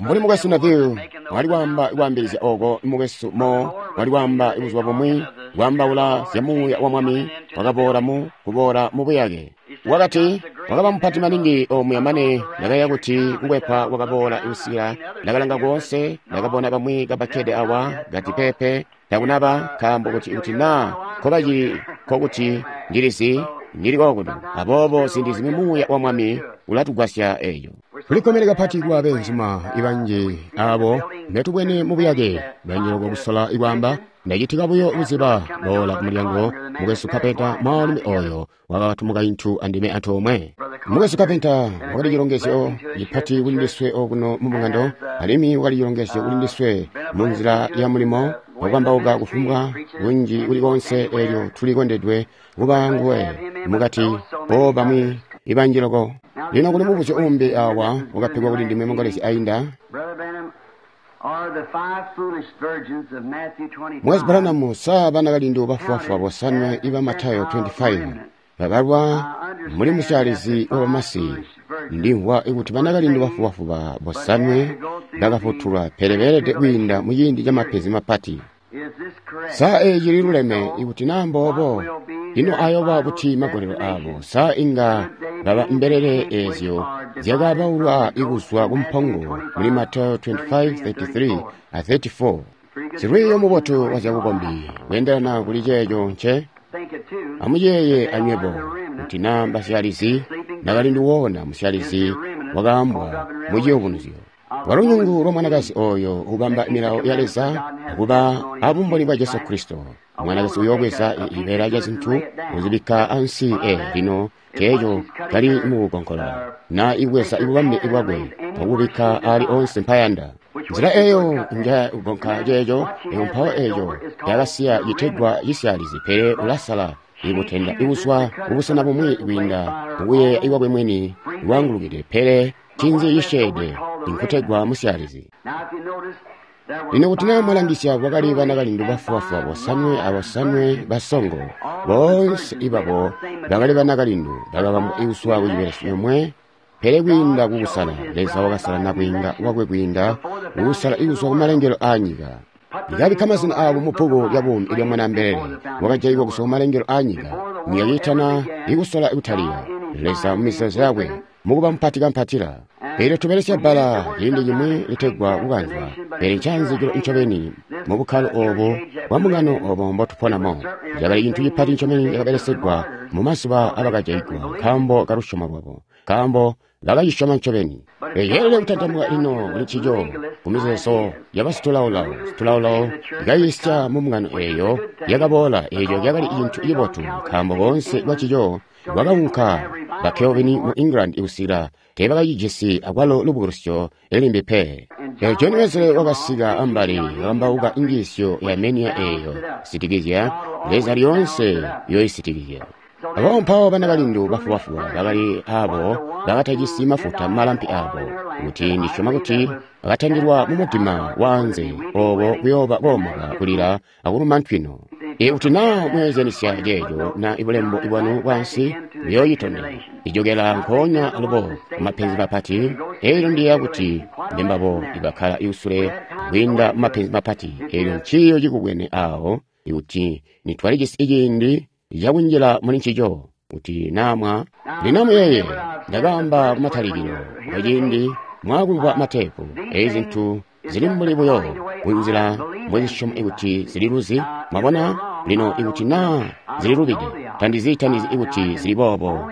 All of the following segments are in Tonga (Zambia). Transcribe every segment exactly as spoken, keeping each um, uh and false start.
Mbuli mukwesu Neville wali kwaamba kwaambilizya oko, mukwesu Mo wali kwaamba buzuba bumwi, kwaambaula zya Muuya wa Mwami wakaboola mu kuboola mu buyake. Wakati wakaba mupati maningi omuya mane ndakayeeya kuti kukwepwa kwakaboola kusikila ndakalanga koonse, ndakabona bamwi kabakkede awa kati peepe takunaba, nkaambo kuti kuti naa nkobacili nkokuti ndilizi ndili kokuno. Aboobo ziindi zimwi Muuya wa Mwami ulatugwasya eeco. Tulikkomene kapati kuba beenzuma banji abo mbetubwene mu buyake banji loko kusola kwaamba. Ndacitika buyo kuziba boola kumulyango mukwesu Carpenter, mwaalumi oyo wakati mukaintu andime antoomwe. Mukwesu Carpenter wakali cilongezyo cipati kuli ndiswe okuno mu mbungano, alimwi wakali cilongezyo kuli ndiswe mu nzila ya mulimo wakukambauka kufumbwa kunji kuli koonse. Eelyo tuli kondedwe kuba nguwe mukati po bamwi ibanji loko. Lino kuli mubuzyo uumbi awa wakapegwa kuli ndime mangolezya ainda. Mukwesu Branham, sa banakalindu bafubafuba bosanwe iba Matayo makumi aali asanu babalwa muli musyaalizi wa bamasi? Ndimvwa kuti banakalindu bafubafuba bosanwe bakafutulwa, pele beelede kwiinda muciindi ca mapenzi mapati. Sa eeci cililuleme? Ikuti naa mboobo, ino ayoba buti magolelo aabo? Sa inga baba mbelele eezyo zyakabaulwa kuzwa kumpongo muli Matayo makumi aali asanu athatu, makumi atatu a makumi atatu ane? Silwiiyo mubotu wa zyabukombi kweendelana kuli ceeco nce amuyeeye anywebo kuti naa mbasyalizi nakalindu woona musyalizi wakaambwa mu ciyubunuzyo. Walunyungu lwa mwanakazi oyo ubamba milawo ya Leza akuba abumboni bwa Jesu Kristo. Mwanakazi uyoobweza cibeela ca zintu kuzibikka ansi e lino ceeco cali mukukonkola na ibweza ibubambe bwakwe akubikka ali onse mpayanda. Nzila eyo nja kugonka ceeco eyo mpawo eeco yakasiya citegwa cisyalizi, pele ulasala ikutenda ikuzwa kubusena bumwi kwiinda mukuyeeya ikwakwe mwini lwaangulukide, pele cinzi cisyeede inkutegwa musyalizi. Lino kuti naa mwalangisya, kwakali banakalindu bafubafuba bosanwe abosanwe basongo. Boonse ibabo bakali banakalindu bakabambwa ikuzwa kucibelesyo comwe, pele kwiinda kukusala Leza wakasala nakwiinga wakwe kwiinda kukusala ikuzwa kumalengelo aanyika. Likabikka mazina aabo mu bbuku lya buumi ilya Mwanaambelele wakajaigwa kuzwa kumalengelo aanyika. Nyika kiitana ikusola kutalika, Leza mumizeezo yakwe mukuba mupati kampatila. Eelyo tubelesya bbala ciindi cimwi litegwa kukanzwa, pele ncaanzikilo ncobeni mu bukkalo oobo bwa mbungano oobo mbotuponamo. Cakali cintu cipati ncobeni cakabelesegwa mu mazuba abakajaigwa nkaambo kalusyomo lwabo, nkaambo bakacisyoma ncobeni. Ceelede kutantamuka lino kuli ncico kumizeezo yabasitulaolao. Situlaolao ikayiisya mu mbungano eeyo yakaboola. Eeco cakali cintu cibotu nkaambo koonse kwancico kwakaunka ba Calvin mu England kusikila teebakacijisi akwalo lubukulusyo limbi pe. John Wesley wakasika ambali wakambauka njiisyo ya menia eeyo sitikizya Leza lyoonse yoisitikizya. Aboobo mpawo banakalindu bafubafuba bakali aabo bakatajisi mafuta mumalampi aabo, kuti ndisyoma kuti bakatandilwa mumudima waanze obo kuyooba koomoka kulila akuluma ntwino. Ikuti naa mweezyanisya ceeco na ibulembo bwanu bwaansi buyooyitondela ijokela nkoonya alubo mumapenzi mapati. Eelyo ndiyeeya kuti mbembabo ibakkala iusule kwiinda mumapenzi mapati. Eelyo nciiyo cikubwene aawo ikuti nitwalijisi ciindi cakunjila muli ncico kuti naamwa. Lino muyeeye ndakaamba kumatalikilo kwaciindi mwaakumvwa mateepu eezi zintu zili mbuli buyo kunzila mwezisyoma ikuti zililuzi. Mwabona lino ikuti naa zililubide, tandizi tandizi ikuti zili boobo.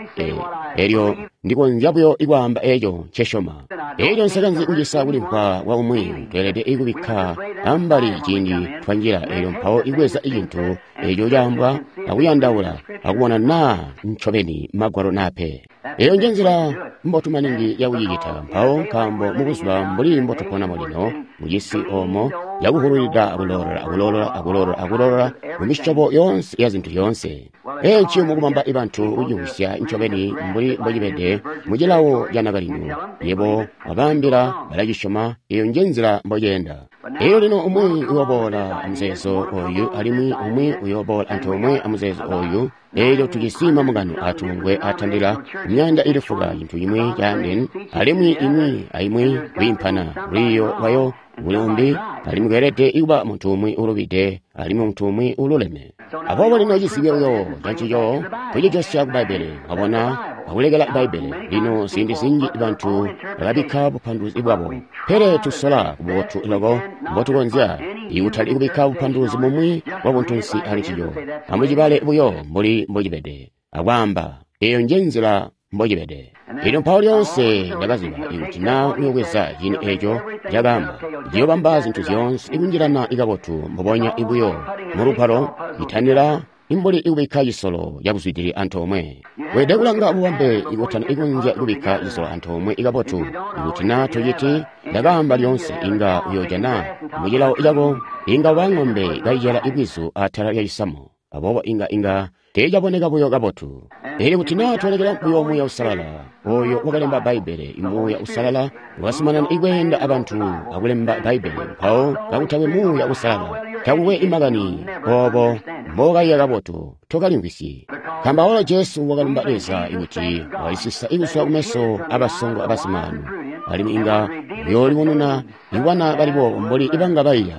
Eelyo ndikonzya buyo ikwaamba eeco ncesyoma. Eelyo nsekanzi kucisa kulimvwa kwa umwi. Tweelede ikubikka ambali ciindi twanjila eelyo mpawo ibweza icintu eeco caambwa akuyandaula akubona naa ncobeni magwalo naa pe. Eeyo njenzila mbotu maningi yakucicita mpawo, nkaambo mubuzuba mbuli mbotuponamo lino mucisi oomo yakuhululida akulolola akulolola akulolola akulolola mumisyobo yoonse ya zintu zyoonse. Eeci mukubamba ibantu kucimvwisya ncobeni mbuli mbocibede mucilawo ca nakalindu. Yebo wabaambila balacisyoma. Eeyo njenzila mboceenda. Elyo lino umwi uyoboola amuzeezo oyu, alimwi umwi uyoboola antoomwe amuzeezo oyu. Elyo tujisi mambungano atubungwe atandila myaanda ili fuka, cintu cimwi caandene, alimwi imwi aimwi kwiimpana lwiiyo lwayo kuli umbi, alimwi kweelede kuba muntu umwi ulubide alimwi muntu umwi ululeme. Aboobo lino cizibyo buyo cancico kucijosya ku Bbaibbele, mwabona, akulekela Bbaibbele. Lino ziindi zinji bantu bakabikka bupanduluzi bwabo, pele tusola kububotu loko mbotukonzya ikutali kubikka bupanduluzi bumwi bwa buntunsi ali ncico. Amucibale buyo mbuli mbocibede, akwaamba eyo nje nzila mbocibede. Elyo mpawo lyoonse ndakaziba ikuti na uyobweza cini eco cakaamba, ciyobamba zintu zyoonse ikunjilana ikabotu mbubonya ibuyo mu lugwalo itanila imbuli ikubikka cisolo cakuzwidili antoomwe. Weelede kulanga bubambe ikutana ikunzya kubikka cisolo antoomwe ikabotu. Ikuti na tociti, ndakaamba lyoonse inga uyoojana mucilawo cako inga uba ng'ombe kaicela ibwizu atala lya cisamu. Aboobo inga inga teecaboneka buyo kabotu. Elyo kuti naa twalekela buyo Muuya Uusalala, oyo wakalemba Bbaibbele, Muuya Uusalala wakazumanana ikweenda abantu akulemba Bbaibbele, mpawo kakutakwe Muuya Uusalala, takukwe imakani obo mbokaiya kabotu, tokalimvwisyi. Nkaambo awalo Jesu wakalumba Leza ikuti walisisa ikuzwa kumeso abasongo abasimaanu, alimwi inga uyoolibonena ibana bali boobo mbuli ibanga baiya.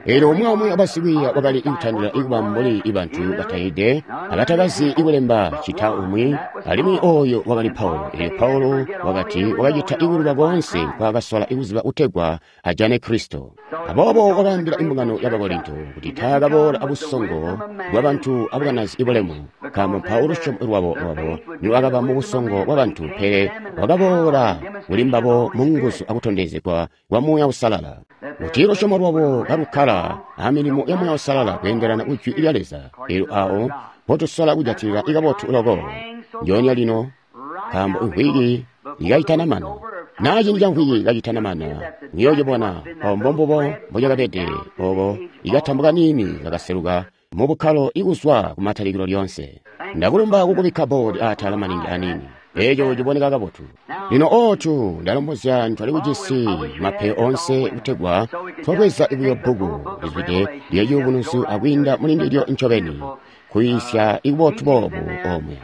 Elyo umwi aumwi wabasikwiiya wakali ikutandila ikuba mbuli ibantu batayide abatakazi ikulemba cita umwi, alimwi oyo wakali Paulo. Elyo Paulo wakati wakacita ikuluba koonse nkwaakasola ikuziba kutegwa ajane Kristo. Aboobo wakaambila imbungano ya Bakorinto kuti taakaboola abusongo bwabantu abukanazi ibulemu, nkaambo mpawo lusyomo lwabo lwabo nilwakaba mubusongo bwabantu, pele wakaboola kuli mbabo munguzu akutondezegwa kwa Muuya Uusalala, kuti lusyomo lwabo kalukkala amilimo ya Muuya Uusalala kweendelana ku Jwi lya Leza. Elyo awo mpotusola kujatilila ikabotu loko ndyoonya lino, nkaambo imvwiki ikayitanamana, naa ciindi ca mvwiki kacitanamana, muyoocibona awo mbombubo mbocakabede obo ikatambo kaniini kakaseluka mu bukkalo ikuzwa kumatalikilo lyoonse. Ndakulumba kukubikka boodi aatala maningi aniini, eco ciboneka kabotu. Lino otu ndalombozya ntwali kujisi mapeyo onse kutegwa twabweza buyo bbuku lizwide lya Ciyubunuzyo akwiinda muli ndilyo ncobeni, kuyisya ikubotu boobu omwe.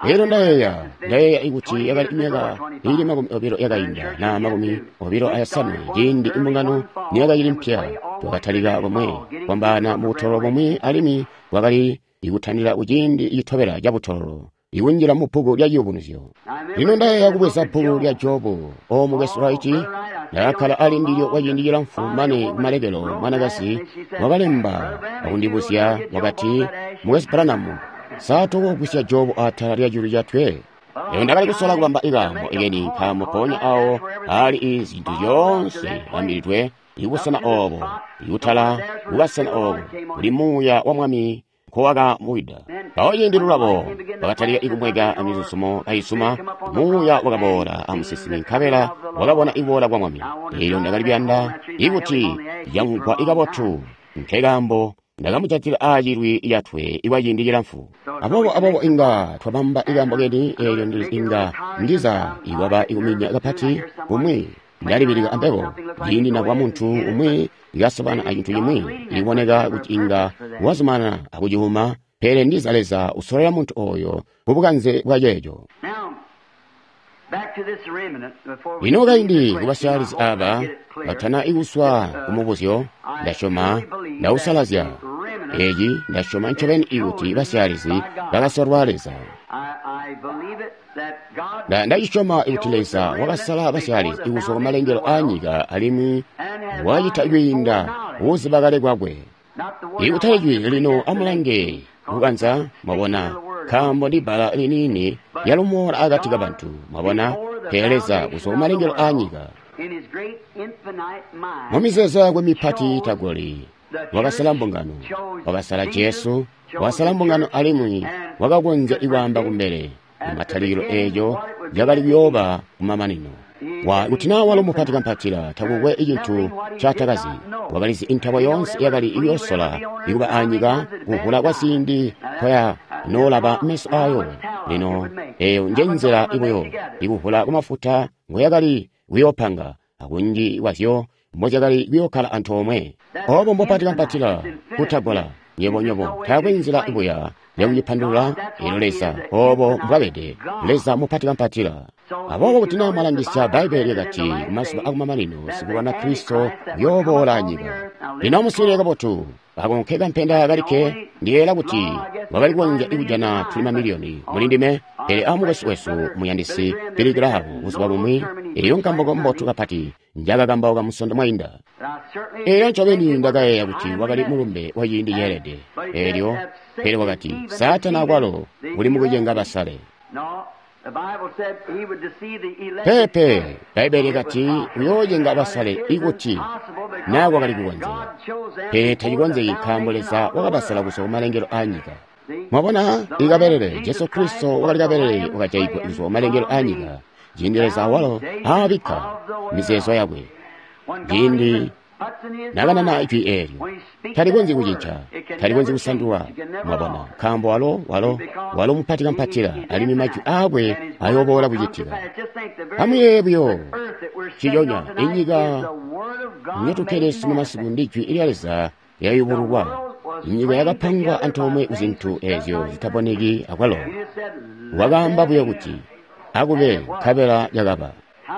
Elyo ndayeeya, ndayeeya ikuti yakali myaka ili makumi obilo yakainda na makumi obilo ayosanwe ciindi imbungano niyakacili mpya, twakatalika komwe kwambaana mubutololo bumwi, alimwi bwakali ikutandila kuciindi citobela cabutololo ikunjila mu bbuku lya Ciyubunuzyo. Lino ndayeeya kubweza bbuku lya Jobu o mukwesu Wright, ndakakkala ali ndilyo kwa ciindi cilamfu mane kumalekelo mwanakazi wakalemba akundibuzya wakati, mukwesu Branham, sa tokogwisya Jobu atala lya culu catwe? Lino ndakali kusola kubamba ikaambo ikeni, nkaambo mpoonya awo aali izintu zyoonse bambilidwe ibusena obo, ikutala kukasena obo kuli Muuya wa Mwami nkowakamuwida. Mpawo ciindi lulabo bakatalika ikumweka amizuzumo kaisuma, Muuya wakaboola amusinsimi, nkabela wakabona iboola kwa Mwami. Elyo ndakali kuyanda ikuti yamvwa ikabotu, nkekaambo ndakamujatila aacilwi lyatwe ikwa ciindi cilamfu. Aboobo aboobo inga twabamba ikaambo keni, eelyo inga ndiza ikwaba ikuminya kapati kumwi. Ndalibilika ambebo ciindi nabwa muntu umwi ikasobana acintu cimwi ikuboneka kuti inga wazumanana akuciuma, pele ndiza Leza usololela muntu oyo kubukanze bwa ceeco. Lino kaindi kubasyalizi aba batana ikuswa kumubuzyo, ndasyoma ndausalazya eci, ndasyoma ncobeni ikuti basyalizi bakasolwa Leza. Ndacisyoma ikuti Leza wakasala basyalizi ikuzwa kumalengelo aanyika, alimwi wacita kwiinda kuziba kale kwakwe. Ikutali jwi lino amulange kukanza, mwabona, nkaambo ndi bbala liniini lyalumoola akati kabantu, mwabona, pele Leza kuzwa kumalengelo aanyika mumizeezo yakwe mipati tagoli wakasala mbungano, wakasala Jesu, wakasala mbungano, alimwi wakakonzya ikwaamba kumbele kumatalikilo eeco cakali kuyooba kumamanino. Kuti naa walo mupati kampatila takukwe icintu ncatakazi, wakalizi intabo yoonse yakali iyoosola ikuba anyika kuvula kwa ziindi kwaya noolaba meso aayo. Lino eeyo njenzila ibuyo ikuvula kwamafuta ngoyakali kuyoopanga, akunji kwazyo mbozyakali kuyokkala antoomwe. Obo mbopati kampatila kutagola. Nywebo nywebo taakwe nzila buya yakucipandulula. Elyo Leza obo mbwabede, Leza mupati kampatila. Aboobo kuti naa mwalangisya Bbaibbele lyakati kumazuba akumamanino sikulwana Kristo uyooboola anyika. Lino amuswiilile kabotu. Ako nke kampenda kalikke ndiyeeyela kuti wakali kukonzya kujana tuli mamiliyoni muli ndime, pele amukwesu wesu muyandisi Billy Graham buzuba bumwi, eyo nkambauko mbotu kapati njakakambauka musondo mwainda. Elyo ncobeni ndakayeeya kuti wakali mulumbe wa ciindi ceelede. Elyo pele wakati Saatani akwalo uli mukucenga basale. Peepe, Bbaibbele lyakati uyoocenga basale ikuti naa kwakali kukonzeka. Pele tacikonzeki nkaambo Leza wakabasala kuzwa kumalengelo aanyika. Mwabona, ikabelele Jesu Kristo wakali kabelele wakajaigwa kuzwa kumalengelo aanyika, ciindi Leza awalo aabikka mizeezo yakwe. Ciindi nakanana ijwi eelyo, talikonzyi kucinca, talikonzyi kusandulwa. Mwabona, nkaambo walo walo walo mupati kampatila, alimwi majwi aakwe ayooboola kucitika. Amuyeeye buyo ciconya inyika nyotukkede sunu masiku ndi jwi lya Leza lyayubululwa. Inyika yakapangwa antoomwe kuzintu eezyo zitaboneki akwalo. Wakaamba buyo kuti akube, nkabela yakaba.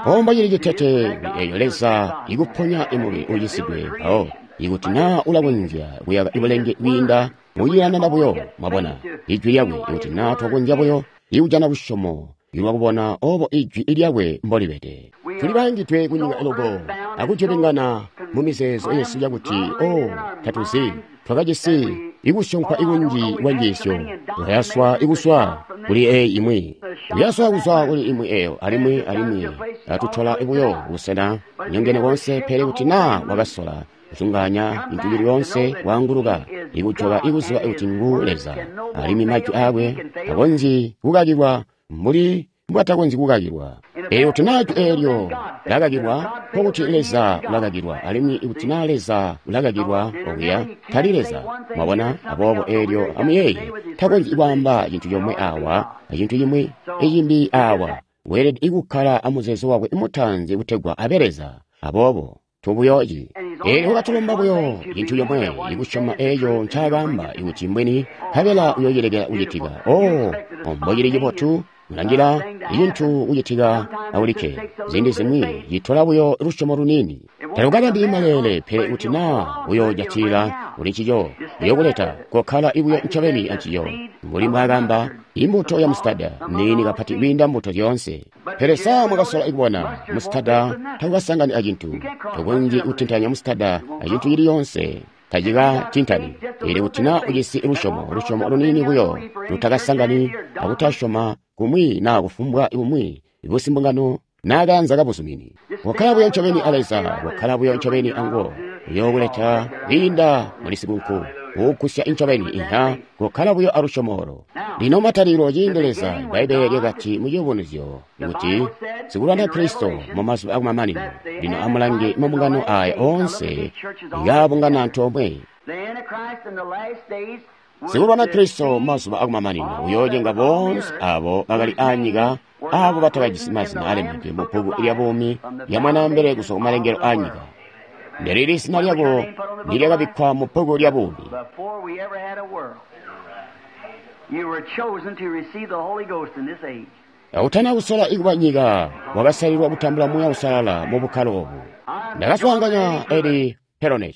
Pomba cili citete kuli eeyo Leza ikuponya imubili ucisidwe mpawo ikuti naa ulakonzya kuyaka ibulenge kwiinda mukuciyanana buyo. Mwabona ijwi lyakwe, ikuti naa twakonzya buyo ikujana lusyomo lwakubona obo ijwi lyakwe mbolibede. Tuli baangidwe kunyika loko akutyolengana mu mizeezo yesu yakuti o tatuzi twakajisi ikusyompa ikunji kwa njiisyo, twayaswa ikuswa kuli eyi imwi, kuyaswa kuzwa kuli imwi eyo, alimwi alimwi atutola buyo busena nyongene konse. Pele kuti naa wakasola kuzunganya cintu cili yoonse, waanguluka ikujoka ikuziba kuti ngu Leza, alimwi majwi aakwe takonzyi kukakilwa mbuli mbwatakonzyi kukakilwa. Elyo kuti naa jwi eelyo lakakilwa, nkokuti Leza ulakakilwa, alimwi ikuti naa Leza ulakakilwa okuya tali Leza. Mwabona? Aboobo eelyo amuyeeye, takonzyi kwaamba cintu comwe awa acintu cimwi icimbi awa. Weelede kukkala amuzeezo wakwe mutaanzi kutegwa abe Leza. Aboobo tubuyoci. Eelyo wakatulomba buyo cintu comwe, ikusyoma eeco ncaakaamba ikuti mbwini, nkabela uyoocilekela kucitika. Oh, mbocili cibotu kulangila icintu kucitika awulikke. Ziindi zimwi citola buyo lusyomo luniini. Talukabambi maleele, pele kuti naa uyoojatila kuli ncico, uyokuleta kokkala ibuyo ncobeni ancico. Mbuli mbwaakaamba, imbuto ya musitada niini kapati kwiinda mbuto zyoonse. Pele saa mwakasola ikubona musitada takukasangani acintu. Tokonzyi kutintanya musitada acintu cili yoonse. Tacikatintani. Pele kuti naa ujisi lusyomo, lusyomo luniini buyo lutakasangani akutasyoma kumwi naa kufumbwa kumwi busimbungano naa kaanza kabuzumini. Kokkala buyo ncobeni a Leza, kokkala buyo ncobeni anguwo, uyookuleta kwiinda muli sikunku uugusya ncobeni inha, kokkala buyo alusyomo olo. Lino matalikilo ciindi Leza, Bbaibbele lyakati mu Ciyubunuzyo kuti sikulwana Kristo mu mazuba akumamanino. Lino amulange mabungano aya oonse yaabungana antoomwe. Sikulwana Kristo mu mazuba akumamanino uyoocenga boonse abo bakali aanyika, abo batakajisi mazina alembedwe mu bbuku lya buumi lya Mwanaambele kuzwa kumalengelo aanyika. Ndelili zina lyako ndilyakabikkwa mu bbuku lya buumi. Utana kusola ikuba nyika, wakasalilwa kutambula Muuya Uusalala mu bukkalo obu. Ndakaswaanganya Eli Peronet.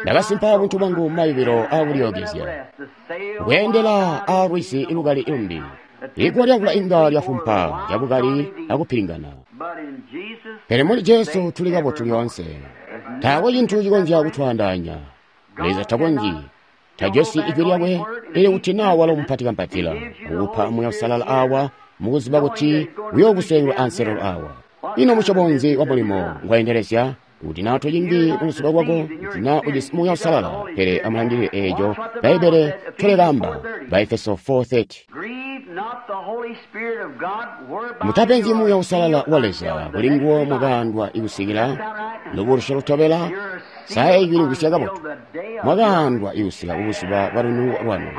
Ndakasimpa buntu bwangu mumayubilo aakulyookezya, kweendela aalwizi lukali lumbi. Iguwa lyamvula inga lyafumpa cabukali akupilingana, pele muli Jesu tuli kabotu lyoonse. Taakwe cintu cikonzya kutwaandaanya. Leza takonzyi, tajosi ijwi lyakwe, ili kuti naa walo mupati kampatila ukupa Muuya Uusalala awa mukuziba kuti uyookuselelwa anselelo awa. Ino musyobo nzi wa mulimo ngwaendelezya? Kuti naa tocingi kuluzuba lwako, kuti naa ujisi Muuya Uusalala. Pele amulangilile eeco Bbaibbele ncolikaamba, Baefeso four thirty. Mutapenzyi Muuya Uusalala wa Leza, kuli nguwo mwakaandwa ikusikila lubulusyo lutobela. Saa eeci limvwisya kabotu. Mwakaandwa ikusika kubuzuba bwa lununuko lwanu.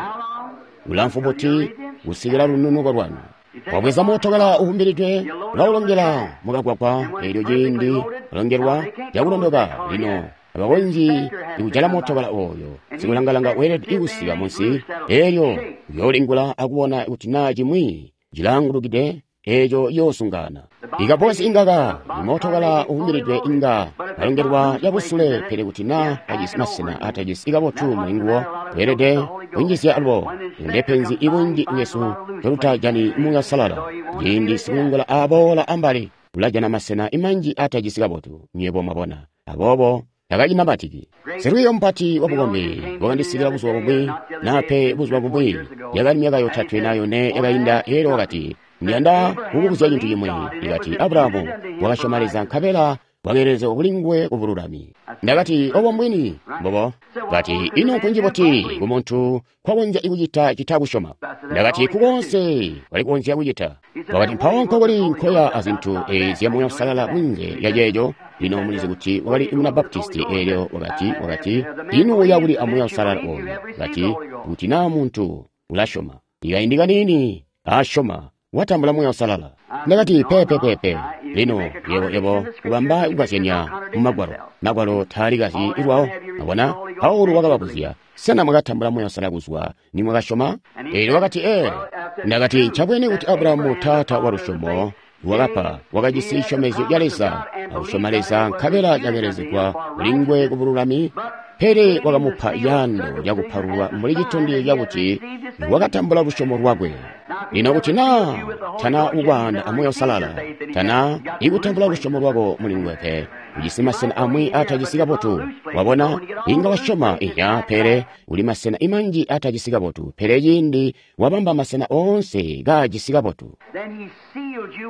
Bulamfu buti kusikila lununuko lwanu? Wabweza mootokala uwumbilidwe, ulawulongela mukagwagwa. Eelyo ciindi ulongelwa cakulondoka, lino abakonzyi kujala mootokala ooyo. Sikulangalanga weelede kusika munsi, eelyo uyoolingula akubona kuti naa cimwi cilaangulukide, eeco ciyoosungana. Ikabbosi ingaka imootokala uwumbilidwe inga alongelwa cabusule, pele kuti naa kajisi masena atajisi kabotu mulinguwo, weelede kunjizya alubo. Ndepenzi ibunji bwesu tolutajani Muuya Uusalala. Ciindi sikulingula aboola ambali, ulajana masena imanji atajisi kabotu, nywebo mwabona. Aboobo takacinamatiki. Silwiiyo mupati wabukombi wakandisikila buzuba bumwi, naa pe buzuba bumwi, yakali myaka yotatwe naa yone yakainda. Eelyo wakati, ndiyanda kukubuzya cintu cimwi. Ikati, Abrahamu wakasyoma Leza nkabela wakeelezegwa kuli nguwe kubululami. Ndakati, obo mbwini mbobo. Kati, ino nkunji buti kumuntu kwakonzya kucita citakusyoma? Ndakati, kukonse wali kukonzya kucita. Wakati, mpawo nkokuli nkoya azintu eezi Muuya Uusalala kunze lya ceeco? Lino mulizi kuti wakali muna Baptisti. Eelyo wakati, wakati, ino uya kuli a Muuya Uusalala ooyu? Kati, kuti naa muntu ulasyoma, ikaindi kaniini asyoma, watambula Muuya Uusalala. Ndakati, pepe pepe. Lino yebo yebo ubamba kukazyanya mu Magwalo. Magwalo taali kazyi lwawo. Abona, Paulo wakababuzya, sena mwakatambula Muuya Uusalala kuzwa nimwakasyoma? Eelyo wakati, ee. Ndakati, ncabwene kuti Abrahamu taata wa lusyomo wakapa, wakajisi cisyomezyo ca Leza, akusyoma Leza nkabela cakelezegwa kuli nguwe kubululami, pele wakamupa yando lyakupalulwa mbuli citondezyo cakuti wakatambula lusyomo lwakwe. Lino kuti naa tana kukwaanda a Muuya Uusalala, tana ikutambula lusyomo lwako muli nguwe pe, ujisi masena amwi atajisi kabotu. Wabona, inga wasyoma ihya, pele uli masena imanji atajisi kabotu. Pele ciindi wabamba masena oonse kaajisi kabotu,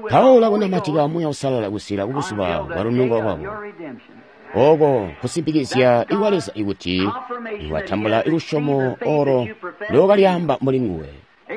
Paulo akunamatika Muuya Uusalala kusika kubuzuba bwa lununuko lwako. Oko kusimpikizya ikwa Leza ikuti watambula lusyomo olo lookalyaamba muli nguwe.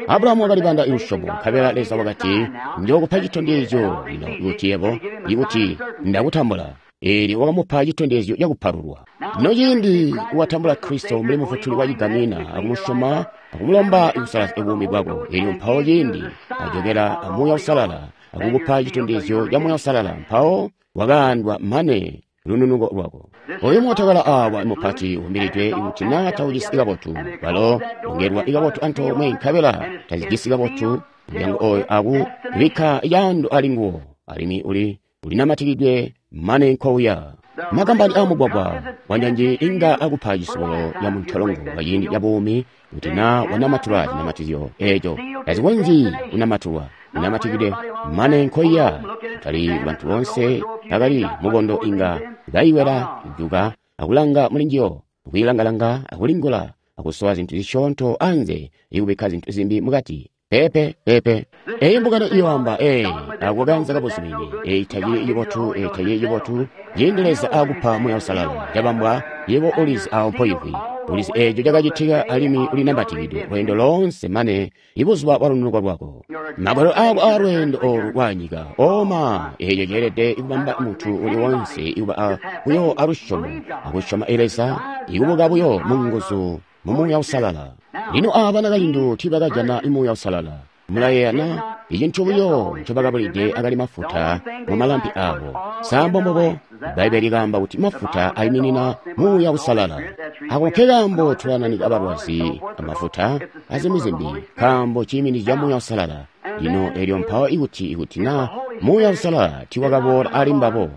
Abrahamu wakalibanda lusyomo, nkabela Leza wakati, njookupa citondezyo lino kuti yebo, ikuti ndakutambula. Eelyo wakamupa citondezyo cakupalulwa. Lino ciindi watambula Kristo mbuli Mufutuli wa cigamina, akumusyoma, akumulomba ikusalazya buumi bwako, eelyo mpawo ciindi ajokela a Muuya Uusalala akukupa citondezyo ca Muuya Uusalala, mpawo wakaandwa mane lununuko lwako. Oyu mootokala awa mupati umbilidwe kuti naa taujisi kabotu, balo longelwa kabotu antoomwe nkabela tazijisi kabotu mulyango oyo aku bikka yando ali nguwo, alimwi uli ulinamatikidwe mane nkouya. Makambani amugwagwa wanjanji inga akupa cisubulo ya muntolongo kaciindi ca buumi kuti naa wanamatula cinamatizyo eeco tazikonzyi kunamatulwa, inamatikidwe mane nkoiya. Kutali bantu boonse bakali mukondo inga bayiwela juka akulanga mulinjiyo, akuilangalanga, akulingula, akusowa zintu zisyoonto anze, ikubikka zintu zimbi mukati. Pepe pepe. Eyi mbungano iyoamba, ee, ako kaanza kabuzumini, eyi tacili cibotu, eyi tacili cibotu. Ciindi Leza akupa Muuya Uusalala, cabambwa, yebo ulizi awo mpoimvwi, ulizi eeco cakacitika, alimwi ulinambatikidwe lweendo loonse mane ibuzuba bwa lununuko lwako. Magwalo ako aalweendo oolu lwanyika oma, eeco ceelede kubamba muntu uli wonse ikuba buyo alusyomo, akusyoma Leza, ikubuka buyo munguzu mu Muuya Uusalala. Lino aaba banakalindu tiibakajana Muuya Uusalala. Mulayeeya na? Icintu buyo ncobakabulide akali mafuta mu malampi aabo. Sambo mbobo, Bbaibbele likaamba kuti mafuta ayiminina Muuya Uusalala. Ako nke kaambo tulananika abalwazi amafuta azimwi zimbi, nkaambo ciiminizya Muuya Uusalala. Lino eelyo mpawo ikuti ikuti naa Muuya Uusalala tiiwakaboola ali mbabo,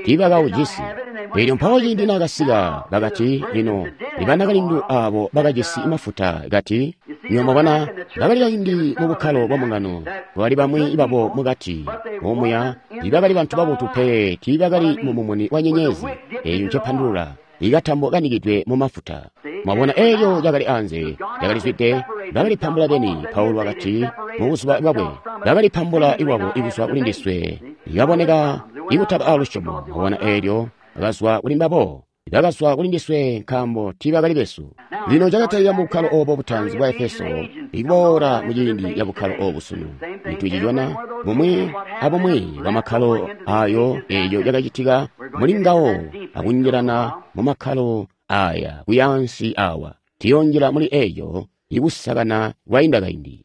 tiibakawujisi. Eelyo mpawo ciindi naakasika, bakati, lino ibanakalindu aabo bakajisi mafuta, kati, nywebo mwabona, bakali kaindi mu bukkalo bwa mbungano, bakali bamwi babo mukati omuya, tiibakali bantu babotu pe, tiibakali mu mumuni wa nyenyezi. Eeyo ncepandulula ikatambo kanikidwe mu mafuta. Mwabona, eeyo cakali anze, cakalizwide, bakalipambula beni. Paulo wakati mubuzuba bwakwe, bakalipambula iwabo ikuzwa kuli ndiswe, ikaboneka ikutaba alusyomo. Mwabona, eelyo bakazwa kuli mbabo, bakazwa kuli ndiswe nkaambo tiibakali besu. Lino cakatalika mu bukkalo oobo butaanzi bwa Efeso, ikuboola muciindi ya bukkalo oobu sunu. Cintu cicona bumwi abumwi bwa makkalo ayo, eeyo yakacitika muli ngawo akunjilana mu makkalo aya kuyaansi awa. Tiyonjila muli eeyo ikusakana kwainda kaindi.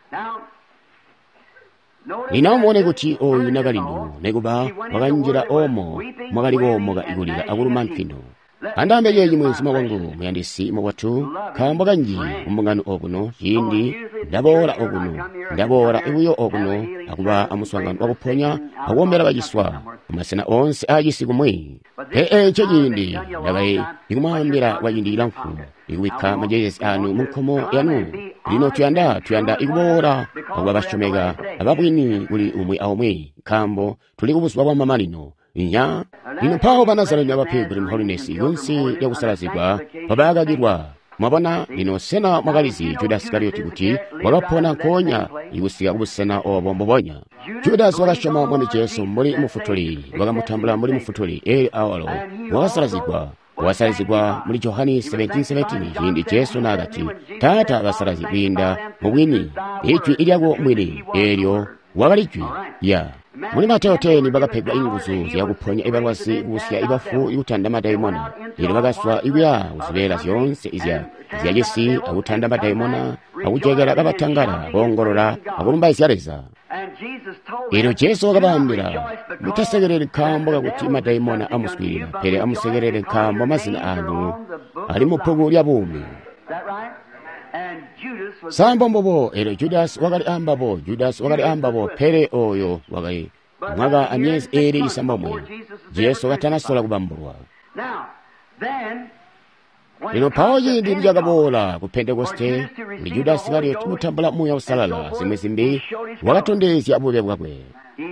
Lino amubone kuti oyu nakalindu nekuba wakanjila omo mwakali koomoka ikulila akuluma ntwino. Andaambe ceeci mweenzuma wangu muyandisi mubotu, nkaambo kanji mumbungano okuno ciindi ndaboola okuno, ndaboola buyo okuno akuba amuswaangano wakuponya akuombela baciswa mumasena oonse aacisi kumwi. Pele eco ciindi ndakali ikumwaambila kwaciindi cilamfu ikubikka majeesi anu munkomo yanu. Lino tuyanda tuyanda ikuboola akuba basyomeka ababwini kuli umwi aumwi, nkaambo tuli kubuzuba bwa mamanino. Inya lino mpawo ba Nazareni aba Pilgrim Holiness kunsi lyakusalazigwa mpabaakakilwa. Mwabona lino, sena mwakalizi Judas Iskarioti kuti wakapona nkoonya ikusika kubusena obo mbubonya? Judas wakasyoma Mwami Jesu mbuli mufutuli, wakamutambula mbuli mufutuli, eelyo awalo wakasalazigwa. Wasalazigwa muli Johani seventeen seventeen ciindi Jesu naakati, Taata basalazi kwiinda mubwini, ijwi lyako mwini, eelyo wakali jwi ya. Muli Mateo ten bakapegwa inguzu zyakuponya ibalwazi, kubusya ibafu, ikutanda madaimona. Elyo bakaswa ikuya kuzibeela zyoonse izya zyacisi akutanda madaimona, akujokela kabatangala, boongolola akulumbaizya Leza. Elyo Jesu wakabaambila, mutasekeleli nkaambo kakuti madaimona amuswiilila, pele amusekelele nkaambo mazina anu ali mubbuku lya buumi. Sambo mbobo. Elyo Judas wakali ambabo, Judas wakali ambabo, pele oyo wakali mwaka amyezi eeli isambomwe Jesu katanasola kubambulwa. Lino mpawo ciindi nicakaboola ku Pentekoste, kuli Judas Iskarioti kutambula Muuya Uusalala, zimwi zimbi wakatondezya bube bwakwe.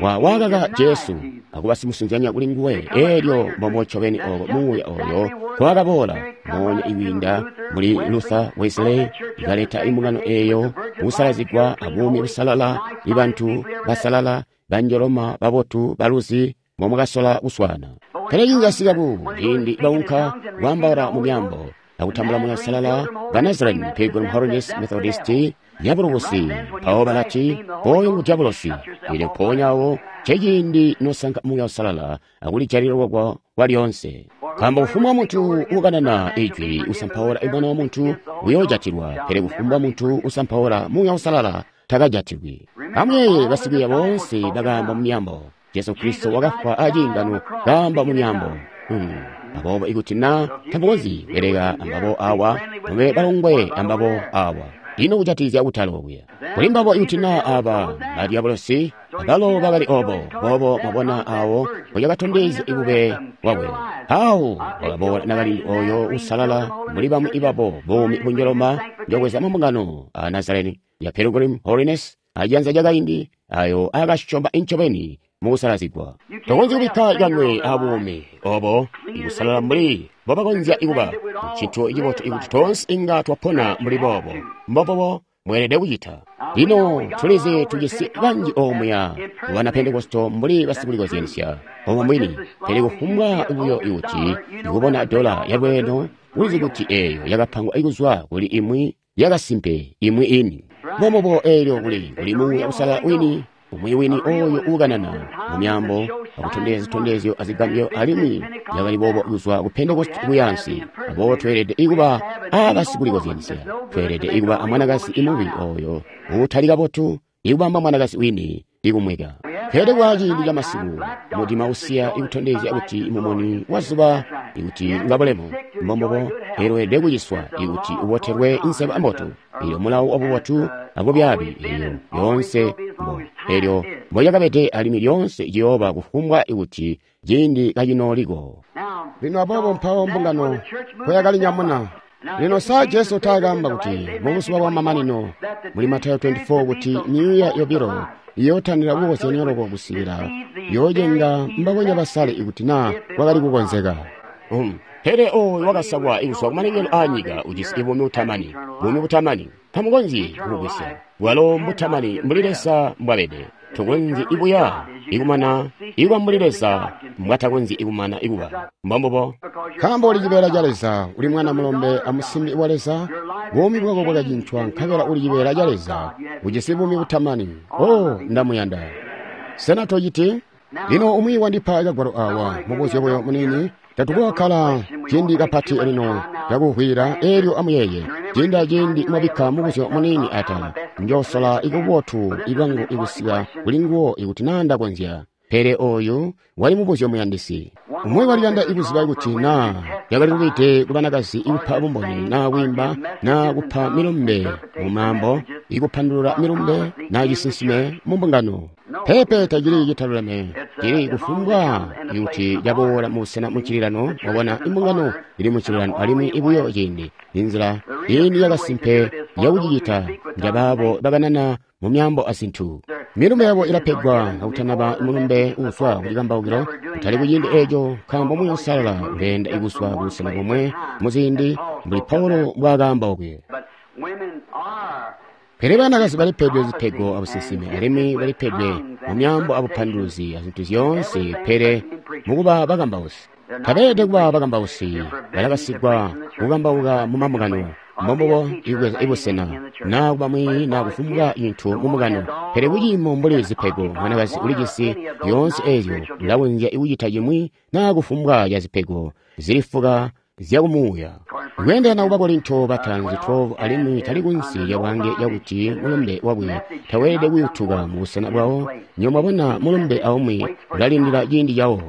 Wa wakaka Jesu akuba simusunzyanya kuli nguwe. Eelyo mbomo ncobeni oko Muuya oyo kwakaboola moonya ikwiinda muli Luther, Wesley, ikaleta imbungano eeyo kusalazigwa abuumi busalala, ibantu basalala, banjoloma, babotu, baluzi, momwakasola kuswaana. Pele ciindi ku ciindi baunka kwaambaula mu myaambo akutambula Muuya Uusalala, ba Nazarene, Pilgrim Holiness, Methodist, dyabulosi, mpawo balati, oyo ngu dyabulosi. Elyo mpoonya awo nceciindi nosanka Muuya Uusalala akulijalilwa kwa kwalyoonse. Nkaambo kufumbwa muntu ukanana ijwi usampaula Mwana wa Muntu uyoojatilwa, pele kufumbwa muntu usampaula Muuya Uusalala takajatilwi. Amuyeeye basikwiiya boonse bakaamba mu myaambo. Jesu Kristo wakafwa aciingano kaamba mu myaambo. Hmm. Aboobo ikuti na tamukonzyi kubeleka ambabo awa, mube balongwe ambabo awa. Ino kujatikizya kutala okuya kuli mbabo, ikuti na aba badyabolosi abalo bakali obo boobo, mwabona awo mbolyakatondezya ibube bwakwe. Awo wakaboola nakalindu oyo usalala muli bamwi ibabo buumi bunjoloma njokweza mumbungano a Nazareni ya Pilgrim Holiness ajanza lyakaindi ayo akasyoma incobeni mukusalazigwa. Tokonzyi kubikka kanwe abuumi obo ikusalala mbuli mbobakonzya ikuba. Ncintu cibotu ikuti toonse inga twapona mbuli boobo. Mbobobo mweelede kucita. Lino tulizi tujisi banji omuya bana Pentekosto mbuli basikulikozyanisya omo mwini, pele kufumbwa buyo ikuti ikubona dola yalweeno, ulizi kuti eeyo yakapangwa ikuzwa kuli imwi yakasimpe imwi ini. Mbomubo eelyo kuli kuli Muuya Uusalala wini, umwi wini oyo uukanana mu myaambo akutondezya zitondezyo azigambyo, alimwi yakali boobo kuzwa ku Pentekoste kuyansi. Aboobo tweelede ikuba abasikulikozyanisya, tweelede ikuba amwanakazi imubi oyo uutali kabotu, ikubamba mwanakazi wini ikumweka. Pele kwa ciindi ca masiku mudima usiya ikutondezya kuti mumuni wa zuba ikuti ngabulemu. Mbombobo eelweelede kuciswa ikuti ubotelwe inseba mbotu. Eelyo mulawo wabubotu abubyaabi eyo yoonse mbo eelyo mbolyakabede, alimwi lyoonse ciyooba kufumbwa ikuti ciindi kacinooliko. Lino aboobo mpawo mbungano mpoyakalinyamuna. Lino sa Jesu taakaamba kuti mubuzuba bwa mamanino muli Matayo twenty four kuti myuuya yobilo iyootanira kukozyanya loko kusikila yoocenga mbabonya basale ikuti naa kwakali kukonzeka. Um, pele oyo wakasakwa ikuzwa kumalengelo aanyika ujisi buumi butamani, buumi butamani tamukonzyi kubugwisya. Bwalo mbutamani mbuli Leza mbwabede. Tokonzyi ibuya ikumana ikuba mbuli Leza mbwatakonzyi ikumana ikuba. Mbombubo. Nkaambo uli cibeela ca Leza, uli mwana mulombe amusimbi wa Leza, buumi bwako bwakacincwa nkabela uli cibeela ca Leza, ujisi buumi butamani. Oh, ndamuyanda. Sena tociti? Lino umwi wandipa kagwalo awa, mubuzyo buyo muniini. Tatukokkala ciindi kapati lino, cakuvwiila. Elyo amuyeeye, ciindi aciindi mwabikka mubuzyo muniini atala, Njosola ikubotu ibwangu ikusika kuli nguwo ikuti naa ndakonzya. Pele oyu wali mubuzyo muyandisi. Umwi waliyanda ikuziba kuti naa yakali lubide kubanakazi ikupa bumboni naa kwiimba naa kupa milumbe mu maambo, ikupandulula milumbe naa cisinsime mu mbungano. Peepe tacili citaluleme, cili kufumbwa ikuti caboola mubusena mucililano. Mwabona, imbungano ili mucililano alimwi ibuyo ciindi inzila ini yakasimpe yakucicita njabaabo bakanana mu myaambo azintu. Milumbe yabo ilapegwa kakutanaba mulumbe uuzwa kucikambaukilo, kutali kuciindi eeco, nkaambo Muuya Uusalala uleenda ikuzwa kubusena bomwe muziindi mbuli Paulo mbwaakaamba okwe. Pele banakazi balipedwe zipego abusinsimi alimwi balipedwe mu myaambo abupanduluzi azintu zyoonse, pele mukuba bakambausi. Tabeelede kuba bakambausi, balakasigwa kukambauka mu mambungano, mbombubo ikubweza ibusena naa kuba mwiiyi naa kufumbwa cintu mu mbungano. Pele kuciimo mbuli zipego, mwanakazi ulijisi zyoonse eezyo, ulakonzya kucita cimwi naa kufumbwa ca zipego zilifuka zyakumuuya. Kweendelana ku Bakorinto bataanzi twelve, alimwi tali kunsi lyabwaange yakuti mulumbe wakwe taweelede kuyutuka mu busena bwawo. Nywebo mwabona, mulumbe aumwi ulalindila ciindi cawo.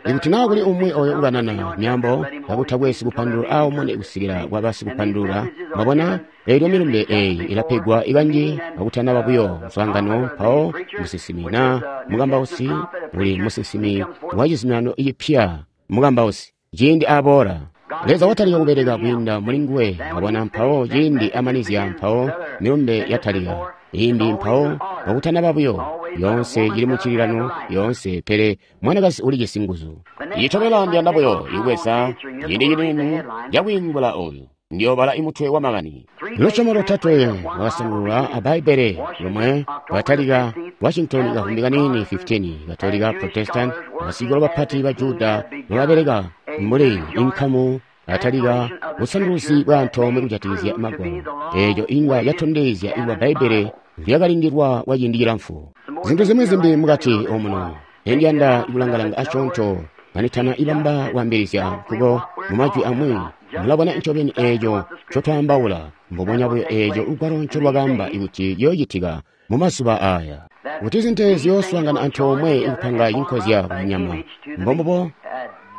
Ikuti naa kuli umwi oyo ukanana myaambo kakutakwe sikupandulula aumune kusikila kwaba sikupandulula, mwabona, eelyo milumbe eeyi ilapegwa ikanji kakutanaba buyo muswaangano. Mpawo musinsimi naa mukambausi uli musinsimi wa cizuminano cipya, mukambausi ciindi aboola Leza watalika kubeleka kwiinda muli nguwe, mwabona, mpawo ciindi amanizya, mpawo milumbe yatalika imbi, mpawo kakutanaba buyo yoonse cili mucililano yoonse. Pele mwanakazi ulijisi nguzu. Itobela ndiyanda buyo ikubweza ciindi ciniini cakwiingula oyu. Ndiyoobala imutwe wa makani. Lusyomo lotatwe lwakasandulula a Bbaibbele lomwe lwatalika Washington kavumbi kaniini fifteen, Katolika, Protestant, abasikolo bapati ba Juda nobabeleka mbuli inkamu atalika busanduluzi bwa antoomwe kujatikizya Magwalo. Eeco inga yatondezya ikuba Bbaibbele lyakalindilwa kwa ciindi cilamfu. Zintu zimwi zimbi mukati omuno endiyanda kulanga-langa asyoonto kanitana ibamba kwaambilizya nkuko. Mu majwi amwi, mulabona ncobeni eeco ncotwaambaula, mbubonya buyo eeco lugwalo ncolwakaamba ikuti ciyoocitika mu mazuba aaya, kuti zintu ziyooswaangana antoomwe ikupanga cinkozya kunyama. Mbombubo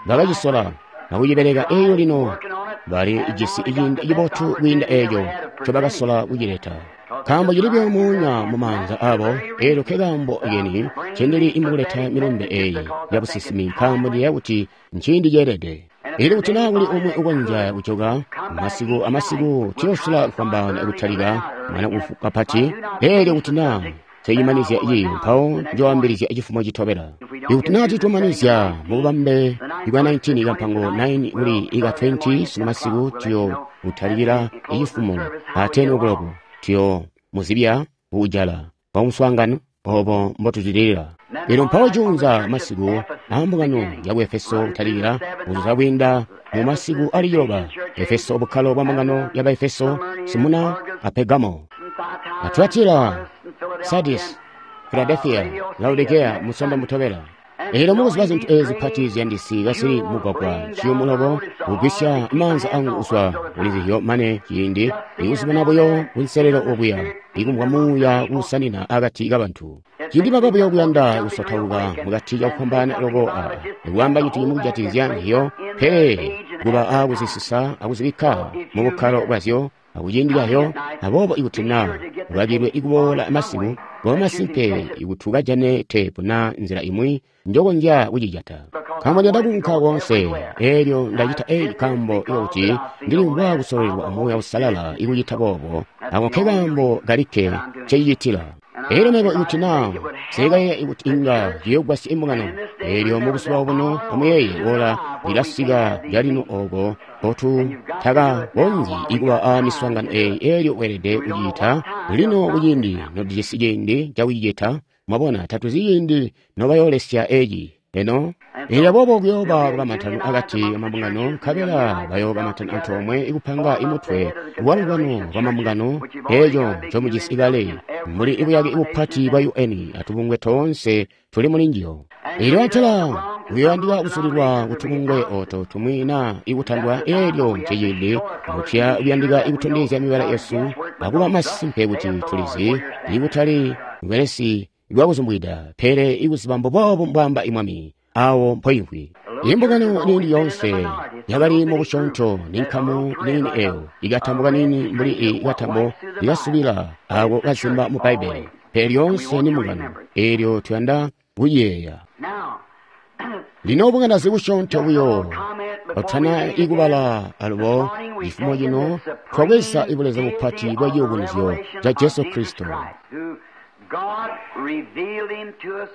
bakacisola akucibeleka, eelyo lino bali jisi ciindi cibotu kwiinda eeco ncobakasola kucileta, nkaambo cili buyo muunya mu maanza abo. Eelyo nkekaambo keni ncendili imukuleta milumbe eeyi yabusinsimi, nkaambo ndiyeeya kuti nciindi ceelede. Ili kuti naa kuli umwi ukonzya kujoka masiku amasiku, tuyoosola kufwambaana kutalika mwana kapati. Eelyo kuti naa seimanizya ciiyo, mpawo njoambilizya cifumo citobela. Ikuti naa titumanizya mububambe ibwa nineteen kampango nine kuli ika twenty sunu masiku, tuyo kutalikila icifumo a ten o'clock. Tuyo muzibya kuujala kwa muswaangano obo mbotucilila. Elyo mpawo juunza masiku aambungano yaku Efeso kutalikila kuzuza kwiinda mu masiku ali ciloba, Efeso, bukkalo bwa mbungano ya Baefeso, Simuna a Pergamo, a Tuatira, Sardis, Philadelphia, Laodicea, musonda mutobela. Eelyo mukuziba zintu eezi zipati ziyandisi kasili mugwagwa ciyumu loko kugwisya maanza angu kuzwa kuli zizyo mane ciindi ikuzibona buyo kunselelo okuya, ikumvwa muuya kuusanina akati kabantu. Ciindi baba buyo kuyanda kusotauka mukati cakufwambaana loko a ikwaamba cintu cimwi kujatikizya njiyo, pele kuba aakuzisisa akuzibikka mu bukkalo bwazyo akuciindi cazyo. Aboobo ikuti naa ukakilwe ikuboola masiku, kuba masimpe ikuti ukajane teepu naa nzila imwi njokonzya kucijata, nkaambo ndiyanda kuunka koonse. Eelyo ndacita eeci nkaambo ikuti ndilimvwa kusololelwa Muuya Uusalala ikucita boobo. Ako nkekaambo kalikke ncecicitila. Eelyo mebo ikuti naa nseekayeeya ikuti inga ciyoogwasya imbungano. Eelyo mubuzuba obuno amuyeeye, ola lilasika lyalino ooko mpotu takakonzyi ikuba a miswaangano eeyi. Eelyo weelede kucicita lino kuciindi notujisi ciindi cakucicita. Mwabona, tatuzi ciindi nobayoolesya eeci. Eno elyo aboobo kuyooba lukamantano akati kamabungano, nkabela bayookamantana antoomwe ikupanga imutwe wa lubano lwa mabungano, eeco ncomujisi kale mbuli ibuyake bupati bwa U N atubungwe toonse tuli muli njiyo. Elyo antela kuyoyandika kusulilwa kutubungwe oto tumwi naa ikutandwa, eelyo nceciindi mutuya kuyandika ikutondezya mibala yesu akuba masimpe kuti tulizi ikutali bwelesi lwakuzumbwida, pele ikuziba mbuboobu mbwaamba imwami awo mpoimvwi. Imbungano niini yoonse yakali mubusyoonto ni nkamu niini eyo ikatambo kaniini mbuli ikatambo ikasubila ako kazimba mu Bbaibbele, pele lyoonse ni mbungano, eelyo tuyanda kuyeeya. Lino bunganazi busyoonto buyo otana ikubala alubo cifumo cino twabweza ibuleza bupati bwa ciyubunuzyo ca Jesu Kristo.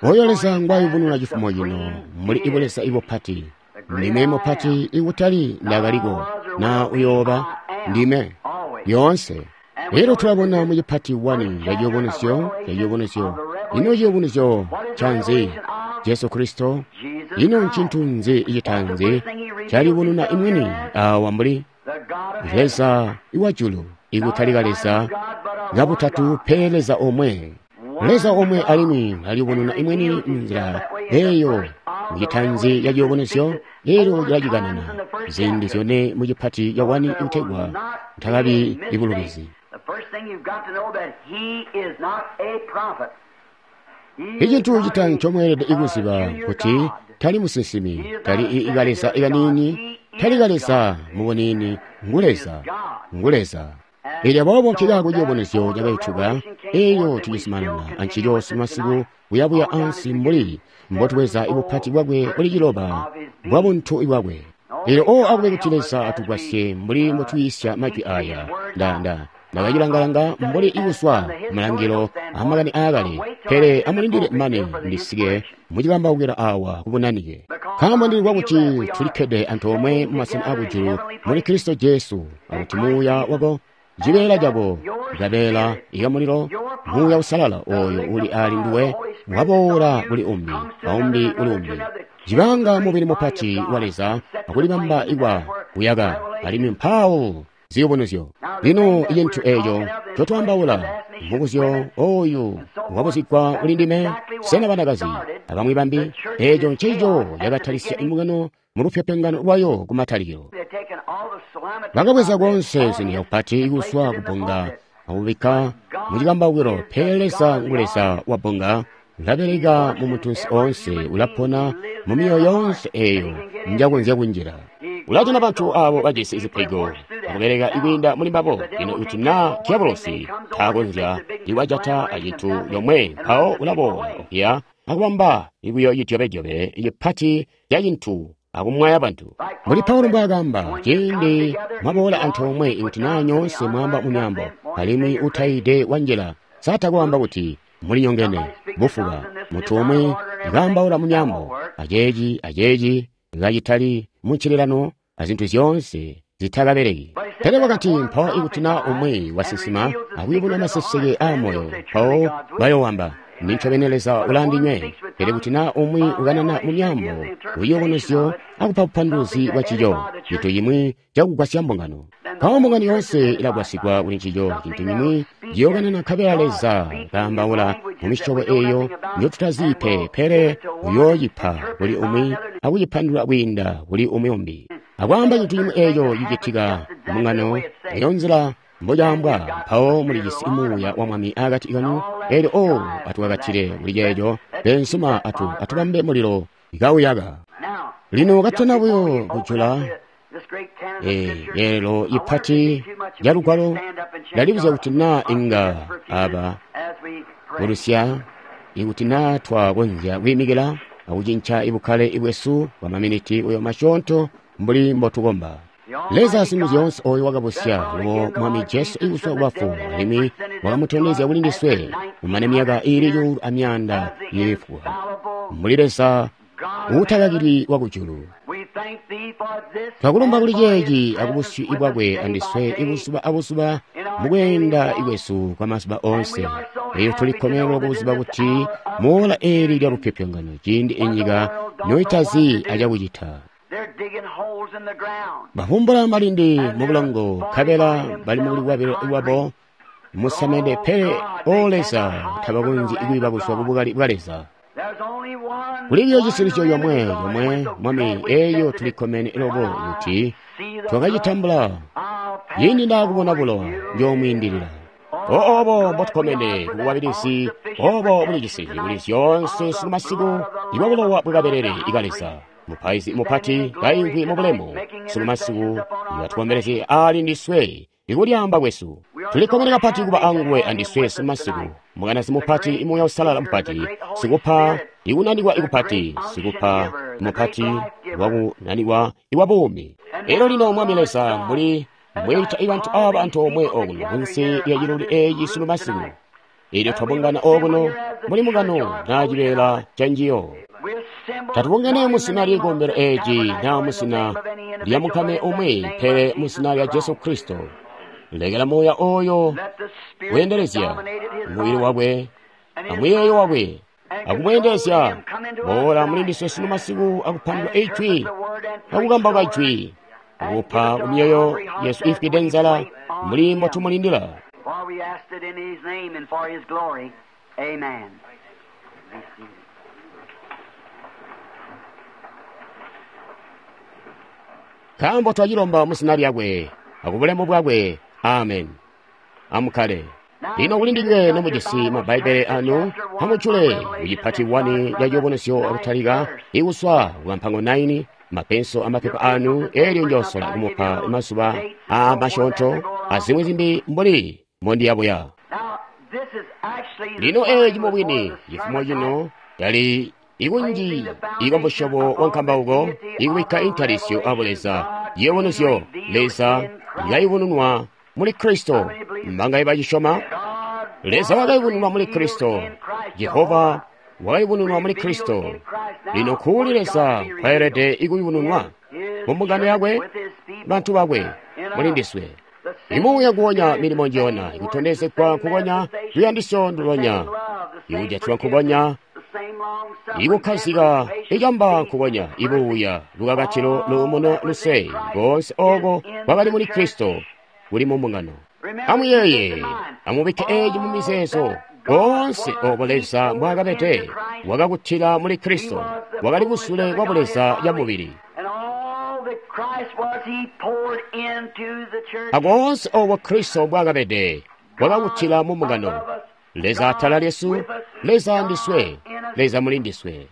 Oyo Leza ngwayubununa cifumo cino muli ibuleza ibupati. Ndime mupati ikutali ndakaliko na uyooba ndime lyoonse. Lero tulabona mu cipati wani ca ciyubunuzyo ca ciyubunuzyo. Ino ciyubunuzyo canzi? Jesu Kristo. Ino ncintu nzi icitanzi caliyubununa imwini awa mbuli Leza iwajulu, ikutali Leza kabutatu pele Leza omwe. Leza omwe alimwi aliyubununa imwini munzila eyo mucitanzi ya ciyubunuzyo, elyo cilacikanana ziindi zyone mu cipati ca wani ikutegwa ntakabi ibulubizi. Icintu citanzi ncomweelede ikuziba kuti tali musinsimi, tali ikaleza ikanini, tali kaleza mubunini, ngu Leza, ngu Leza. Elyo aboobo nkikaako ciyubunuzyo cakaituka, eyo tucizumanana ancico masiku kuyabuya ansi mbuli mbotubweza ibupati bwakwe buli ciloba bwa buntu bwakwe. Elyo o akube kuti Leza atugwasye mbuli mbotwiisya majwi aya. Nda nda ndakacilangalanga mbuli ikuswa malangilo amakani aakale, pele amulindile mane ndisike mucikambaukila awa kubunanike. Nkaambo ndili kuti tulikkede antoomwe mumasena akujulu muli Kristo Jesu, akuti muuya wako cibeela cako kabeela ikamulilo muuya usalala oyo uli ali nduwe waboola kuli umbi aumbi kuli umbi cibanga mubili mupati wa Leza akulibamba ikwa kuyaka alimwi mpawo ziyubunuzyo. Lino icintu eeco ncotwaambaula mubuzyo oyu wabuzigwa kuli ndime, sena banakazi abamwi bambi, eeco ncencico cakatalisya imbungano mu lupyopyongano lwayo kumatalikilo. Bakabweza konse zintu zyakupati ikuswa kubbunga akubikka mucikambaukilo, pele Leza ngu Leza wa bbunga, ulabeleka mu muntunsi oonse, ulapona mu myoyo yoonse eeyo njakonzya kunjila. Ulajana bantu abo bajisi zipego akubeleka ikwiinda muli mbabo. Lino kuti naa diabolosi taakonzya iwajata acintu yomwe, mpawo ulaboola okuya akubamba ikuyo cidyobedyobe cipati ca cintu akumwaya bantu. Mbuli Paulo mbwaakamba, ciindi mwaboola antoomwe ikuti naa nyoonse mwaamba mu myaambo alimwi utaide wanjila, satakwaamba kuti mulinyongene bufuba. Muntu umwi kaambaula mu myaambo aceeci aceeci kacitali muncililano azintu zyoonse zitakabeleki. Pele wakati mpawo ikuti naa umwi wasinsima akuyubuna maseseke aamoyo, mpawo bayoowamba nincobeni Leza ulandinywe. Pele kuti naa umwi ukanana mu myaambo uyubunuzyo akupa bupanduluzi bwa ncico, cintu cimwi cakugwasya mbungano. Mpawo mbungano yoonse ilagwasigwa kuli ncico, cintu cimwi ciyookanana nkabela Leza kaambaula mu misyobo eeyo njotutazi pe, pele uyoocipa kuli umwi akucipandulula kwiinda kuli umwi umbi. Akwaamba cintu cimwi eeco cicitika mbungano, eyo nzila mbocaambwa, mpawo mulijisi muuya wa Mwami akati kanu. Elyo o atukakatile kuli ceeco, beensuma atu atubambe mulilo kauyaka. Lino katana buyo kujula eelelo ipati lya lugwalo, ndalibuzya kuti naa inga aba bulusya, ikuti naa twakonzya kwiimikila akucinca ibukkale bwesu bwa maminiti uyo masyoonto mbuli mbotukomba. Leza Singuzyoonse oyo wakabusya lubo Mwami Jesu ikuswa kubafu, alimwi wakamutondezya kuli ndiswe kumane myaka iili cuulu amyaanda iili fuka, mbuli Leza uutakakilwi wakujulu. Twakulumba kuli ceeci akubusyu bwakwe andiswe ibuzuba abuzuba mukweenda kwesu kwa mazuba oonse. Elyo tulikkomenelwa kubuzuba kuti muola eeli lya lupyopyongano, ciindi inyika noitazi acakucita. Bavumbula malindi mubulongo, nkabela bali mukulikwabilila lwabo musamende, pele o Leza tabakonzyi kwiiba kuzwa kubukali bwa Leza. Kuli biyo cisilisyo comwe comwe, Mwami, eeyo tulikkomene loko kuti twakacitambula. Ciindi ndaakubona bulowa, njoomwiindilila. Oobo mbotukkomene kubukwabilizi obo bulijisi kuli zyoonse sunu masiku ibwa bulowa bwakabelele ika Leza. Mupaizi mupati kaimvwi mubulemu sunu masiku ibatukombelezye ali ndiswe ikulyaamba kwesu. Tulikkomene kapati kuba anguwe andiswe sunu masiku. Mukanazi mupati, Muuya Uusalala mupati, sikupa ikunanikwa ikupati, sikupa mupati wakunanikwa iwa buumi. Elyo lino Mwami Leza, mbuli mbweita ibantu aba antoomwe okuno kunsi lya ciluli eeci sunu masiku, elyo twabungana okuno muli mukano naa cibeela ca njiyo. Tatubungene muzina ly'ikombelo eeci naa muzina lya mukame umwi, pele muzina lya Jesu Kristo. Lekela Muuya oyo weendelezya mubili wakwe amuyeeyo wakwe akumweendelezya. Boola muli ndiswe sunu masiku akupandula ijwi akukambauka ijwi, akupa kumyoyo yesu ifwide nzala muli mbotumulindila. Nkaambo twacilomba muzina lyakwe akubulemu bwakwe. Amen. Amukkale. Lino kuli ndinywe nomujisi ma Bbaibbele anu, amujule kucipati wani ca Ciyubunuzyo akutalika ikuswa kukampango naini, mapenso amapepa anu, elyo njoosola kumupa mazuba aamasyoonto azimwi zimbi mbuli mbondiyabuya. Lino eeci mubwini cifumo cino yali ikunji ikwa musyobo wa nkambauko ikubikka intalisyo a Buleza, ciyubunuzyo Leza ikayubununwa muli Kristo. Mbangaye bacisyoma? Leza wakayubununwa muli Kristo. Jehova wakayubununwa muli Kristo. Lino kuli Leza kwayelede ikuyubununwa mu mbungano yakwe, bantu bakwe, muli ndiswe. Imuuya nguwonya, milimo njiyona, ikutondezegwa nkukonya, luyandisyo ndulonya, ikujatilwa nkukonya, ikukkazika icamba nkukonya, ibuuya, lukakatilo, luumuno, luse, koonse oko kwakali muli Kristo kuli mu mbungano. Amuyeeye, amubikke eeci mu mizeezo. Koonse oko Leza mbwaakabede wakakutila muli Kristo, wakali kusule kwa buleza ya mubili. Akoonse oko Kristo mbwaakabede wakakutila mu mbungano. Leza atala lyesu, Leza andiswe, Leza muli ndiswe.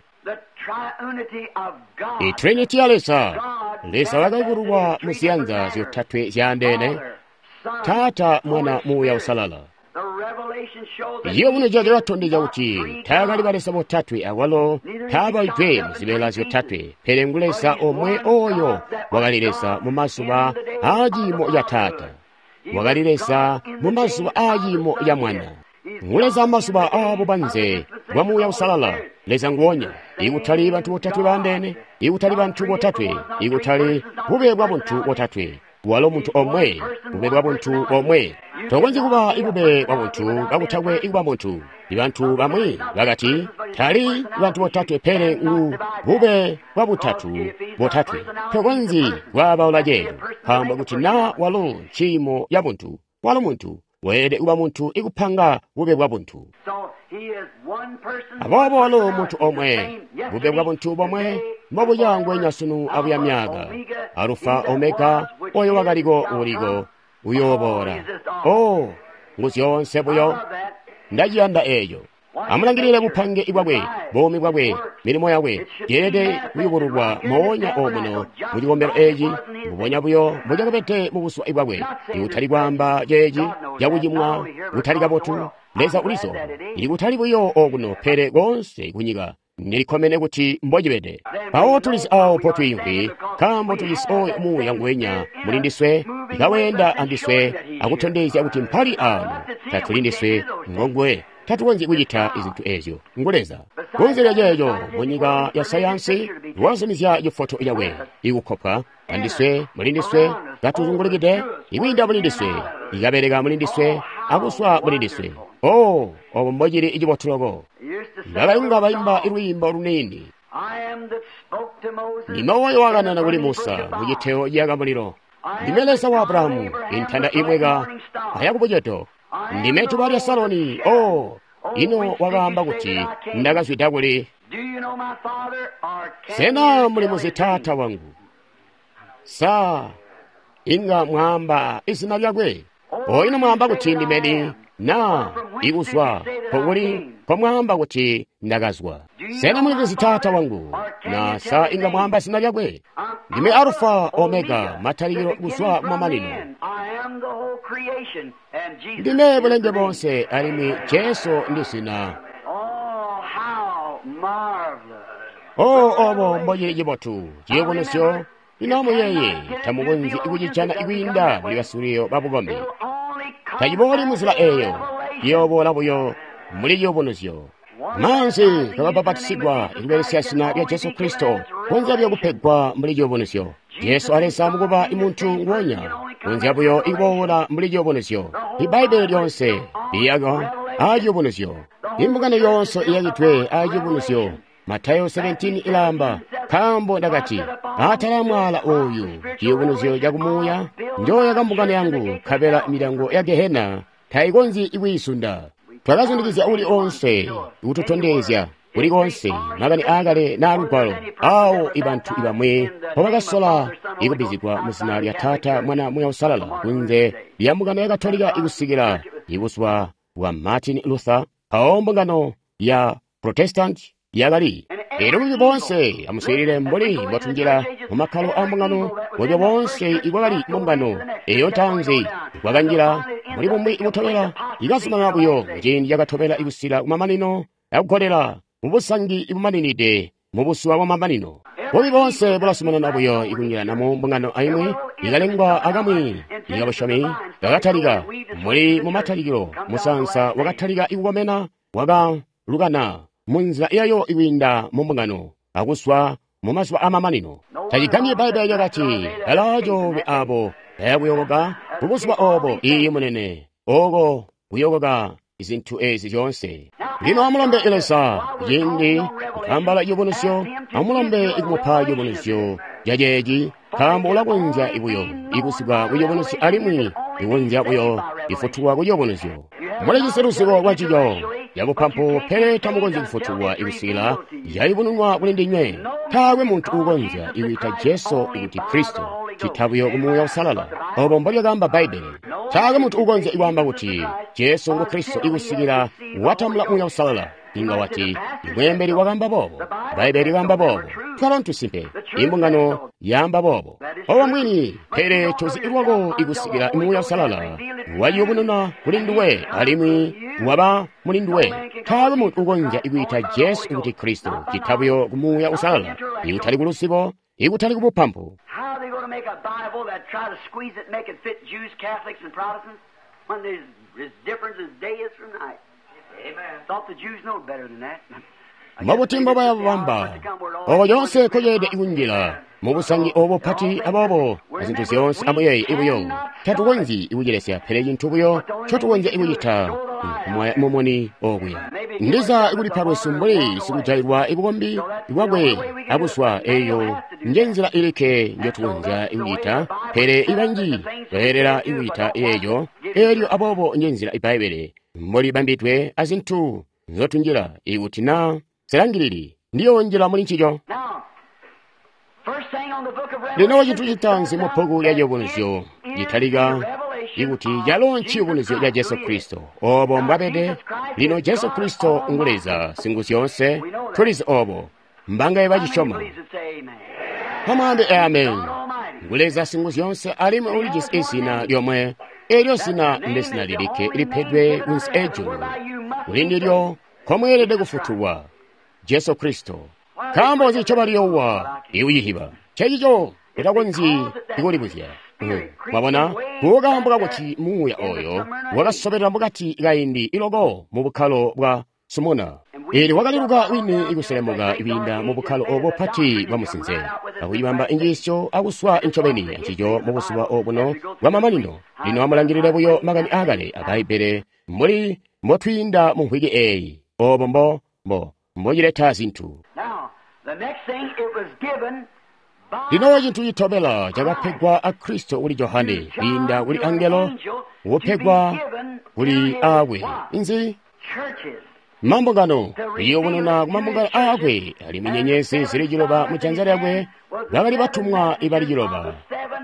Itriniti ya Leza. Leza wakayubululwa mu ziyanza zyotatwe zyaandeene: Taata, Mwana, Muuya Uusalala. Ciyubunuzyo cakatondezya kuti taakali baleza botatwe, akwalo taabaidwe mu zibeela zyotatwe, pele ngu Leza omwe oyo wakali Leza mu mazuba aa ciimo ca Taata, wakali Leza mu mazuba aa ciimo ca Mwana, ngu Leza mazuba aa bubanze bwa Muuya Uusalala. Leza nguwonya, ikutali bantu botatwe baandeene, ikutali bantu botatwe, ikutali bube bwa buntu botatwe. Walo muntu omwe, bube bwa buntu bomwe. Tokonzyi kuba ibube bwa buntu kakutakwe ikuba muntu. Ibantu bamwi bakati tali bantu botatwe, pele ngu bube bwa butatu botatwe. Tokonzyi kwaabaula ceeco, nkaambo kuti naa walo nciimo ya buntu, walo muntu weelede kuba muntu ikupanga bube bwa buntu. Aboobo walo muntu omwe, bube bwa buntu bomwe, mbobuya ngwenya sunu abuya myaka. Alufa Omega, oyo wakaliko, uliko, uyooboola. O, ngu zyoonse buyo. Ndaciyanda eeco. Amulangilile bupange bwakwe, buumi bwakwe, milimo yakwe yeelede kuyubululwa moonya omuno mu cikombelo eeci, mbubonya buyo mbocakabede mu buzuba bwakwe. Ikutali kwaamba ceeci cakucimwa kutali kabotu, Leza ulizo, ikutali buyo okuno pele koonse kunyika. Ndilikkomene kuti mbocibede. Mpawo tulizi awo potwiimvwi, nkaambo tujisi oyo Muuya nguwenya muli ndiswe, ikaweenda andiswe akutondezya kuti mpali ano. Tatuli ndiswe, ngonguwe. Tatukonzyi kucita izintu eezyo, ngu Leza. Kunze lya ceeco, munyika ya sayansi wazumizya cifoto cakwe ikukkopwa andiswe, muli ndiswe, katuzungulikide, ikwiinda muli ndiswe, ikabeleka muli ndiswe, akuswa muli ndiswe. Oh, obo mbocili cibotu loko. Bakayunga baimba lwiimbo luniini. Ndime oyo wakanana kuli Musa mu citeo ciyaka mulilo. Ndime Leza wa Abrahamu, intanda imweka aya kubucedo. Ndime tuba lya Saloni. Oh, ino wakaamba kuti ndakazwida kuli. Sena muli muzi taata wangu? Sa inga mwaamba izina lyakwe? O ino mwaamba kuti ndimeni na ikuzwa pokuli komwaamba kuti ndakazwa? Sena muli muzi taata wangu? Na sa inga mwaamba zina lyakwe? Ndime Alfa Omega, matalikilo kuzwa kumamanino. Ndime bulenge bonse, alimwi Jesu ndi zina. Oh, obo mbocili cibotu ciyubunuzyo. Ino amuyeeye, tamukonzyi kucijana kwiinda muli basuliyo babukombi. Tacibooli muzila eeyo, ciyooboola buyo muli ciyubunuzyo. Maanzi kababapatisigwa ikubelesya zina lya Jesu Kristo kunzya buyo kupegwa mbuli ciyubunuzyo. Jesu a Leza mukuba imuntu nguonya, kunzya buyo ikuboola mbuli ciyubunuzyo. Ibbaibbele lyonse liyaka aa ciyubunuzyo. Imbungano yonse iyakidwe aa ciyubunuzyo. Matayo seventeen ilaamba, nkaambo ndakati, atala mwaala oyu, ciyubunuzyo cakumuuya, njooyaka mbungano yangu, nkabela milyango ya Gehena tayikonzyi ikwiisunda. Twakazundikizya uli onse kututondezya kuli konse makani aakale na lugwalo awo ibantu ibamwi mpobakasola ikubbizigwa mu zina lya Taata, Mwana, Muuya Uusalala kunze lya mbungano ya Katolika ikusikila ibuzuba bwa Martin Luther, mpawo mbungano ya Protestant yakali. Elyo bubi boonse amuswiilile mbuli mbwatunjila mu makkalo a mbungano, bubi boonse ibwakali mu mbungano eyo ntaanzi bwakanjila muli bumwi butobela, ikazumanana buyo muciindi cakatobela ikusila kumamanino akugolela mubusangi ibumaninide mubusuwa bwamamanino. Bubi boonse bulazumanana buyo ikunjilana mu mbungano aimwi ikalengwa akamwi ikabusyomi kakatalika muli mumatalikilo musaansa wakatalika ikukomena wakalukana munzila yayo ikwiinda mu mbungano akuswa mu mazuba amamanino. Tacigambyi Bbaibbele lyakati, balaacoolwe abo bayakuyokoka kubuzuba obo. Iiyi munene, oko kuyokoka izintu ezi zyoonse. Lino amulombe Leza ciindi kutambala ciyubunuzyo, amulombe ikumupa ciyubunuzyo caceeci, nkaambo ulakonzya buyo ikusikwa kuciyubunuzyo alimwi ikonzya buyo ifutulwa kuciyubunuzyo. Mulijisi luzibo lwa cico cabupampu, pele tamukonzyi kufutulwa ikusikila yayubununwa kuli ndinywe. Taakwe muntu uukonzya ikwiita Jesu ikuti Kristo, cita buyo ku Muuya Uusalala. Obo mbolyakaamba Bbaibbele. Taakwe muntu uukonzya ikwaamba kuti Jesu ngu Kristo ikusikila watambula Muuya Uusalala. Inga wati, imweembeli wakaamba boobo, Bbaibbele likaamba boobo, twalo ntusimpe, imbungano yaamba boobo. Obo mwini, pele tozi lwako ikusikila Muuya Uusalala wayubununa kuli nduwe alimwi waba muli nduwe. Taakwe muntu uukonzya ikwiita Jesu kuti Kristo, cita buyo ku Muuya Uusalala, ikutali ku luzibo, ikutali ku bupampu. Mbobuti mbobaya bubamba obo lyonse koyeede ikunjila mubusangi obo pati aboobo azintu zyoonse amuyeeye ibuyo. Tatukonzyi ikucilesya, pele cintu buyo ncotukonzya ikucita nkumwaya mumuni okuya. Ndiza ikulipa lwesu mbuli sikujailwa ibukombi bwakwe abuswa, eyo nje nzila ilikke njotukonzya ikucita, pele ibanji bayelela ikucita eeyo. Elyo aboobo nje nzila Ibbaibbele mbolibambidwe azintu nzotunjila. Ikuti na silangilili, ndiyonjila muli ncico. Lino cintu citaanzi mu bbuku lya Ciyubunuzyo citalika ikuti calo nciyubunuzyo ca Jesu Kristo, obo mbwabede. Lino Jesu Kristo ngu Leza Singuzyoonse, tulizi obo. Mbangaye bacisyoma? Amwaambe amen. Ngu Leza Singuzyoonse alimwi ulijisi izina lyomwe. Elyo zina ndezina lilikke lipedwe kunsi ejulu, kuli ndilyo nkomweelede kufutulwa, Jesu Kristo. Nkaambo nzi ncobaliyoowa ikuyihiba? Ncencico utakonzyi ikulibuzya. Mwabona, kukaambo kakuti muuya oyo wakasobelela mukati kaindi iloko mu bukkalo bwa Sumuna. Eelyo wakaliluka wini ikuselemuka kwiinda mu bukkalo obo pati bwa musinze, akuyibamba injiisyo akuswa ncobeni ancico mu buzuba obuno bwamamanino. Lino amulangilile buyo makani aakale a Bbaibbele mbuli mbotwiinda mu mvwiki eeyi, obo mbo mbo mbocileta zintu. Lino cintu citobela cakapegwa a Kristo kuli Johane kwiinda kuli angelo kupegwa kuli aakwe inzi mambungano iyobonona ku mambungano aakwe alimwi nyenyezi zili ciloba mu janza lyakwe bakali batumwa ibali ciloba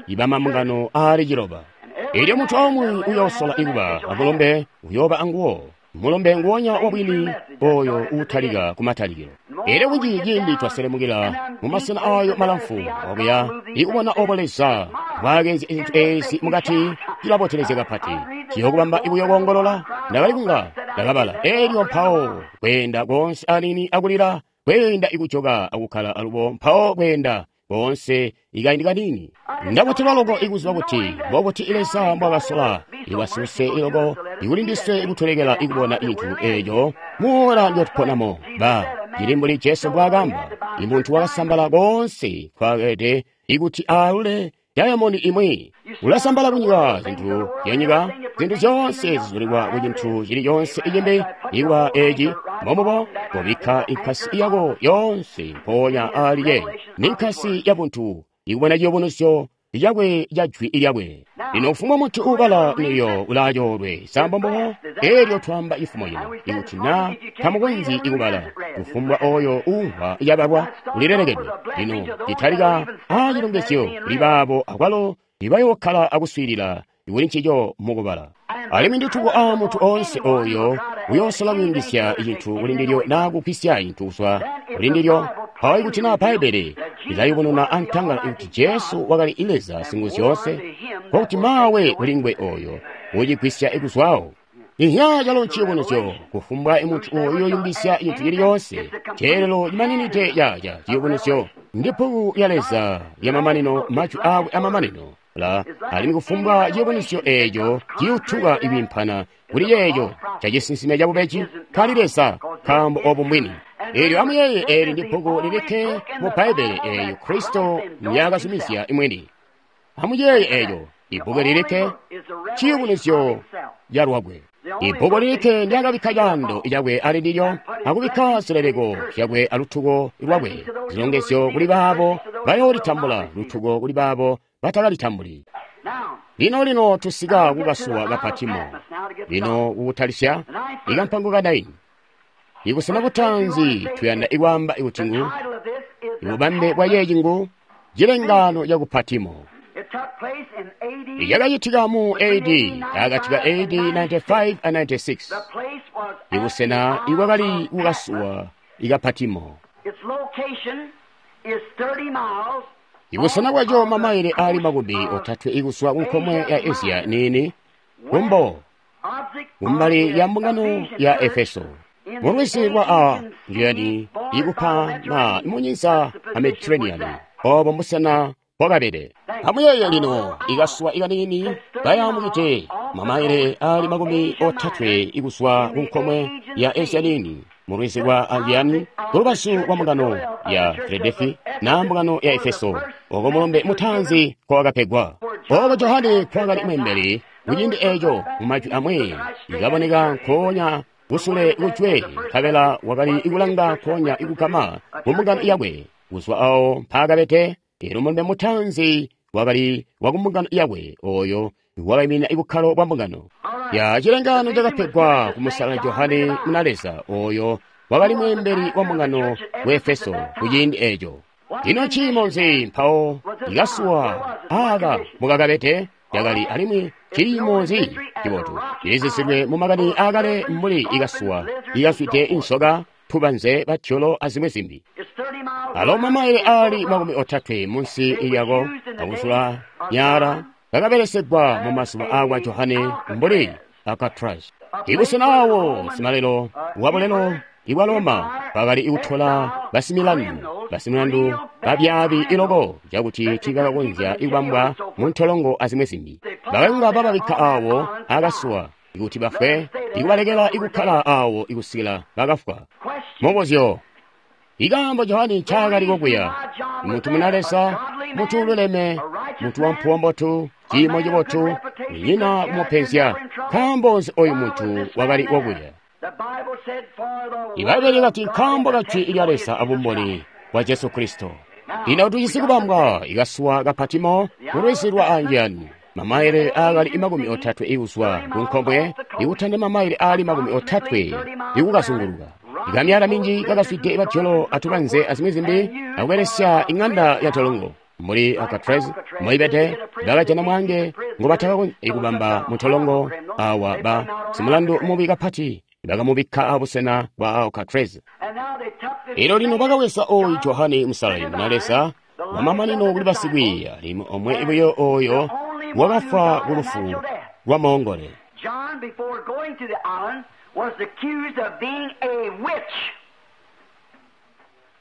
iba mambungano aali ciloba. Elyo muntu aumwi uyoosola ikuba amulumbe uyooba anguwo mulumbe nguwonya wabwini oyo uutalika kumatalikilo. Elyo kunji ciindi twaselemukila mu masena ayo malamfu okuya ikubona obo Leza bwakenzi zintu ezi mukati cilabotelezya kapati ciyokubamba ibuyo koongolola. Ndakali kunga ndakabala elyo mpawo kweenda koonse anini akulila kweenda ikujoka akukkala alubo mpawo kweenda koonse ikaindi kanini. Ndabotelwa loko ikuziba kuti mbobuti Leza mbwakasola iwasuse iloko ikulindiswe ikutolekela ikubona intu eeco muola ndyotupponamo. Ba cili mbuli Jesu mbwaakamba, imuntu wakasambala koonse nkwaakede ikuti aalule dayamondi imwi. Ulasambala kunyika zintu zyanyika, zintu zyoonse zizulilwa ku cintu cili coonse icimbi ikuba eci mbomubo kobikka inkasi yako yoonse mpoonya aali ye ni nkasi ya buntu ikubona ciyubunuzyo cakwe ca jwi lyakwe. Lino kufumbwa muntu uubala niyo ulaacoolwe sambombobo. Elyo twamba cifumo cino ikuti na tamukonzyi ikubala, kufumbwa oyo uumvwa yabalwa ulilelekedwe. Lino citalika aacilongezyo kuli baabo akwalo ibayookkala akuswiilila kuli ncico mukubala. Alimwi ndituko a muntu oonse oyo uyoosola kuyungizya cintu kuli ndilyo naa kugwisya cintu kuzwa kuli ndilyo. Mpawo ikuti naa Bbaibbele lilayubununa antangala ikuti Jesu wakali Leza Singuzyoonse, nkokuti maawe kuli nguwe oyo ucigwisya ikuzwawo. Inhya calo nciyubunuzyo kufumbwa muntu uyo uyoyungizya cintu cili coonse ceelelo cimaninide caca ciyubunuzyo ndi bbuku lya Leza lyamamanino, majwi aakwe amamanino la alimwi kufumbwa ciyubunuzyo eeco ciyutuka ikwiimpana kuli ceeco cacisinsime cabubeji kali Leza nkaambo obu mbwini. Eelyo amuyeeye eeli ndi bbuku lilikke mu Bbaibbele eeyo Kristo ndyakazumizya imwini. Amuyeeye eeco ibbuku lilikke ciyubunuzyo ca lwakwe. Ibbuku lilikke ndyakabikka caando cakwe ali ndilyo akubikka zileleko zyakwe alutuko lwakwe, zilongezyo kuli baabo bayoolitambula, lutuko kuli baabo batakalitambuli. Lino lino tusika kukasuwa ka Patimo. Lino kukutalisya ikampango ka naini. Ikusena butanzi tuyanda ikwaamba ikuti ngu ibubambe bwa yeeci ngu cilengaano ca ku Patimo. Yakacitika mu A D akati ka A D ninety-five and ninety-six. Ibusena ikwakali kukasuwa ika Patimo. Ibusena bwaco mamaile ali makumi otatwe ikuswa ku nkomwe ya Asia nini kumbo kumbali ya mbungano ya Efeso mulwisi lwa Aegean ikupa na munyinza a Mediterranean obo mbusena bwakabede. Amuyeeye lino ikasuwa ikanini kayamukite mamaile ali makumi otatwe ikuswa ku nkomwe ya Asia nini mulwisi lwa Aegean kulubazu lwa mbungano ya Filadelfi na mbungano ya Efeso oko mulumbe mutanzi kwakapegwa. Oko Johane kwakali mwembeli kuciindi eco mu majwi amwi ikaboneka nkoonya kusule kujwe nkabela wakali ikulanga nkoonya ikugama ku mbungano yakwe kuzwa awo mpaakabede. Elyo mulumbe mutanzi wakali wa ku mbungano yakwe oyo wakaiminina ibukkalo bwa mbungano. Ya cilengaano cakapegwa ku musala Johane muna Leza oyo wakali mwembeli wa mbungano ku Efeso kuciindi eco. Ino ciimo nzi mpawo ikasuwa aka mukakabede yakali alimwi ciimo nzi cibotu cilisisidwe mu makani aakale mbuli ikasuwa ikaswide insoka tubanze batyolo azimwi zimbi. Alo mamaile ali makumi otatwe munsi lyako akuzula nyara kakabelesegwa mu mazuba akwa Johane mbuli Alcatraz. Ibusena awo simalelo wabulelo ibwa Roma bakali ikutola basimilandu basimilandu babyaabi iloko cakuti tiibakakonzya ikubambwa mu ntolongo azimwi zimbi. Bakayunga bababikka awo akasuwa ikuti bafwe ikubalekela ikukkala awo ikusikila bakafwa. Mubuzyo ikaambo Johane ncaakali kokuya muntu muna Leza, muntu ululeme, muntu wampuwo mbotu, ciimo cibotu, nyina kumupenzya. Nkaambo nzi oyu muntu wakali wokuya? Ibaibbele likati nkaambo ka jwi lya Leza abumboni kwa Jesu Kristo. Ino tujisi kubambwa ikasuwa ka Patimo mu lwizi lwa Anjani, mamaile aakali makumi otatwe ikuzwa ku nkomwe ikutanda mamaile aali makumi otatwe ikukazunguluka. Ikamyala minji kakazwide batyolo atubanze azimwi zimbi akubelesya ing'anda ya tolongo. Muli Alcatraz moibede bakajana mwange ngobatakakonzya kubamba mutolongo awa ba simulandu mubi kapati bakamubikka abusena bwa Alcatraz. Elo lino bakaweza oyu Johane Musalali muna Leza wamamanino kuli basikwiiya alimwi omwe buyo oyo wakafwa ku lufu lwa moongole. John, before going to the island, was accused of being a witch.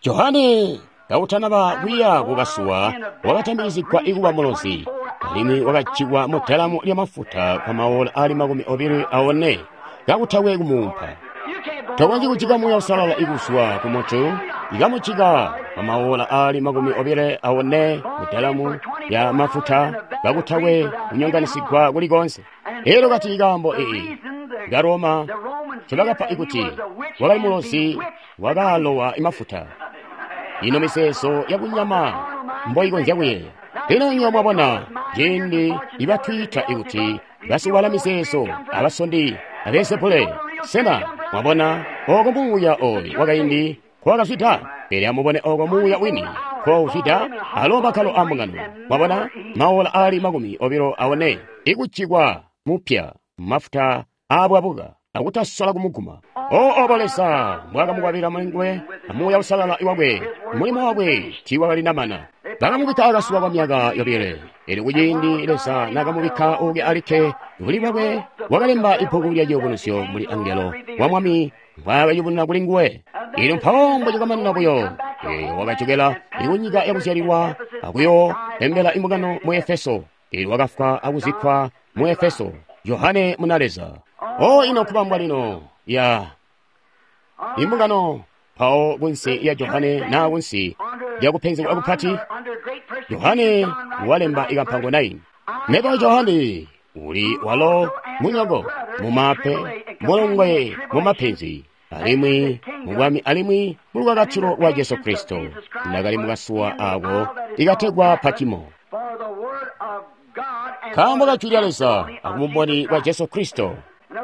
Johane kautanaba kuya kukasuwa wakatambikizigwa ikuba mulozi alimwi wakajikwa mu dalamu lya mafuta kwa maola ali makumi obilo aone kakutakwe kumuumpa. You can't go Tokonzyi kujika Muuya Uusalala ikuzwa ku muntu ikamujika kwa maola ali makumi obilo aone mu dalamu ya mafuta kakutakwe kunyonganisigwa kulikonse. Elo kati ikaambo iyi ka Roma ncobakapa ikuti wakali mulozi wakalowa imafuta. Ino miseeso yakunyama mboikonzya kuyeeya. Lino inywe mwabona ciindi ibatwiita ikuti basiwala miseeso abasondi abeelzebule. Sena mwabona oko muuya oyu wakaindi nkowakazwida? Pele amubone oko muuya wini nkowuzwida alo makkalo a mbungano. Mwabona maola ali makumi obilo aone ikujikwa mupya mafuta aabwabuka akutasola kumuguma. O obo Leza mbwakamukwabilila mulinguwe amuuya usalala iwakwe, mulimo wakwe tiiwakalinamana. Bakamubikka akasuwa kwa myaka yobile. Elyo kuciindi Leza naakamubikka uke alikke kuli bwakwe, wakalemba ibbuku lya ciyubunuzyo muli angelo wa Mwami mbwaakayubununa kuli nguwe. Elyo mpawo mbocikamanina buyo, eyo wakajokela ikunyika yakuzyalilwa akuyooembela imbungano mu Efeso. Elyo wakafwa akuzikkwa mu Efeso. Johane muna Leza. O ino kubambwa lino ya imbungano mpawo kunsi ya Johane naa kunsi lya kupenzegwa kupati. Johane walemba ikampango nine. Mebo Johane uli walo munyoko mumape mulongwe mumapenzi alimwi mubwami alimwi mulukakatilo lwa Jesu Kristo. Ndakali mukasuwa ako ikategwa Patimo for the word of God and nkaambo for ka the jwi lya Leza testimony of akubumboni Jesus bwa Christ. Jesu Kristo.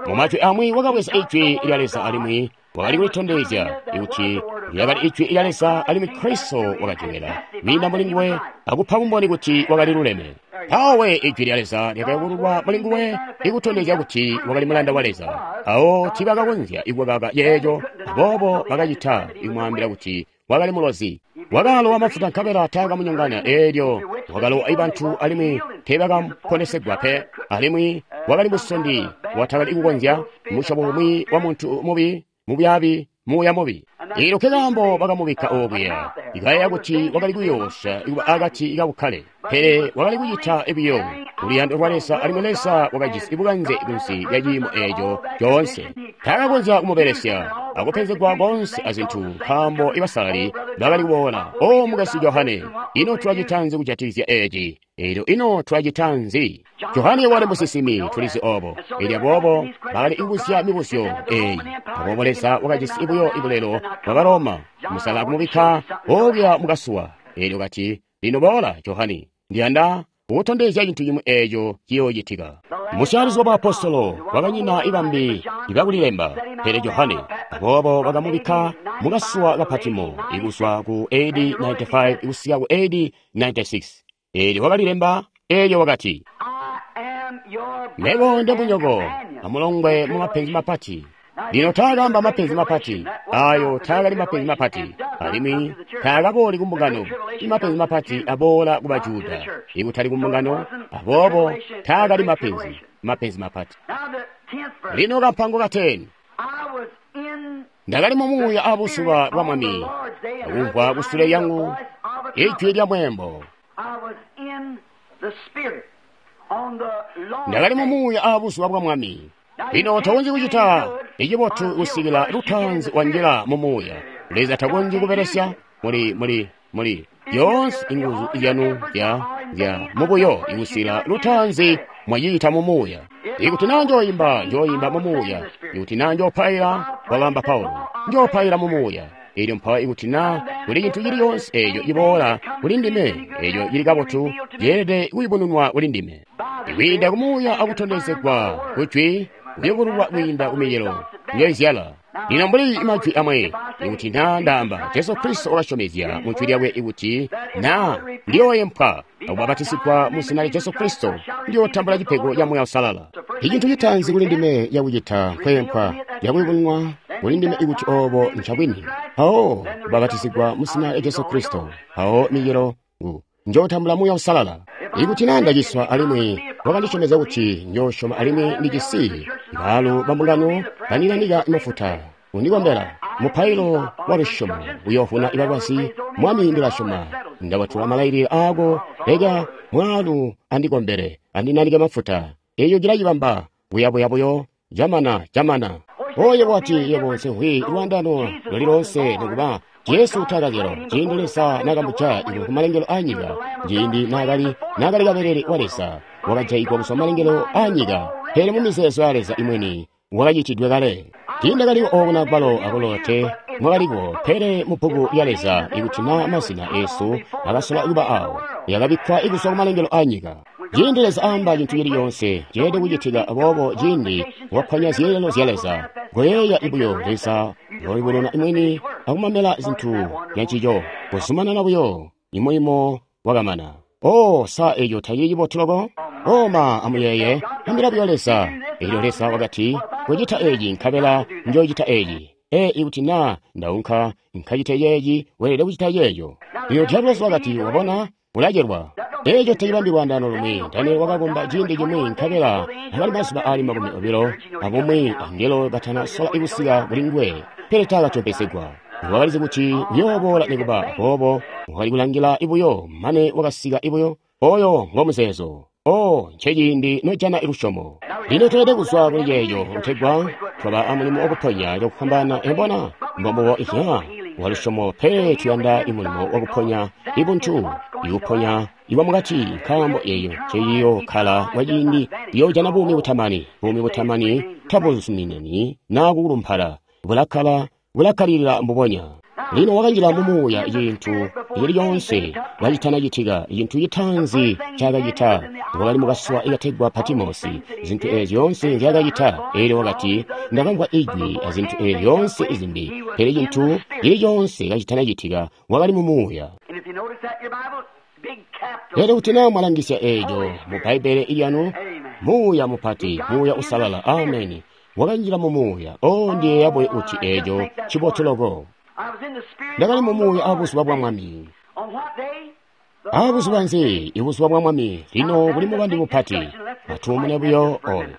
Mumajwi amwi wakabweza ijwi lya Leza alimwi wakali kulitondezya kuti lyakali ijwi lya Leza alimwi Kristo wakajokela kwiinda muli nguwe akupa bumboni kuti wakali luleme. Mpawe ijwi lya Leza lyakayubululwa muli nguwe ikutondezya kuti wakali mulanda wa Leza. Awo tiibakakonzya ikukaka yeeco, aboobo bakacita ikumwaambila kuti wakali mulozi. Wakalowa mafuta nkabela taakamunyonganya eelyo wakalowa ibantu alimwi teebakaponesegwa pe. Alimwi wakali musondi watakali kukonzya musyobo umwi wa muntu mubi mubyaabi muuya mubi. Eelyo nkekaambo bakamubikka okuya ikayeeya kuti wakali kuyoosya ikuba akati kabukkale, pele wakali kucita buyo luyando lwa Leza alimwi Leza wakajisi bukanze kunsi lya ciimo eeco coonse. Taakakonzya kumubelesya akupenzegwa konse azintu nkaambo ibasalali bakali kuboola. O mukasi Johane, ino tulacitanzi kujatikizya eeci? Eelyo ino tulacitanzi? Johane wakali musinsimi, tulizi obo. Eelyo aboobo bakali kubuzya mibuzyo eeyi. Aboobo Leza wakajisi buyo ibulelo bwa Baroma musala akumubikka okuya mukasuwa. Eelyo kati, lino boola Johane, ndiyanda kukutondezya cintu cimwi eeco ciyoocitika. Musyalizi wa baapostolo wakanyina ibambi ibakulilemba, pele Johane. Aboobo bakamubikka mukasuwa ka Patimo ikuzwa ku A D ninety-five kusika ku A D ninety-six. Eelyo wakalilemba, eelyo wakati, I am your Mebo brother nde and munyoko companion. amulongwe mu mapenzi mapati. Lino taakaamba mapenzi mapati ayo taakali mapenzi mapati alimwi taakabooli ku mbungano. Imapenzi mapati aboola ku Bajuda ikutali ku mbungano, aboobo taakali mapenzi mapenzi mapati. Now the tenth verse. Lino kampango ka ten. I was in Ndakali mu muuya abuzuba bwa Mwami akumvwa kusule lyangu ijwi lya mweembo. I was in the spirit on the Lord's Ndakali mu day. muuya abuzuba bwa Mwami. Lino tokonzyi kucita icibotu kusikila lutaanzi wanjila mu muuya. Leza takonzyi kubelesya muli muli muli yoonse inguzu zyanu zya zya mubuyo ikusikila lutaanzi mwayiita mu muuya. Ikuti naa njooyimba, njooyimba mu muuya. Ikuti naa njoopaila, wakaamba Paulo, njoopaila mu muuya. Elyo mpawo ikuti na kuli cintu cili coonse eco ciboola kuli ndime, eco cili kabotu, ceelede kuyubununwa kuli ndime. Kwiinda ku Muuya akutondezegwa kujwi, kuyubululwa kwiinda ku micelo njoizyala. Lino mbuli majwi amwe, ikuti na ndaamba, Jesu Kristo wakasyomezya mu jwi lyakwe ikuti na ndiyooyempwa akubapatisigwa mu zina lya Jesu Kristo, ndiyootambula cipego ca Muuya Uusalala. Icintu citaanzi kuli ndime cakucita nkweempwa, cakuyubununwa kuli ndime ikuti obo ncabwini. Mpawo kubapatisigwa mu zina lya Jesu Kristo, mpawo micelo ngu njootambula Muuya Uusalala. Ikuti na ndaciswa alimwi wakandisyomezya kuti njoosyoma alimwi ndijisi baalu ba mbungano bandinanika mafuta kundikombela mupailo wa lusyomo uyoovuna balwazi. Mwami, ndilasyoma, ndabatula malailile aako, leka mwaalu andikombele andinanike mafuta. Eco cilacibamba buyabuya buyo, camana camana. Oyo wati yebo nsemvwi lwandano luli lonse nikuba Jesu taakazyalwa ciindi Leza nakamuja iwe ku malengelo a nyika, ciindi naakali naakali kabelele wa Leza wakajaigwa kuzwa malengelo a nyika, pele mu mizeezo ya Leza imweni wakacitidwe kale. Tiindakaliko ooko nakwalo akolo te mwakaliko, pele mu bbuku lya Leza ikuti na mazina eesu akasola kuba awo, yakabikkwa kuzwa ku malengelo a nyika. Ciindi Leza aamba cintu cili coonse ceelede kucitika, aboobo ciindi wakkwanya zyeelelo zya Leza, koyeeya buyo Leza uyooyubununa mwini akumamela zintu zyancico, kuzumanana buyo imulimo wakamana. Oh, sa eco tacili cibotu loko? Oh ma, amuyeeye, ambila buyo Leza. Elyo Leza wakati, kucita eci nkabela njoocita eci. E, ikuti na ndaunka nkacite ceeci, weelede kucita ceeco. Lino Diabolosi wakati, wabona, ulacelwa. Eco tacibambi lwaandaano lumwi. Daniel wakakomba ciindi cimwi nkabela akali mazuba aali makumi obilo abumwi angelo batana sola kusika kuli nguwe, pele taakatyompesegwa. Wakalizi kuti uyooboola nikuba aboobo wakali kulangila ibuyo mane wakasika ibuyo. Oyo ngo muzeezo. Oh, nceciindi nojana lusyomo. Lino tweelede kuzwa kuli ceeco kutegwa twaba amulimo wakuponya cakufwambaana. Embona mbombubo ihya wa lusyomo, pele tuyanda imulimo wakuponya ibuntu, ikuponya iwa mukati, nkaambo eyo nceiyokkala kwaciindi iyoojana buumi butamani. Buumi butamani tabuzuminani naa kukulumpala, bulakkala bulakkalilila mbubonya. Lino wakanjila mu Muuya cintu cili coonse kacitanacitika. Cintu citaanzi ncaakacita wakali mukasuwa ikategwa Patimosi. Zintu eezi zyoonse nzyaakacita, eelyo wakati, ndakamvwa ijwi azintu eezi zyoonse izimbi, pele cintu cili coonse kacitanacitika wakali mu Muuya. And if you notice that in your Bible, big capital. Lero kuti na mwalangisya eeco mu Bbaibele ilyanu, Muuya mupati, Muuya Usalala, ameni, wakanjila mu Muuya. Oh, ndiyeeya buyo kuti eeco cibotu loko. I was in the Spirit Ndakali mu on the Muuya Lord's abuzuba bwa day. Mwami. On what day? The Abuzuba Lord's nzi? day. Ibuzuba bwa Mwami. Lino kuli mubandi mupati. Atuumune buyo oyo.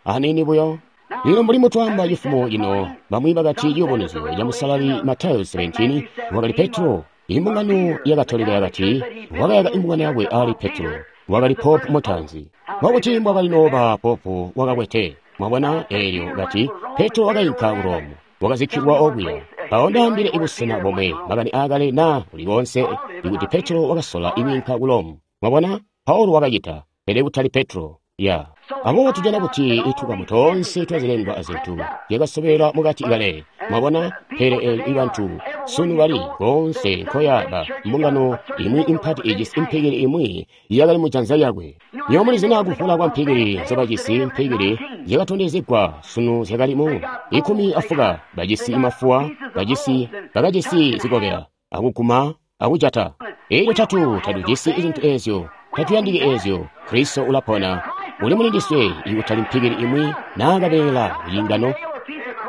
Aniini buyo. Lino mbuli mutwamba cifumo cino, bamwi bakati ciyubunuzyo ca musalali Matayo seventeen, wakali Petro. Imbungano ya Katolika yakati wakayaka imbungano yakwe ali Petro, wakali Pope mutaanzi. Mwakuti mbwakali nooba Pope wakakwete. Mwabona eelyo kati Petro wakayinka ku Rome, wakazikkilwa okuya. Mpawo ndaambile ibusena bomwe makani aakale naa kuli koonse ikuti Petro wakasola ikwiinka ku Rome. Mwabona, Paulo wakacita, pele kutali Petro. Ya. Aboobo tujana kuti itukamu toonse twazilengwa azintu zyakasobela mukati kale. Mwabona, pele eelyo ibantu sunu bali koonse nkoyaba mbungano imwi impati ijisi impikili imwi yakali mujanza lyakwe. Nywebo mulizi naa kuvula kwa mpikili nzobajisi, mpikili zyakatondezegwa sunu zyakali mu ikumi afuka, bajisi mafuwa, bajisi bakajisi zikobela, akuguma, akujata. Eelyo tatu tatujisi zintu eezyo, tatuyandiki eezyo. Kristo ulapona, uli mulindiswe ikutali mpikili imwi naa kabeela kacingano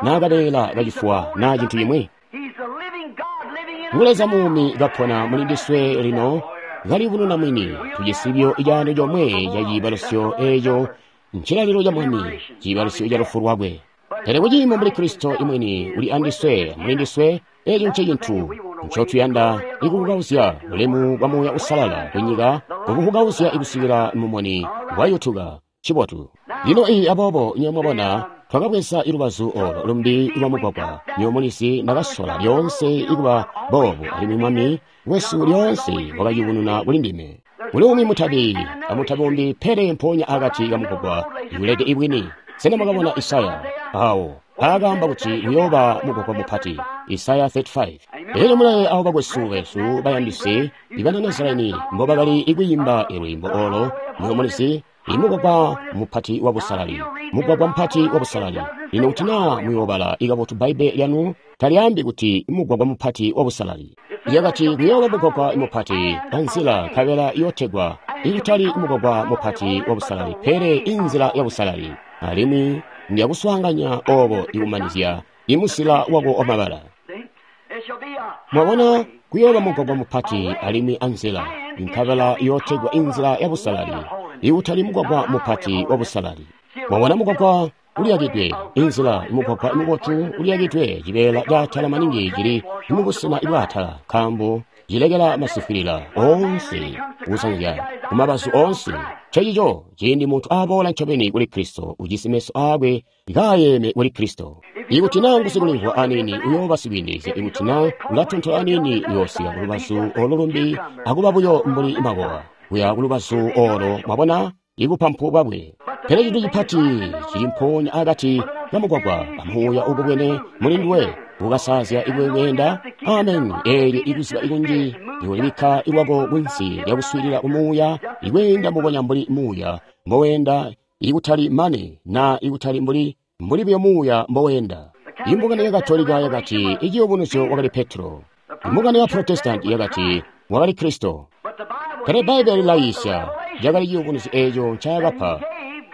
naa kabeela kacifuwa naa cintu cimwi. He's the living God living in us. Ngu Leza muumi kapona mulindiswe lino kalibununa mwini. Tujisi buyo icaando comwe ca ciibalusyo eeco ncilalilo ca Mwami, ciibalusyo ca lufu lwakwe. Pele kuciimo mbuli Kristo imwini uli andiswe, mulindiswe, eeco nce cintu ncotuyanda ikubukauzya bulemu bwa Muuya Uusalala kunyika, kububukauzya ikusikila mumuni wayutuka. Cibotu. Lino iyi aboobo nywebo mwabona, twakabweza ilubazu olo lumbi lwa mugwagwa. Nywebo mulizi ndakasola lyoonse ikuba boobu, alimwi Mwami wesu lyoonse wakayubununa kuli ndime. Kuli umwi mutabi amutabi umbi, pele mpoonya akati kamugwagwa iulede ibwini. Sena mwakabona Isaya awo aakaamba kuti uyooba mugwagwa mupati? Isaya thirty-five. Elyo mulaye abo bakwesu besu bayandisi ibana Nazareni mbobakali kwiimba lwiimbo olo, nywebo mulizi, imugwagwa mupati wa busalali, mugwagwa mupati wa busalali. Lino kuti naa muyoobala ikabotu Bbaibbele lyanu, talyaambi kuti mugwagwa mupati wa busalali. Lyakati kuyooba mugwagwa mupati anzila nkabela iyootegwa ikutali mugwagwa mupati wa busalali, pele inzila ya busalali. Alimwi ndiyakuswaanganya obo ikumanizya imusila wako wamabala. Mwabona, kuyooba mugwagwa mupati alimwi anzila nkabela iyootegwa inzila ya busalali, ikutali mugwagwa mupati wa busalali. Mwabona, mugwagwa uliyakidwe, inzila mugwagwa mubotu uliyakidwe, cibeela caatala maningi cili mubusena bwaatala, nkaambo cilekela masifwilila oonse kusanzya kumabazu oonse. Ncencico ciindi muntu aboola ncobeni kuli Kristo, ujisi meso aakwe kaayeme kuli Kristo. Ikuti naa ngusikulimvwa aniini, uyooba sikwiindilizya. Ikuti naa ulatontola aniini, uyoosika kulubazu olo lumbi akuba buyo mbuli makowa kuya kulubazu olo. Mwabona ibupampu bwakwe. Pele cintu cipati cili mpoonya akati kamugwagwa amuuya ukubwene muli nduwe ukasaazya iwe weenda. Amen. Eelyo ikuziba ikunji iwolibikka ilwako kunsi lyakuswiilila kumuuya, iweenda mbubonya mbuli muuya mboweenda, ikutali mane na ikutali mbuli mbuli buyo muuya mboweenda. Imbungano ya Katolika yakati iciyubunuzyo wakali Petro. Imbungano ya Protestanti yakati wakali Kristo. Pele Bbaibbele lilayiisya cakali ciyubunuzyo eeco ncaakapa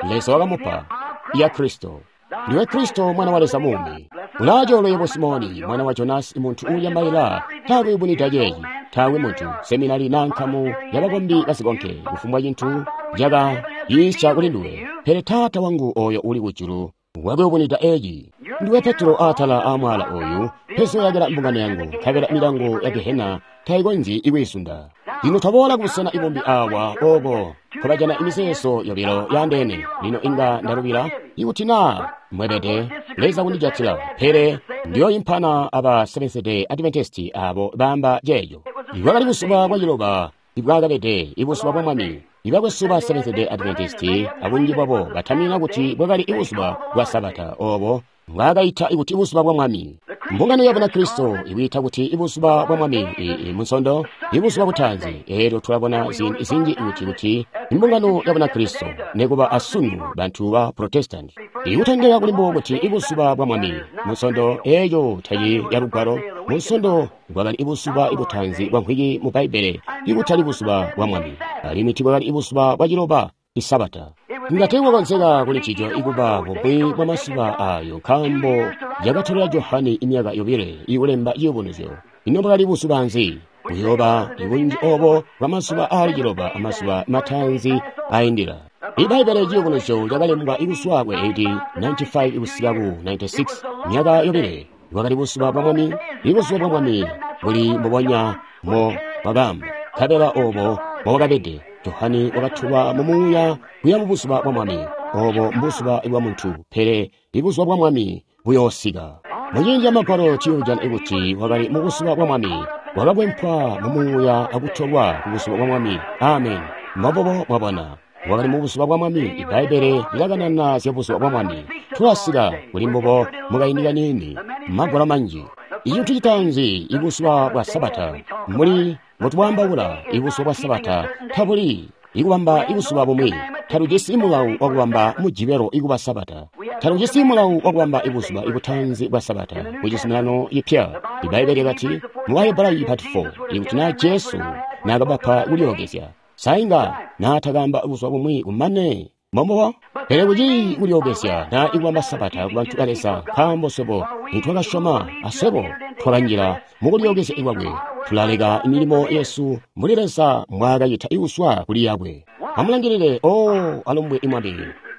Leza wakamupa ya Kristo. Ndiwe Kristo, mwana wa Leza muumi. Ulaacoolwe yebo Simoni, mwana wa Jonasi, muntu uulya maila. Taakwe ubunida ceeci, taakwe muntu, seminari naa nkamu yabakombi basikonke, kufumbwa cintu caka yiisya kuli nduwe. Pele Taata wangu oyo uli kujulu wakuyubunida eeci. Ndiwe Petro, atala aamwaala oyu mpezoyakila mbungano yangu, nkabela milango ya Gehena tayikonzyi ikwiisunda. Lino twaboola kubusena ibumbi awa ooko nkobajana imizeezo yobilo yaandeene. Lino inga ndalubila ikuti naa mwebede Leza kundijatila, pele ndiyoimpana aba Seventh-day Adventist abo baamba ceeco. Bwakali buzuba bwaciloba ibwakabede ibuzuba bwa Mwami. Ibakwesu ba Seventh-day Adventist abunji bwabo batamina kuti bwakali ibuzuba bwa Sabata obo mbwaakaita kuti ibuzuba bwa Mwami. Mbungano ya Bunakristo ibwiita kuti ibuzuba bwa Mwami munsondo, ibuzuba butaanzi. Eelyo tulabona ziindi zinji kuti kuti imbungano ya Bunakristo nekuba asunu bantu ba Protestant ikutondeka kuli mbubo kuti ibuzuba bwa Mwami munsondo eeyo tayi ya lugwalo. Munsondo bwakali ibuzuba ibutaanzi bwa mvwiki mu Bbaibbele, ikutali buzuba bwa Mwami, alimwi tibwakali ibuzuba bwa ciloba Isabata. Nga teekwakonzeka kuli ncico ikuba bumwi bwa mazuba ayo, nkaambo yakatolela Johane imyaka yobile ikulemba ciyubunuzyo. Ino bwakali buzuba nzi? Buyooba ibunji obo bwa mazuba aali ciloba amazuba mataanzi aindila. Ibbaibbele ciyubunuzyo lyakalembwa ikuzwa ku A D ninety-five kusika ku ninety-six, myaka yobile. Bwakali buzuba bwa Mwami. Ibuzuba bwa Mwami buli mbubonya mo bwakaamba, nkabela obo mbobwakabede. Johane wakatulwa mu muuya kuya mu buzuba bwa Mwami. Obo mbuzuba bwa muntu, pele ibuzuba bwa Mwami buyoosika. Muciindi ca Magwalo tuyojana kuti wakali mu buzuba bwa Mwami, wakakwempwa mu muuya akutolwa ku buzuba bwa Mwami. Amen. Mbobobo mwabona, wakali mu buzuba bwa Mwami. Ibbaibbele lilakanana zya buzuba bwa Mwami. Tulasika kuli mbubo mukaindi kaniini, Magwalo manji. Icintu citaanzi, ibuzuba bwa Sabata, mbuli mbotwaambaula, ibuzuba bwa Sabata tabuli ikubamba ibuzuba bumwi. Talujisi mulawu wakubamba mujibelo ikuba Sabata. Talujisi mulawu wakubamba ibuzuba ibutaanzi bwa Sabata ku Cizuminano Cipya. Ibbaibbele lyakati mu Bahebrayi part four, ikuti naa Jesu naakabapa kulyookezya, sainga naatakamba buzuba bumwi kumane. Mbombubo? Pele kucili kulyookezya naa ikubamba Sabata kubantu ba Leza, nkaambo swebo nitwakasyoma aswebo twakanjila mukulyookezya ikwakwe. Tulaleka milimo yesu mbuli Leza mbwaakacita ikuswa kuli yakwe. Amulangilile, o alumbwe imwami,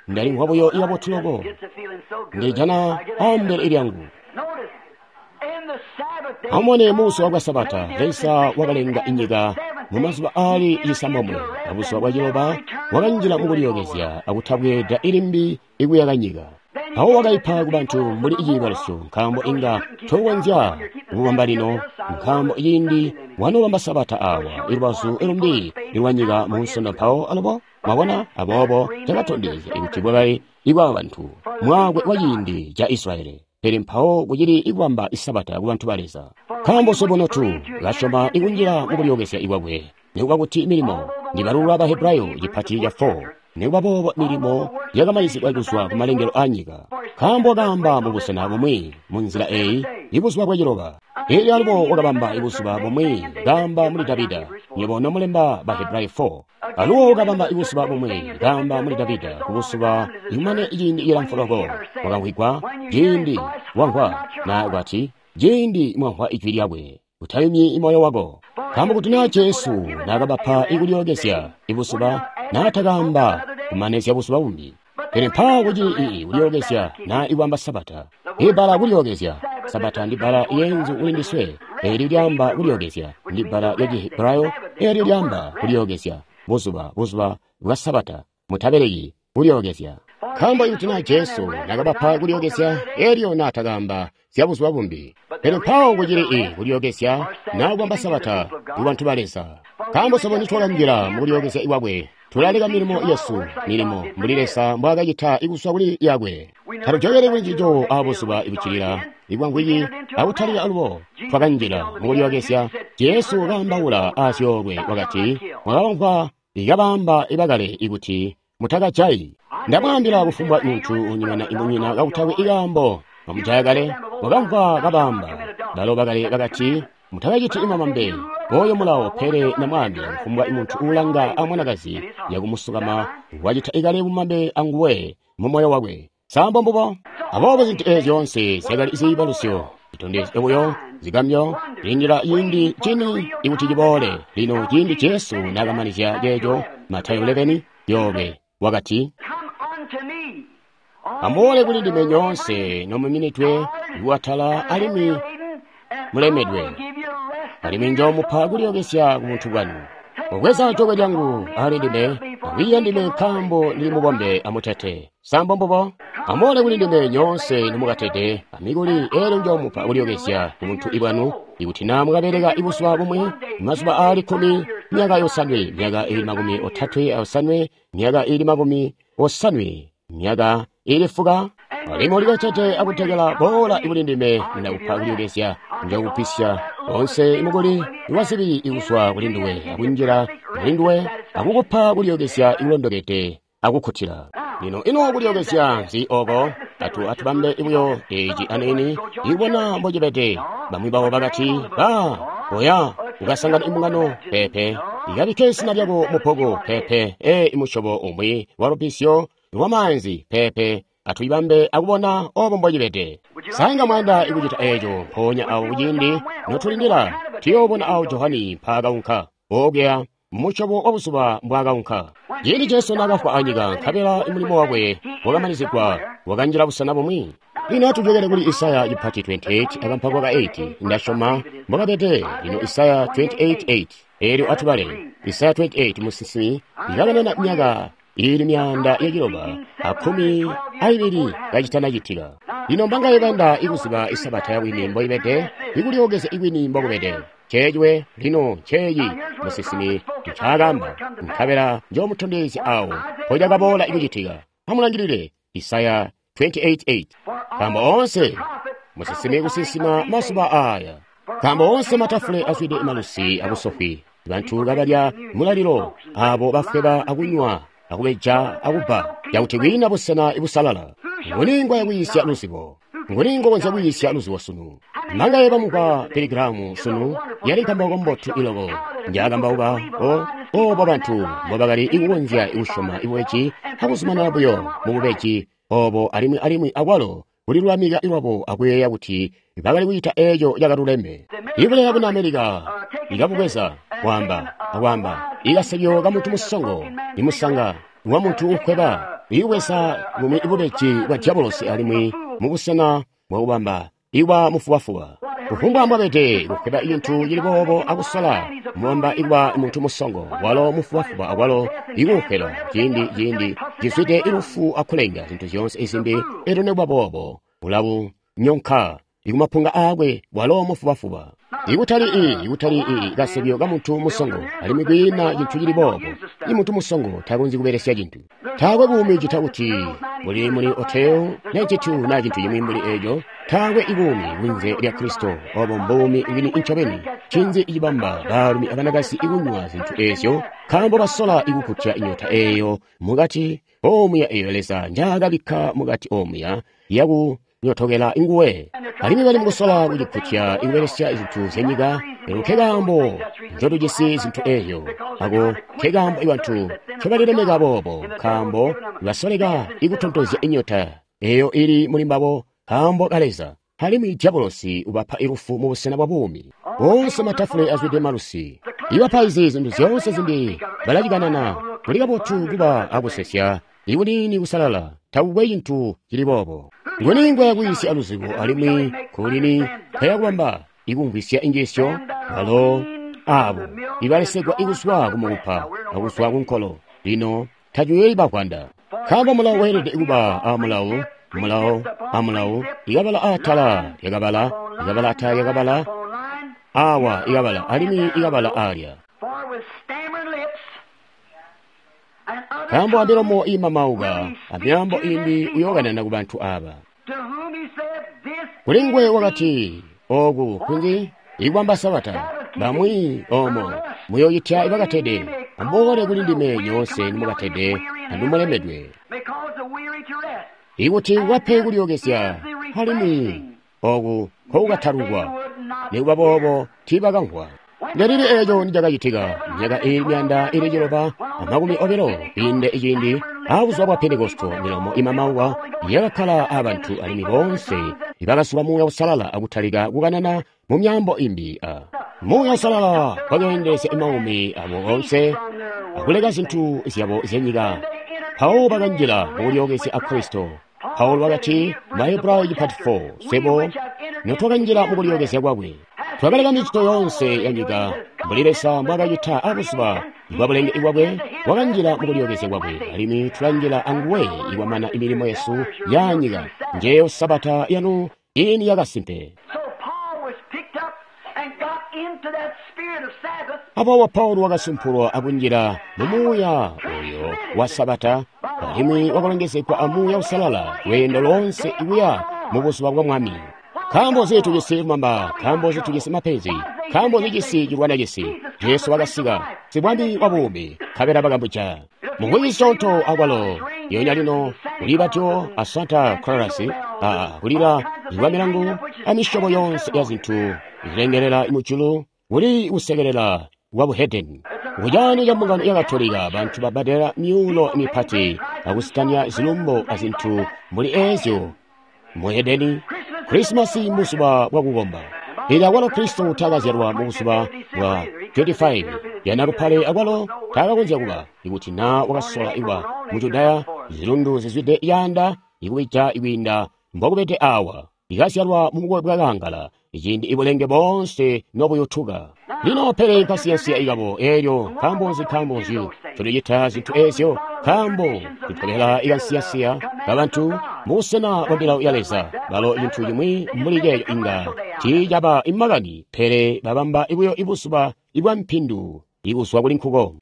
ndalimvwa buyo ikabotu loko, ndilijana ambele lyangu. Amubone, mubuzuba bwa Sabata Leza wakalenga inyika mu mazuba aali cisambomwe. Abuzuba bwa ciloba wakanjila mukulyookezya akutabweeda ilimbi ikuyaka nyika. Mpawo wakaipa kubantu mbuli iciibalusyo, nkaambo inga tokonzya kububamba lino, nkaambo ciindi wanoobamba Sabata awa ilubazu ilumbi lwanyika munsondo. Mpawo alubo mwabona, aboobo cakatondezya kuti bwakali ibwa bantu mwaakwe wa ciindi ca Israeli. Pele mpawo kucili ikubamba Isabata kubantu ba Leza. Nkaambo swebo notu kasyoma ikunjila mukulyookezya kwakwe, nikuba kuti milimo ndibalulula Bahebrayo cipati ca four, nikuba boobo milimo yakamalizigwa kuzwa kumalengelo aanyika. Nkaambo wakaamba mubusena bumwi munzila eyi ibuzuba bwaciloba. Elyo alubo wakabamba ibuzuba bumwi kaamba muli Davida, nywebo nomulemba Bahebrayo four. Alubo wakabamba ibuzuba bumwi kaamba muli Davida kubuzuba ikumane ciindi cilamfu loko wakamvwigwa ciindi wamvwa na kwati ciindi mwamvwa ijwi lyakwe utayumyi moyo wako. Nkaambo kuti naa Jesu naakabapa ikulyookezya ibuzuba naatakaamba kumanizya buzuba bumbi. Pele mpaawo kucili kulyookezya naa ikwamba Sabata. Ibbala kulyookezya Sabata ndi bbala yeenzu kuli ndiswe. Eelyo lyaamba kulyookezya ndi bbala lya Cihebrayo. Eelyo lyaamba kulyookezya buzuba buzuba bwa Sabata mutabeleki kulyookezya. Nkaambo ikuti naa Jesu naakabapa kulyookezya eelyo naatakaamba zya buzuba bumbi. Pele mpaawo kucili kulyookezya naa kwamba Sabata ku bantu ba Leza. Nkaambo swebo nitwakanjila mukulyookezya kwakwe tulaleka milimo yesu milimo mbuli Leza mbwaakacita ikuzwa kuli yakwe. Tatujokele kuli ncico abuzuba ibuccilila ibwamvwiki akutalika alubo twakanjila mukulyookezya. Jesu wakaambaula aazyoolwe wakati, mwakabamvwa ikabaamba ibakale ikuti mutakajayi. Ndamwaambila kufumbwa muntu unyemena imunyina kakutakwe ikaambo mwamujaya kale. Mwakamvwa kabaamba balo bakale bakati mutakaciti imamambe oyo mulawo. Pele ndamwaambila kufumbwa muntu uulanga amwanakazi yakumusukama wacita ikale bumambe anguwe mumoyo wakwe. Sambo mbubo. Aboobo zintu eezi zyoonse zyakali ziibalusyo zitondezyo buyo zigamyo kulindila ciindi cini ikuti ciboole. Lino ciindi Jesu naakamanizya ceeco Matayo eleven yobe wakati, amuboole kuli ndime nyoonse nomuminidwe kuatala alimwi mulemedwe, alimwi njoomupa kulyookezya ku buntu bwanu. Mubweza jokwe lyangu ali ndime, akwiiya ndime nkaambo ndili mubombe amutete. Sambo mbubo. Amuboole kuli ndime nyoonse nomukatede amikuli, eelyo njoomupa kulyookezya ku buntu bwanu. Ikuti naa mukabeleka ibuzuba bumwi, mazuba aali kkumi, myaka yosanwe, myaka ili makumi otatwe ayosanwe, myaka ili makumi osanwe, myaka ili fuka, alimwi ulikatede akutekela, boola kuli ndime ndakupa kulyookezya. Njookugwisya onse imukuli wazibi ikuzwa kuli nduwe akunjila kuli nduwe akukupa kulyookezya ikulondokede akukkutila. Lino ino kulyookezya nzi oko? Atu atubambe buyo eci aniini ikubona mbocibede. Bamwi babo bakati, ba oya ukasangana imbungano pepe, ikabikke izina lyako mubbuku pepe, e imusyobo umwi wa lubbizyo lwamaanzi pepe. Atuyibambe akubona obo mbocibede. Sainga mwayanda ikucita eeco mpoonya awo kuciindi notulindila tuyoobona awo Johani mpaakaunka okuya musyobo wa buzuba mbwaakaunka. Ciindi Jesu naakafwa anyika nkabela mulimo wakwe wakamanizigwa, wakanjila busena bumwi. Lino atujokele kuli Isaya cipati twenty-eight akampako ka eight. Ndasyoma mbwakabede. Lino Isaya twenty-eight eight. Eelyo atubale Isaya twenty-eight musinsimi ikakanana myaka ili myaanda yaciloba akkumi aibili kacitanacitika. Lino mbangaye bayanda ikuziba isabata yabwini mboibede, ikulyookezya ikwini mbokubede. Ceecwe lino nceeci musinsimi ncaakaamba, nkabela njoomutondezya awo mpocakaboola ikucitika. Amulangilile Isaya twenty-eight eight. Nkaambo oonse musinsimi kusinsima mazuba aaya, nkaambo oonse matafule azwide malusi abusofwi, bantu kabalya mulalilo, abo bafweba akunywa akubeja akubba, yakuti kwiina busena ibusalala. Nguni ngwaya kwiisya luzibo? Nguni ngokonzya kwiisya luzibo sunu? Mangaye bamukwa Piligiramu sunu yali nkambauka mbotu iloko njaakambauka o obo bantu mbobakali ikukonzya ikusyoma ibubeji akuzumanana buyo mububeji obo alimwi alimwi akwalo kulilulamika lwabo akuyeeya kuti bakali kucita eeco cakaluleme. Ibuleya buna Amerika ikabubweza kwaamba akwaamba ikasebyo kamuntu musongo imusanga wa muntu ukweba ikubweza bumwi bubeji bwa diabolosi alimwi mubusena bwakubamba ikwa mufubafuba. Kufumbwa mbwabede kukweba cintu cili boobo akusola mubamba ikwa muntu musongo walo mufubafuba akwalo ikuukwela ciindi ciindi cizwide ilufu akulenga zintu zyoonse izimbi. Elyo nikuba boobo ulabunyonka ikumapunga aakwe walo mufubafuba. Ikutali i ikutali i kasebyo kamuntu musongo, alimwi kwiina cintu cili boobo. Imuntu musongo takonzyi kubelesya cintu. Taakwe buumi cita kuti buli muli oteo na cintu na cintu cimwi mbuli eeco. Taakwe ibuumi kunze lya Kristo. Obo mbuumi bwini ncobeni. Ncinzi cibamba baalumi abanakazi ikunywa zintu ezyo? Nkaambo basola ikukutya inyota eyo mukati omuya eyo Leza njaakabikka mukati omuya yaku nyotokela nguwe. Alimwi bali mukusola kucikutya ikubelesya zintu zyanyika. Elo nkekaambo ncotujisi zintu eyo. Ako nkekaambo ibantu ncobalilemeka boobo, nkaambo basoleka ikutontozya inyota eyo ili muli mbabo nkaambo ka Leza. Alimwi diabolosi ubapa ilufu mubusena bwa buumi. Boonse matafule azwide malusi. Ibapaizi zintu zyoonse zimbi balacikanana. Kuli kabotu kuba akusesya ikunini kusalala. Takukwe cintu cili boobo. Nguni ngwaya kwiisya aluzibo alimwi kulini nkaya kubamba ikumvwisya injiisyo? Balo abo ibalesegwa ikuzwa kumukupa akuzwa kunkolo. Lino tacuyeyi bavwanda. Nkaambo mulawo weelede kuba amulawo, mulawo amulawo, ikabala atala lyakabala, ikabala atala lyakabala, awa ikabala, alimwi ikabala alya. Nkaambo amilomo imamauka, amyaambo imbi uyookanana kubantu aba. Kuli nguwe wakati, oku kunzi ikwamba Sabata, bamwi omo muyoyitya ibakatede, amuboole kuli ndime nyoonse nimukatede anumulemedwe, ikuti wape kulyookezya. Alimwi oku nkokukatalukwa. Nikuba boobo tiibakamvwa. Ndelili eeco nicakacitika myaka iili myanda ili ciloba amakumi obilo kwiinde iciindi abuzuba bwa Pentekosto, milomo imamauka yakakkala abantu alimwi boonse ibakazula Muuya Uusalala akutalika kukanana mu myaambo imbi. A Muuya Uusalala wakeendelezya maumi abo oonse akuleka zintu zyabo zyanyika. Mpawo bakanjila mukulyookezya a Kristo. Paulo wakati Mahebrayo chapter four, swebo notwakanjila mukulyookezya kwakwe, twakaleka micito yoonse ya nyika mbuli Leza mbwaakacita abuzuba bwa bulenge bwakwe. Wakanjila mukulyookezya kwakwe, alimwi tulanjila anguwe ikwamana imilimo yesu ya nyika. Njeyo Sabata yanu ini yakasimpe. Aboobo Paulo wakasumpulwa akunjila mumuuya oyo wa Sabata, alimwi wakalongezegwa a Muuya Uusalala lweendo loonse ikuya mubuzuba bwa Mwami. Nkaambo nzi tujisi lumamba? Nkaambo nzi tujisi mapenzi? Nkaambo nzi cisi cilwana cisi? Jesu wakasika, sibwami wa buumi, nkabela bakamujaya. Mumwezi cisyoonto akwalo yonya lino kuli batyo a Santa Claus, a kulila kwa milangu amisyobo yoonse ya zintu zilengelela mujulu, kuli kusekelela kwa buhedeni. Kucani ca mbungano ya Katolika, bantu babbadela myuulo mipati akusitanya zilumbo azintu mbuli eezyo. Muhedeni, Krisimasi mbuzuba bwakukomba. Pele akwalo Kristo taakazyalwa mubuzuba bwa twenty-five yanalupale, akwalo taakakonzya kuba ikuti naa wakasola iwa mu Judaya, zilundu zizwide yaanda ikubija ikwiinda mbokubede awa. Ikazyalwa mubukowe bwa kaangala, iciindi ibulenge boonse nobuyutuka. Lino pele nkasiyansiya ikabo eelyo. Nkaambo nzi? Nkaambo nzi tulicita zintu eezyo? Nkaambo tutobela ikansiyansiya kabantu mubusena bwa milawo ya Leza. Balo cintu cimwi mbuli ceeco inga tiicaba imakani, pele babamba ibuyo ibuzuba ibwa mpindu ikuzwa kuli nkuko.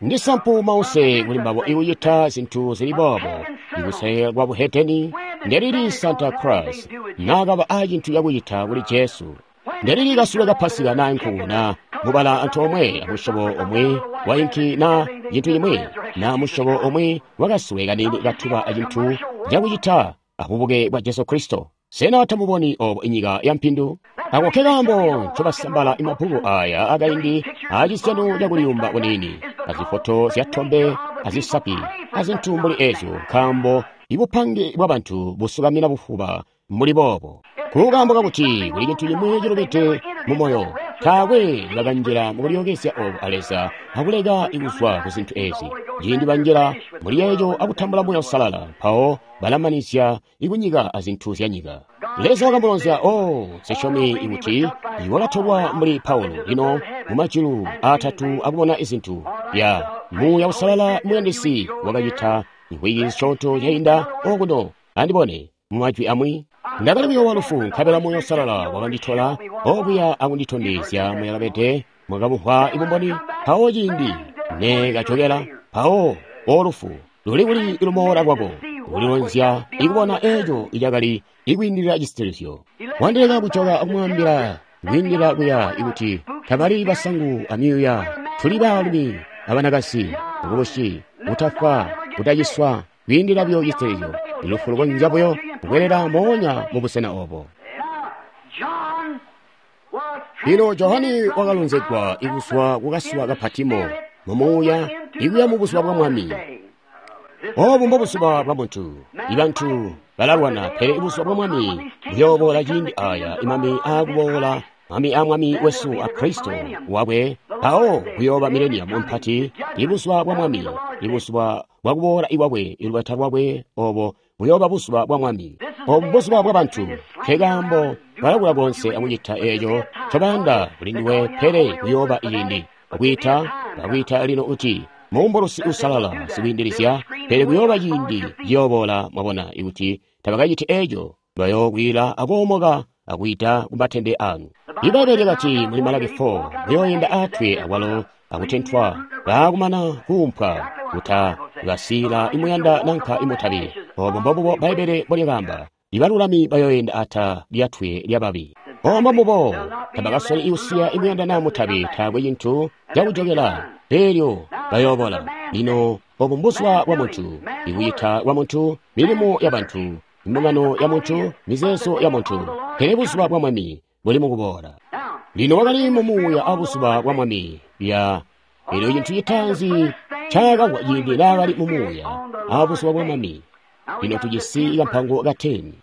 Ndisampu mause kuli mbabo ikucita zintu zili boobo, ikusekelela kwa buhedeni. Ndelili Santa Claus naakaba acintu cakucita kuli Jesu? Ndelili kasule ka Pasika na nkuku na mubala antoomwe amusyobo omwe wa inki na cintu cimwi na musyobo omwe wakasule kaniini katuba acintu cakucita abubuke bwa Jesu Kristo? Sena tamuboni obo inyika ya mpindu? Ako nkekaambo ncobasambala imabbuku aya akaindi acisyano cakuliyumba kuniini, azifoto zyatombe, azisapi, azintu mbuli ezyo, nkaambo ibupange bwabantu busukamina bufuba mbuli boobo. Kukaambo kakuti kuli cintu cimwi cilubide mu moyo, taakwe bakanjila mukulyookezya obo a Leza akuleka ikuzwa ku zintu ezi. Ciindi banjila muli eco akutambula Muuya Uusalala, mpawo balamanizya ikunyika azintu zyanyika. Leza wakamulonzya, oh, nsisyomi ikuti wakatolwa mbuli Paulo lino mumajulu aatatu akubona izintu ya Muuya Uusalala muyandisi wakacita mvwiki zisyoonto zyainda okuno. Andibone mumajwi amwi, ndakali kuyoowa lufu, nkabela Muuya Uusalala wakanditola okuya akunditondezya muyakabede mwakabumvwa ibumboni. Mpawo ciindi ne kajokela, mpawo olufu luli kuli lumoola lwako? kulilonzya ikubona eco icakali ikwiindilila cisitilizyo. Wandileka kujoka akumwaambila kwiindila kuya ikuti tabali basangu amyuuya, tuli baalumi abanakasi, bukubusi, kutafwa, kutaciswa, kwiindila buyo cisitilizyo. Lufu lukonzya buyo kukwelela moonya mu busena obo. Lino Johane wakalonzegwa ikuzwa kukasuwa ka Patimo mu muuya ikuya mu buzuba bwa Mwami. Obu mbobuzuba bwa muntu. Ibantu balalwana, pele buzuba bwa Mwami buyooboola ciindi aya imami aakuboola Mwami a Mwami wesu a Kristo wakwe, mpawo kuyooba mileniamu mpati, ibuzuba bwa Mwami, ibuzuba bwa kuboola ikwakwe, ilubeta lwakwe, obo buyooba buzuba bwa Mwami. Obu buzuba bwa bantu, nkekaambo balakula konse akucita eco ncobayanda kuli nduwe, pele kuyooba ciindi bakwiita, bakwiita lino uti muumbulusi uusalala sikwiindilizya, pele kuyooba ciindi ciyooboola, mwabona, ikuti tabakaciti eco, bayookwila akoomoka akwiita kumatende anu. Ibbaibbele lyakati muli Malaki four, muyooyenda atwe akwalo akutentwa, baakumana kuumpwa, kuta basiila imuyanda nanka imutabi. Obo mbobubo Bbaibbele mbolyakaamba, ibalulami bayooyenda ata lyatwe lyababi. Obo mbobubo tabakasoli ikusiya imuyanda naa mutabi, taakwe cintu cakujokela, eelyo bayoobola. Lino obu mbuzuba bwa muntu, ikuyita kwa muntu, milimo ya bantu, imbungano ya muntu, mizeezo ya muntu, pele buzuba bwa Mwami buli mukuboola. Lino wakali mu muuya a buzuba bwa Mwami lya elyo cintu citaanzi ncaakagwa ciindi naakali mu muuya a buzuba bwa Mwami. Lino tujisi kampango ka ten.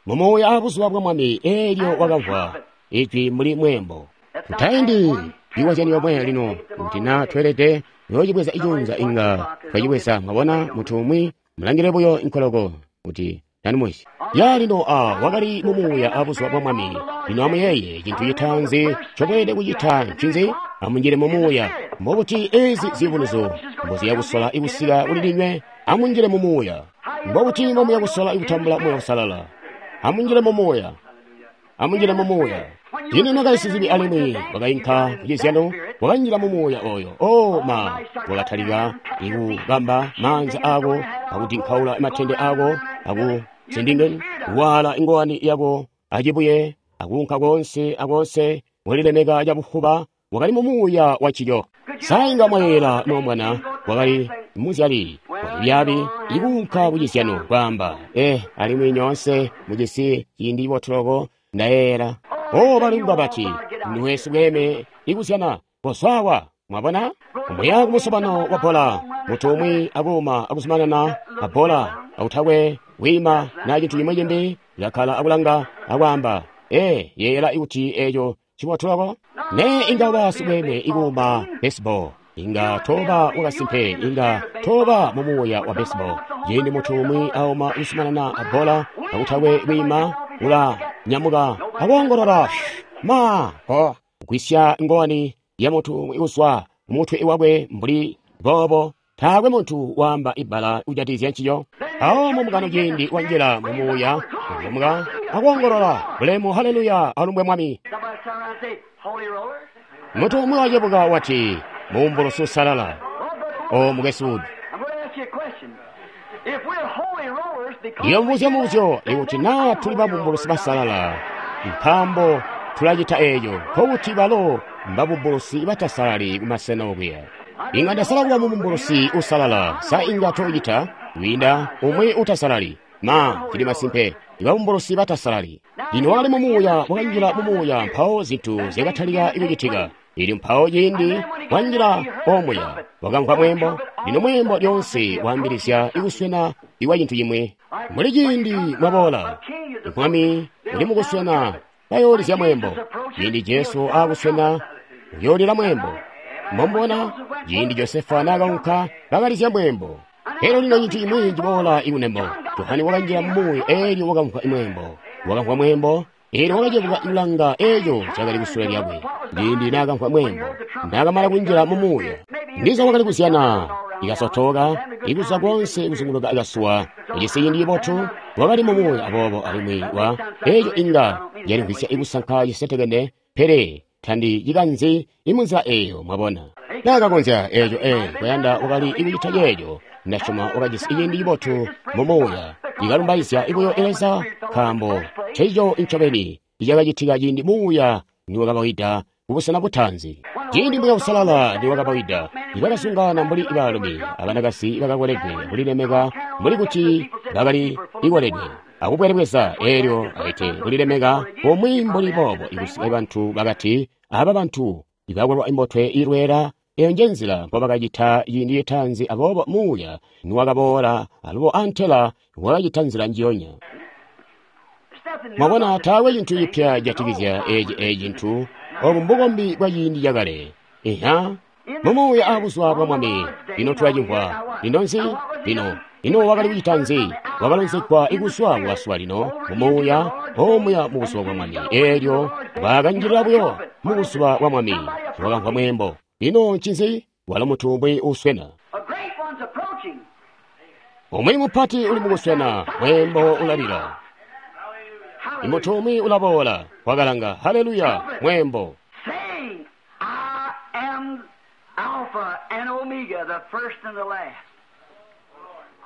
Mu muuya a buzuba bwa Mwami eelyo wakamvwa ijwi mbuli mweembo. Tutaindi iwazyani yomwe lino kuti na tweelede yoocibweza icunza inga twacibweza, mwabona, muntu umwi mulangile buyo inkoloko kuti tanumwisi. Ya lino a wakali mu muuya a buzuba bwa Mwami. Lino amuyeeye cintu citaanzi ncomweelede kucita ncinzi? Amunjile mu muuya. Mbobuti ezi ziyubunuzyo mboziya kusola ikusika kuli ndinywe? Amunjile mu muuya. Mbobuti mbomuya kusola ikutambula Muuya Uusalala? Amunjile mu muuya. Amunjile mu muuya. Lino nakali sizibi alimwi wakainka kucizyano, wakanjila mu muuya oyo. Oh ma, wakatalika ikubamba maanza ako, akudinkaula matende ako, akusindingeni, kuwaala ingowani yako acibuye, akuunka konse akonse, walilemeka cabufuba, wakali mu muuya wa cilyo. Sainga mwayeela nomwana, wakali muzyali waibyabi, ikuunka kucizyano kwaamba, eh, alimwi nyoonse mujisi ciindi cibotuloko, ndayeela. Oh, balingwa bati, nduwe sibweeme ikuzyana, kozwawa, mwabona? Muya kumusobano wa bbola, muntu umwi akuuma akuzumanana abbola, akutakwe wiima na cintu cimwi cimbi, kakkala akulanga akwaamba, eh, yeeyela ikuti eco cibotuloko? Ne inga uba sibweeme ikuuma baseball, inga toba wakasimpe, inga toba mu muuya wa baseball. Ciindi muntu umwi auma kuzumanana abbola, akutakwe wiima, ula nyamuka akoongolola ma ko kwisya ngowani ya muntu umwi uzwa mutwe wakwe mbuli boobo, taakwe muntu waamba ibbala kujatizya nciyo. Awo mumukano ciindi wanjila mu muuya, nyamuka akoongolola bulemu, haleluya, alumbwe Mwami. Muntu umwi wacebuka wati, muumbulusi usalala. O mukwesu, ndiyomubuzya mubuzyo ikuti naa tuli babumbulusi basalala, nkaambo tulacita eeco, nkokuti balo mbabumbulusi batasalali kumasena okuya. Inga ndasala kuba mubumbulusi usalala, sa inga toocita kwiinda umwi utasalali? Ma, cili masimpe, ibabumbulusi batasalali. Lino wakali mu muuya, wakanjila mu muuya, mpawo zintu zyakatalika kucitika. Elyo mpawo ciindi wanjila omuya, wakamvwa mweembo. Lino mweembo lyoonse waambilizya ikuswena ikwa cintu cimwi. Muli ciindi mwaboola, Mwami uli mukuswena, bayoolizya mweembo. Ciindi Jesu aakuswena, uyoolila mweembo. Mombona, ciindi Josefa naakaunka, bakalizya mweembo. Elyo lino cintu cimwi ciboola ikunembo. Johane wakanjila mu muuya, elyo wakamvwa mweembo. Wakamvwa mweembo, elyo wakacebuka kulanga eco cakali kusule lyakwe. Ciindi naakamvwa mweembo, naakamala kunjila mu muuya, ndiza wakali kuzyana, ikasotoka, ikuza konse kuzunguluka akasuwa, ujisi ciindi cibotu, wakali mu muuya aboobo alimwi wa eco inga yalimvwisya ikusanka cisetekene, pele tandicikanzi imunzila eyo, mwabona. Naakakonzya eeco ee kuyanda wakali ikucita ceeco. Ndasyoma wakajisi ciindi cibotu mu muuya ikalumbaizya buyo Leza nkaambo ncencico ncobeni icakacitika ciindi muuya niwakabawida kubusena butaanzi. Ciindi Muuya Uusalala niwakabawida, nibakasungana mbuli baalumi abanakazi bakakoledwe kulilemeka mbuli kuti bakali ikoledwe akubwelebweza eelyo aite kulilemeka kumwi mbuli boobo ikusika bantu bakati aba bantu ibakolwa imbotwe ilweela. Eyo njenzila mbobakacita ciindi citaanzi, aboobo muuya niwakaboola alubo antela wakacita nzila njiyonya. Mwabona, taakwe cintu cipya cijatikizya eci eci cintu. Obu mbukombi bwa ciindi cakale. Iha mumuuya abuzuba bwa Mwami. Lino tulacimvwa. Lino nzi? Lino ino wakali kucita nzi? Wakalonzegwa ikuzwa kukasuwa lino mumuuya omuya mubuzuba bwa Mwami. Eelyo bakanjilila buyo mubuzuba bwa Mwami, wakamvwa mweembo. Lino ncinzi? Walo muntu umwi uswena. Umwi mupati uli mukuswena, mweembo ulalila. Imuntu umwi ulaboola, wakalanga, haleluya, mweembo.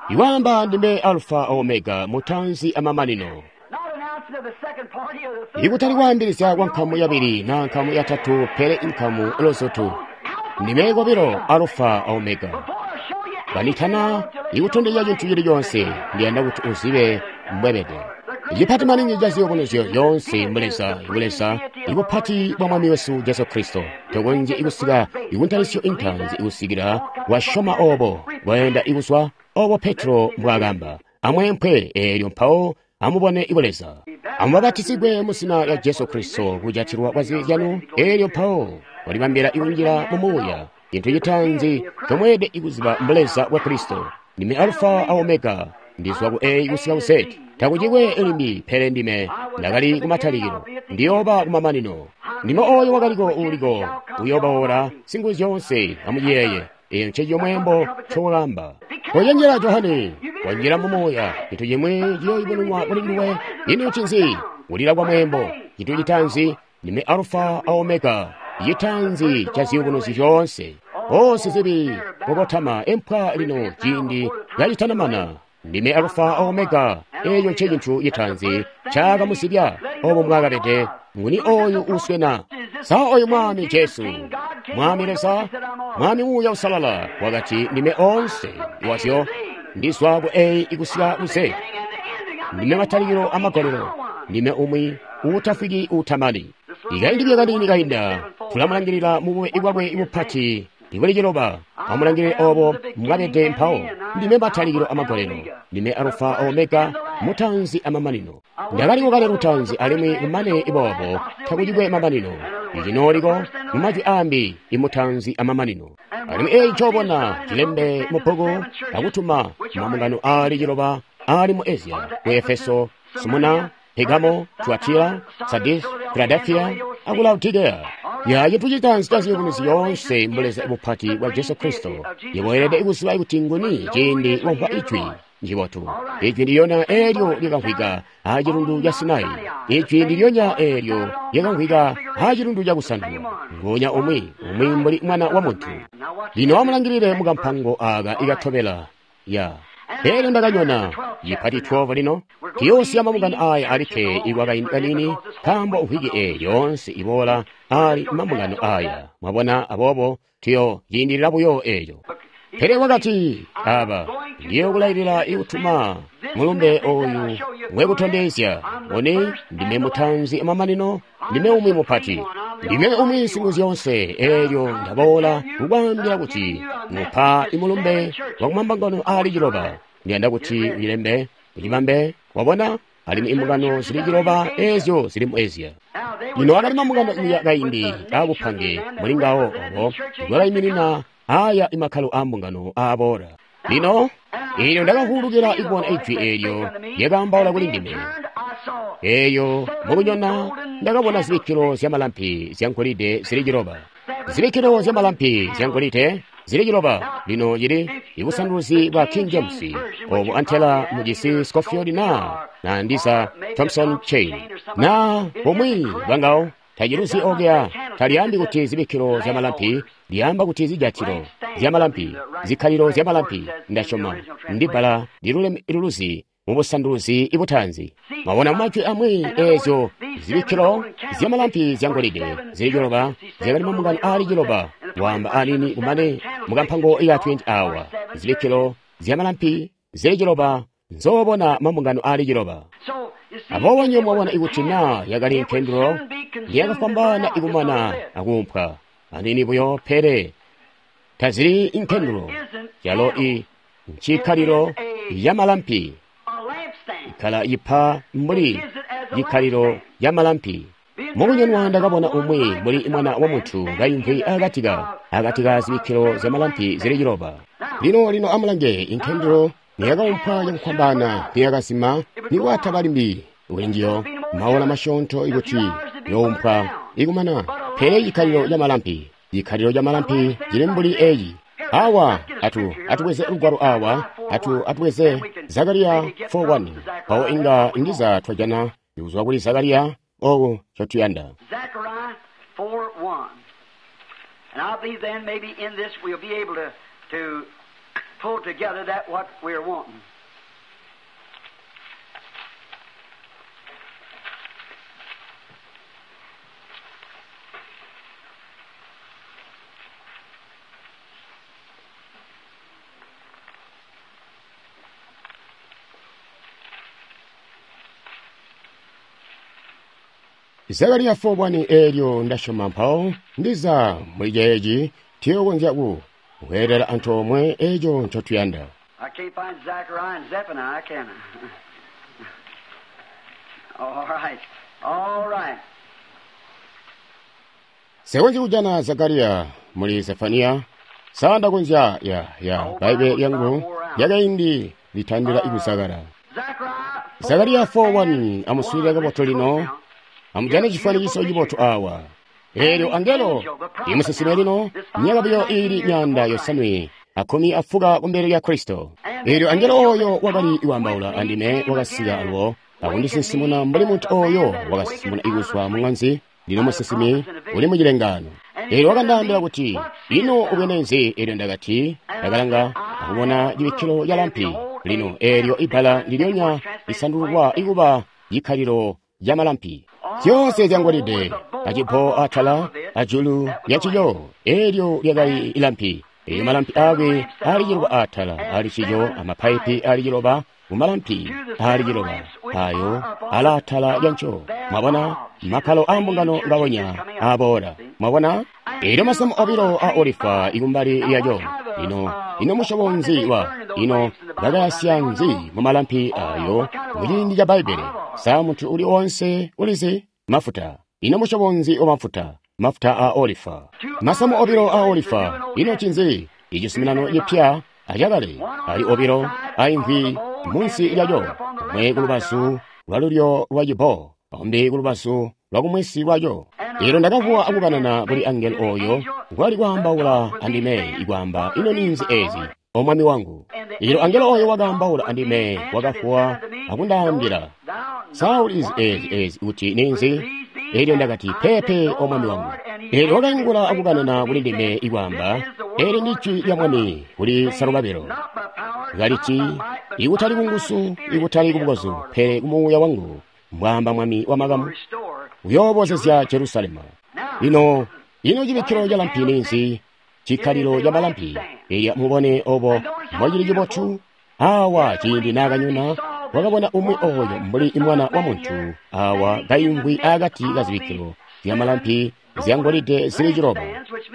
Iwamba ndime Alfa Omega, mutanzi amamanino. Ikutali kwaambilizya kwa nkamu yabili na nkamu yatatu, pele inkamu lozotu. Ndime kobilo Alfa Omega. Banditana ikutondezya cintu cili conse, ndiyanda kuti uzibe mbwebede. Icipati maningi ca ziyubunuzyo yoonse mbuleza ibuleza ibupati bwa Mwami wesu Jesu Kristo. Tokonzye ikusika ikuntalisyo intanzi ikusikila wasyoma obo bwayenda ikuzwa obo Petro mbwaakamba. Amweempwe eelyo mpawo amubone ibuleza. Amubapatizigwe mu zina lya Jesu Kristo kujatilwa kwa zibi zyanu, eelyo mpawo walibambila ikunjila mu muuya. Cintu citaanzi comweelede ikuziba mbuleza bwa Kristo. Ndime Alfa a Omega, ndizwa ku A kusika ku Z. Takucikwe limbi pele ndime ndakali kumatalikilo, ndiyooba kumamanino. Ndime oyo wakaliko uuliko, uyoobaola Singuzyoonse. Amuyeeye, eyo ncencico mweembo ncowakamba. Kocenjela Johane, wanjila mu muuya, cintu cimwi ciyooyubununwa kuli nduwe. Ino ncinzi? Kulila kwa mweembo. Cintu citaanzi, ndime Alfa a Omega, citaanzi ca ziyubunuzyo zyoonse. Onse zibi kokotama empwa lino ciindi kacitanamana. Ndime Alfa Omega, eyo nce cintu citaanzi cakamusibya obo mbwakabede. Nguni oyu uswena? Sa oyu Mwami Jesu, Mwami Leza, Mwami Muuya Uusalala wakati ndime onse wazyo, ndizwa ku A kusika ku Z. Ndime matalikilo amagolelo, ndime umwi uutafwiki uutamani. Ikaindi buyo kaniini kainda tulamulangilila mu bube bwakwe bupati ibuli ciloba. Amulangilile obo mbwabede mpawo. Ndime matalikilo amagolelo, ndime Alfa Omega, mutanzi amamanino. Ndakaliko kale lutanzi alimwi kumane boobo takucikwe mamanino. Icinooliko mu majwi ambi imutanzi amamanino. Alimwi eyi ncobona cilembe mu bbuku akutuma mambungano aali ciloba aali mu Asia, ku Efeso, Smurna, Pergamo, Tuatira, Sardis, Philadelphia aku Laodicea. Ya cintu citaanzi ca ziyubunuzyo yoonse mbuleza bupati bwa Jesu Kristo. Yebo ikuziba kuti nguni ciindi wamvwa ijwi njibotu. Ijwi ndilyonya eelyo lyakamvwika acilundu ca Sinai. Ijwi ndilyonya eelyo lyakamvwika acilundu ca Kusandulwa. Ngonya umwi, umwi mbuli mwana wa muntu. Lino amulangilile mukampango aka ikatobela. Ya. Pele ndakanyona cipati twelve lino tiyoosiya mambungano aya alikke ikwakaindi kaniini, nkaambo mvwiki eyi yoonse iboola ali mambungano aya. Mwabona, aboobo tiyo ciindilila buyo eeco. Pele wakati aba ndiyokulailila ikutuma mulumbe oyu ngwekutondezya. Ngoni ndime mutanzi amamanino, ndime umwi mupati, ndime umwi Singuzyoonse. Eelyo ndaboola kukwaambila kuti mupa imulumbe wa kumambungano aali ciloba. Ndiyanda kuti uyilembe, ucibambe, wabona, alimwi imbungano zili ciloba eezyo zili mu Asia. Lino akali mambungano iya kaindi aabupange muli ngawo obo bwakaiminina aya imakkalo aambungano aaboola. Lino eelyo ndakavulukila ikubona ijwi eelyo lyakaambaula kuli ndime. Eeyo mukunyona ndakabona zibikkilo zyamalampi zyangolide zili ciloba. Zibikkilo zyamalampi zyangolide zili ciloba. Lino cili ibusanduluzi bwa King James obu antela mujisi Scofield na na ndiza Thompson Chain na bumwi bwangawo. Taciluzi okuya. Talyaambi kuti zibikkilo zya malampi, lyaamba kuti zijatilo zya malampi, zikkalilo zya malampi. Ndasyoma ndi bbala liluluzi mu busanduluzi butaanzi. Mwabona, mu majwi amwi, eezyo zibikkilo zya malampi zya ngolide zili ciloba zyakali mambungano aali ciloba. Waamba aniini kumane mukampango ka twenty awa, zibikkilo zya malampi zili ciloba nzoobona mambungano aali ciloba. Aboobo nywebo mwabona ikuti naa yakali nkendulo ndiyakafwambaana ikumana akuumpwa aniini buyo, pele tazili nkendulo, yalo i ncikkalilo ya malampi, ikkala ipa mbuli cikkalilo ya malampi. Mukunyonwa ndakabona umwi mbuli mwana wa muntu kayimvwi akati ka akati ka zibikkilo zya malampi zili ciloba. Lino lino amulange, inkendulo niyakaumpwa cakufwambaana, niyakazima, nikwataba limbi kulinjiyo maola masyoonto ikuti youmpwa ikumana. Pele cikkalilo ca malampi, cikkalilo ca malampi cili mbuli eeci. Awa atu atubweze lugwalo awa, atu atubweze Zakariya four one. Mpawo inga ndiza twajana kuzwa kuli Zakariya oku ncotuyanda. Zechariah four one. And I believe then maybe in this we'll be able to, to pull together that what we're wanting. Zakariya four one eelyo ndasyoma mpawo ndiza muli ceeci tiyokonzya ku kweelela antoomwe eeco ncotuyanda. I can't find Zechariah and Zephaniah, can I? All right. All right. Sekonzyi kujana Zakariya muli Zefaniya, sandakonzya ya ya Baibe lyangu lyakaindi litandila ikuzakala. Zechariah Zakariya four one amuswiilile kabotu lino, amujane chifwanikiso chibotu awa. Eelyo angelo imusinsimi lino myaka buyo iili myaanda yosanwe akkumi afuka kumbele lya Kristo. Eelyo angelo oyo wakali kwaambaula andime wakasika alubo akundisinsimuna mbuli muntu oyo wakasinsimuna ikuzwa muŋanzi. Lino musinsimi uli mucilengano. Eelyo wakandaambila kuti, ino ubwene nzi? Eelyo ndakati, ndakalanga akubona cibikkilo ca lampi. Lino eelyo ibbala ndilyonya lisandululwa ikuba cikkalilo ca malampi. Zyoonse zyangolide, acipo atala ajulu lyancico, eelyo lyakali ilampi. Eelyo malampi aakwe aali ciloba atala ali cico, amapaipi aali ciloba kumalampi aali ciloba ayo alaatala lyanco. Mwabona makkalo a mbungano ngawonya aboola. Mwabona eelyo masamu obilo a olifa ikumbali lyaco. Ino ino musyobo nzi wa ino bakayasya nzi mu malampi ayo muciindi ca Bbaibele? Sa muntu uli onse ulizi mafuta. Ino musyobo nzi wa mafuta? Mafuta a olifa. Masamu obilo a olifa. Ino cinzi? Ichizuminano chipya achakale ali obilo aimvwi munsi lyaco, umwe kulubazu lwalulyo lwa cibo, umbi kulubazu lwakumwesi lwaco. Eelyo ndakavuwa akukanana kuli angelo oyo kwali kwaambaula andime ikwaamba, ino ninzi ezi, o mwami wangu? Eelyo angelo oyo wakaambaula andime wakavuwa akundaambila, sa ulizi ezi ezi kuti ninzi? Eelyo ndakati, pepe, o mwami wangu. Eelyo wakaingula akukanana kuli ndime ikwaamba, eelyo ndi jwi lya mwami kuli Zerubabelo, kaliti, ikutali kunguzu, ikutali kubukozu, pele kumuuya wangu, mbwaamba mwami wamakamu, uyoobozezya Jerusalema. Lino ino cibikkilo ca lampi ninzi? Cikkalilo ca malampi. Eelyo mubone obo mbocili cibotu. Awa ciindi naakanyona wakabona umwi oyo mbuli mwana wa muntu awa kayimvwi akati kazibikkilo zya malampi zyangolide zili ciloba.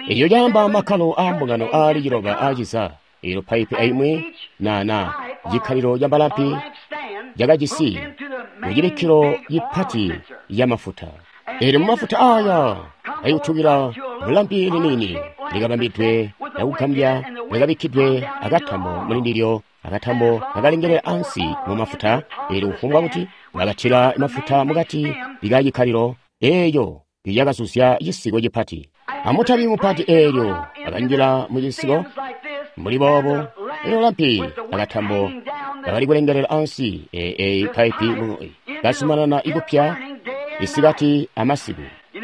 Eelyo caamba makkalo a mbungano aali ciloba aaciza. Eelyo paipi aimwi na cikkalilo ca malampi cakajisi mucibikkilo cipati ya mafuta. Eelyo mumafuta aya ayutukila mulampi liniini likabambidwe lyakugambya likabikkidwe akatambo mulindilyo, akatambo kakalengelela ansi mu mafuta. Eelyo kufumbwa kuti bakatila mafuta mukati likacikkalilo eeyo lyakazuzya cisiko cipati. Amutabi mupati eelyo akanjila mucisiko mbuli boobo. Eelyo lampi akatambo kakali kulengelela ansi eeyi paipi kazumanana ikupya isikati amasiku.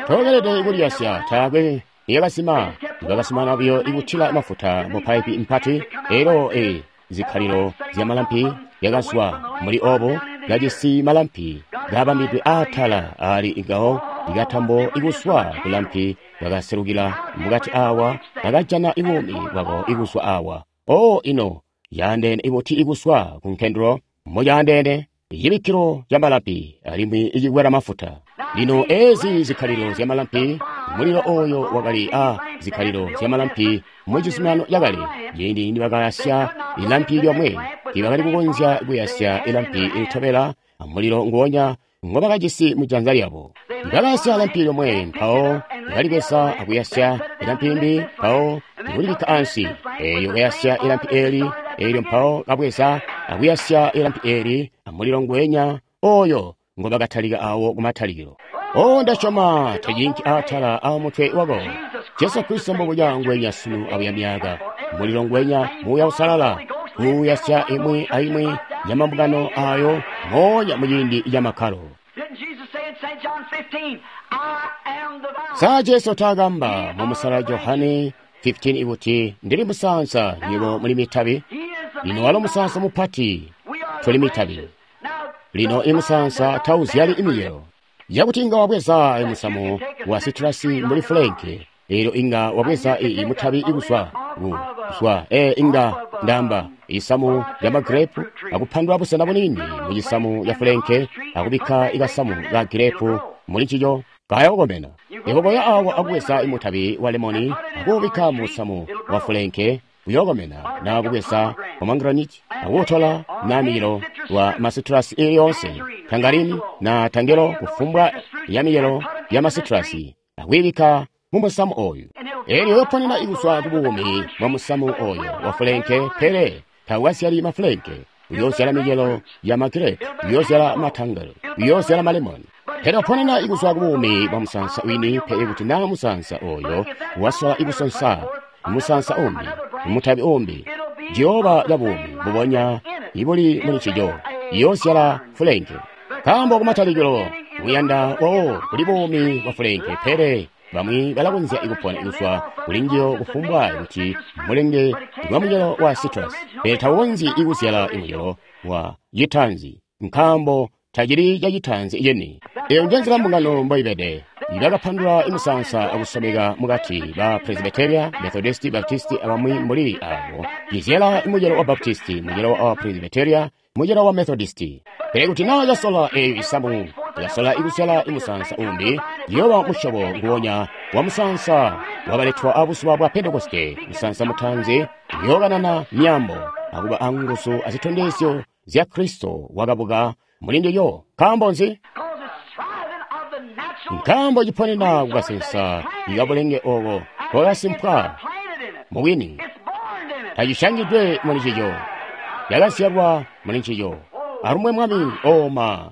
Tokelede kuliyasya, taakwe niyakazima. Bakazimana buyo ikutila mafuta mu paipi mpati. Elo e zikkalilo zya malampi yakazwa muli obo, kajisi malampi kabambidwe aatala ali ngawo, ikatambo ikuswa kulampi kakaselukila mukati awa, kakajana ibuumi bwako ikuswa awa. O ino yaandeene ibuti ikuswa ku nkendulo, moyaandeene cibikkilo ca malampi alimwi icikwela mafuta. Lino ezi zikkalilo zya malampi, mulilo oyo wakali a zikkalilo zya malampi mu cizuminano cakale. Ciindi nibakayasya ilampi lyomwe, tibakali kukonzya kuyasya ilampi ilitobela mulilo nguonya ngobakajisi mu janza lyabo. Bakayasya lampi lyomwe, mpawo balibweza akuyasya ilampi limbi, mpawo kulibikka ansi. Eyo kayasya ilampi eli, elyo mpawo kabweza akuyasya ilampi eli amulilo ngwenya oyo ngobakatalika awo kumatalikilo. O ndasyoma tacinki atala a mutwe wako. Jesu Kristo mbubuja ngwenya sunu abuya myaka. Mulilo ngwenya Muuya Uusalala kuuyasya imwi aimwi ya mambungano ayo moonya muciindi ca makkalo. Didn't Jesus say in Saint John fifteen, I am the vine? Sa Jesu taakamba mu musala Johane fifteen ikuti ndili musansa nywebo muli mitabi? He is the Lino main walo vine. musansa mupati, We are the tuli mitabi. branches. Now, Lino imusansa tauzyali imicelo. Yakuti inga wabweza musamu wa sitrasi mbuli fulenke, elyo inga wabweza iyi mutabi ikuswa kuzwa e inga ndamba isamu lya magirepu akupandula busena bunini mu cisamu ya fulenke akubikka ikasamu ka girepu muli cico kayakukomena. Ikokoya awa akubweza imutabi wa lemoni akuubikka mu musamu wa fulenke uyokomena, na kubweza pomegranate akuutola na miyelo wa masitrasi ili yonse tangarini na tangelo kufumbwa ya miyelo ya masitrasi akuyibikka mu musamu oyu. Elyo yoponena ikuswa ku buumi bwa musamu oyo wa fulenke, pele tawukazyali mafulenke. Uyozyala micelo ya magirepu, uyozyala matangelo, uyozyala malemoni. Pele oponena ikuswa ku buumi bwa musansa wini, pe kuti na musansa oyo wasola ikusonsa musansa umbi, mutabi umbi, jehova ya buumi bubonya ibuli muli cico iyozyala fulenke. Nkaambo kumatalikilo muyanda wawo kuli buumi bwa fulenke, pele bamwi balakonzya ikupona ikuswa kuli njiyo kufumbwa kuti mulenge wa mucelo wa citrus, pele tawukonzyi ikuzyala imucelo wa citanzi, nkaambo tacili ca citanzi cini. Eyo njenzila mbungano mboibede. Bakapandula imusansa akusomeka mukati ba Presbyteria, Methodist, Baptist abamwi mbuli abo. Cizyala mucelo wa Baptist, mucelo wa Presbyteria, mucelo wa Methodist. Pele kuti naa casola eyo isamu, yasola ikuzyala imusansa umbi, yoba musyobo nguwonya wa musansa wabaletwa abuzuba bwa Pentekoste, musansa mutanzi, yokanana myambo, akuba anguzu azitondezyo zya Kristo wakabuka muli ndilyo. Nkaambo nzi? Because it's thriving of the natural Nkaambo ciponena kukasensa ikabulenge oko kokasimpwa planted in it. mubwini, It's born in it. tacishangidwe muli cico, yakazyalwa muli ncico. Alumwe Mwami oma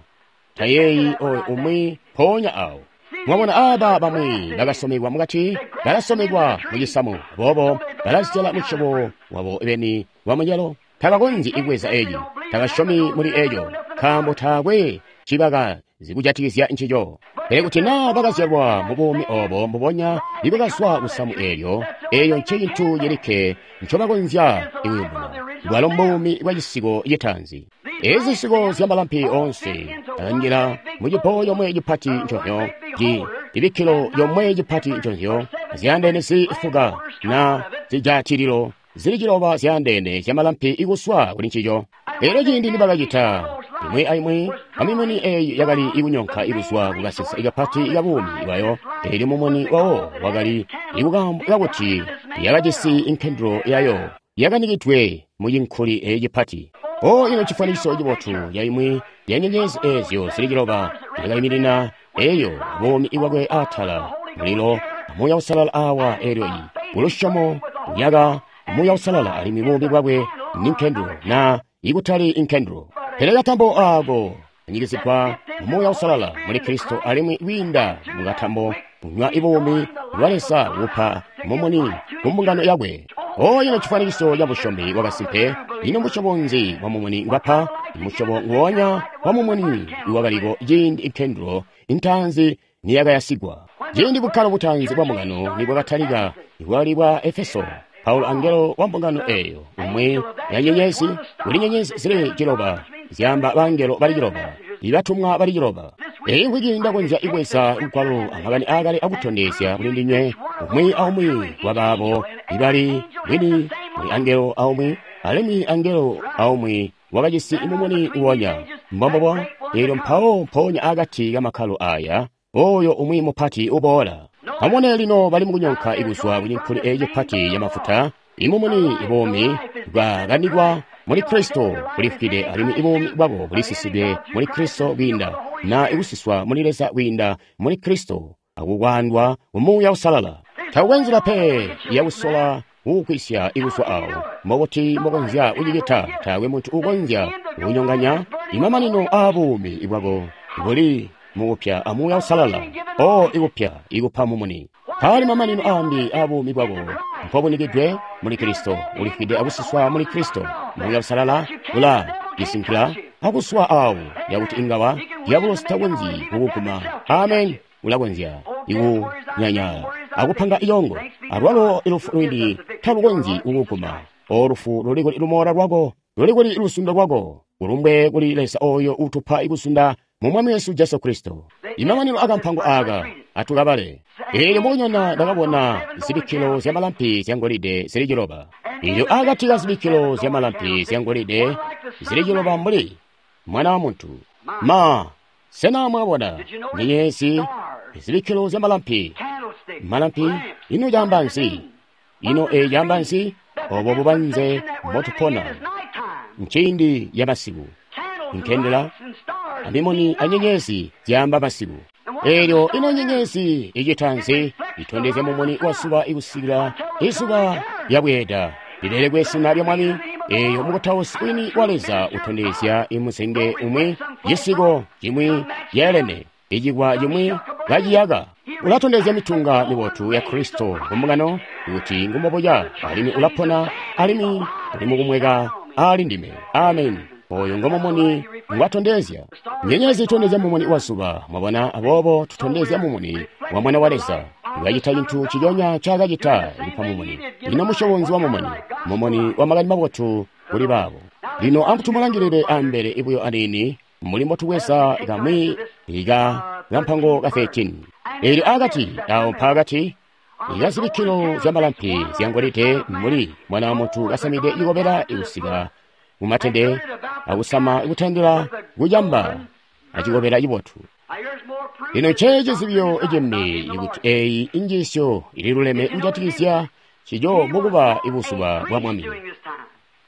tayeeyi oyo umwi mpoonya awo. Mwabona aba bamwi bakasomekwa mukati, balasomekwa mu cisamu, aboobo balazyala musyobo wabo beni wa mucelo. Tabakonzyi ikubweza eeci, tabasyomi muli eco, nkaambo taakwe cibaka zikujatikizya ncico. Pele kuti naa bakazyalwa mu buumi obo mbubonya ibakazwa kusamu eelyo, eyo ncecintu cilikke ncobakonzya ikuyubuna. Bwalo mbuumi bwa cisiko citanzi. Ezi zisiko zya malampi onse akanjila mu cipo yomwe cipati nconzyo, ci ibikkilo yomwe cipati nconzyo, zyaandeene zifuka na zijatililo zili ciloba zyaandeene zya malampi ikuswa kuli ncico. Elyo ciindi nibakacita imwi aimwi amimuni eyi yakali ikunyonka ikuzwa kukasensa ikapati ikabuumi bwayo, elyo mumuni wawo wakali ikukaambo kakuti yakajisi inkendulo yayo yakanikidwe mu cinkuli eyi cipati. O ino cifwanikiso cibotu ya imwi ya nyenyezi ezyo zili ciloba yakayimirina eyo buumi ibwakwe atala mulilo Muuya Uusalala awa elyo iyi kulusyomo yaka Muuya Uusalala alimwi buumi bwakwe ni nkendulo na ikutali inkendulo. Pele katambo ako anyikizigwa mu Muuya Uusalala muli Kristo alimwi kwiinda mukatambo kunywa ibuumi bwa Leza bupa mumuni ku mbungano yakwe. O ino cifwanikiso ca busyomi bwakasimpe, ino musyobo nzi wa mumuni ngwapa? Musyobo nguwonya wa mumuni iwakaliko ciindi inkendulo intaanzi niyakayasigwa. Ciindi bukkalo butaanzi bwa mbungano nibwakatalika, bwali bwa Efeso, Paulo angelo wa mbungano eyo, umwi ya nyenyezi, kuli nyenyezi zili ciloba, zyaamba bangelo bali ciloba, ibatumwa bali ciloba. Eyi nkwiki ndakonzya ibweza lugwalo amakani aakale akutondezya kuli ndinywe, umwi aumwi wabaabo ibali bwini muli angelo aumwi, alimwi angelo aumwi wakajisi mumuni uwonya. Mbombobo, eelyo mpawo mpoonya akati kamakkalo aya, oyo umwi mupati uboola. Amubone lino bali mukunyonka ikuzwa kunyinkuli eyi cipati yamafuta, imumuni ibuumi bwakanikwa muli Kristo bulifwide alimwi ibuumi bwabo bulisisidwe muli Kristo kwiinda na ikusiswa muli Leza kwiinda muli Kristo akukwaandwa mu Muuya Uusalala. Takukwe nzila pe yakusola kukwisya ikuzwa awo, mbokuti mbokonzya kucicita, taakwe muntu uukonzya kunyonganya imamanino aabuumi bwako buli mukupya a Muuya Uusalala, o ikupya ikupa mumuni. Paali mamanino aambi aabuumi bwako mpobunikidwe muli Kristo, ulifwide akusiswa muli Kristo. Muuya Uusalala ula lisinkila akuswa awo yakuti ingawa diabolosi takonzyi kukuguma. Amen. Ulakonzya ikunyanyala akupanga iyongo, alwalo ilufu lwini talukonzyi kukuguma. O lufu luli kuli lumoola lwako, luli kuli lusundo lwako, ulumbwe kuli Leza oyo utupa ikusunda mu Mwami wesu Jesu Kristo. Imamanino akampango aka atukabale. Eelyo mukunyona ndakabona zibikkilo zyamalampi zyangolide zili ciloba. Eelyo akati ka zibikkilo zyamalampi zyangolide zili ciloba mbuli Mwana wa Muntu. Ma, sena mwabona nyenyezi, zibikkilo zyamalampi, malampi, ino caamba nzi? Ino eyi caamba nzi? Obo bubanze mbotupona nciindi yamasiku. Nkendela amimuni anyenyezi zyaamba masiku. Eelyo ino nyenyezi icita nzi? Itondezya mumuni wa zuba ikusikila izuba lyabweeda lilelekwe zina lya Mwami. Eeyo mukutausi wini wa Leza utondezya imuzenge umwi, cisiko cimwi yeelene, icikwa cimwi kaciyaka. Ulatondezya mitunga mibotu ya Kristo kumbungano kuti ngumbobuya, alimwi ulapona, alimwi uli mukumweka ali ndime. Amen. Oyo ngomumuni ngwatondezya. Nyenyezi itondezya mumuni wa zuba, mwabona, aboobo tutondezya mumuni wa Mwana wa Leza. Wakacita cintu ciconya ncaakacita kupa mumuni. Lino musyobo wa mumuni, mumuni wa makani mabotu kuli baabo. Lino amutumulangilile ambele ibuyo aniini, mbuli mbotubweza kamwi ika kampango ka thirteen. Eelyo akati, awo mpaakati, ika zibikkilo zyamalampi zyangolide mbuli Mwana wa Muntu kasamide ikobela ikusika mumatende akusama ikutandila kucamba acikobela cibotu. Lino nceeci cizibyo icimbi ikuti eyi injiisyo ililuleme kujatikizya cico mukuba ibuzuba bwa Mwami.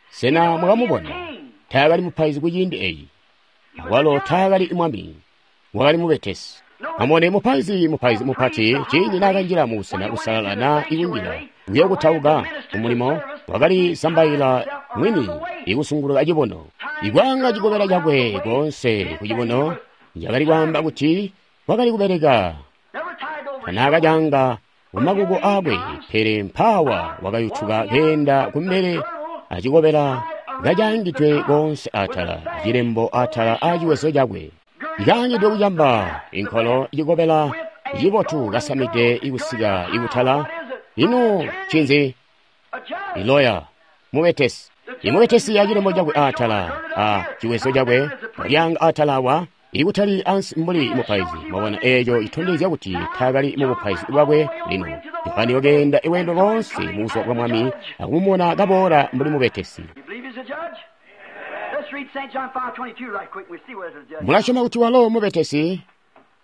Sena mwakamubona? Taakali mupaizi kuciindi eyi, awalo taakali mwami, wakali mubetesi. Amubone mupaizi, mupaizi mupati, ciindi naakanjila mubusena busalala na ikunjila kuyokutauka kumulimo, wakali zambaila mwini ikusunguluka cibono. Ikwaanga cikobela cakwe koonse kucibono, yakali kwaamba kuti wakali kubeleka. Tanaakacaanga kumakuko aakwe, pele mpaawa wakayutuka keenda kumbele acikobela kacaangidwe koonse atala, cilembo atala aaciwezo cakwe. Ikaangidwe kucamba inkolo cikobela cibotu kasamide ikusika ikutala. Ino ncinzi? Iloya, mubetesi. Imubetesi acilembo cakwe atala a ciwezo cakwe, walyaanga atala awa, ikutali ansi mbuli mupaizi. Mwabona, eeco itondezya kuti taakali mubupaizi bwakwe lino. Yohane wakeenda iwendo loonse mubuzuba bwa Mwami akumubona kaboola mbuli mubetesi. Mulasyoma kuti walo mubetesi?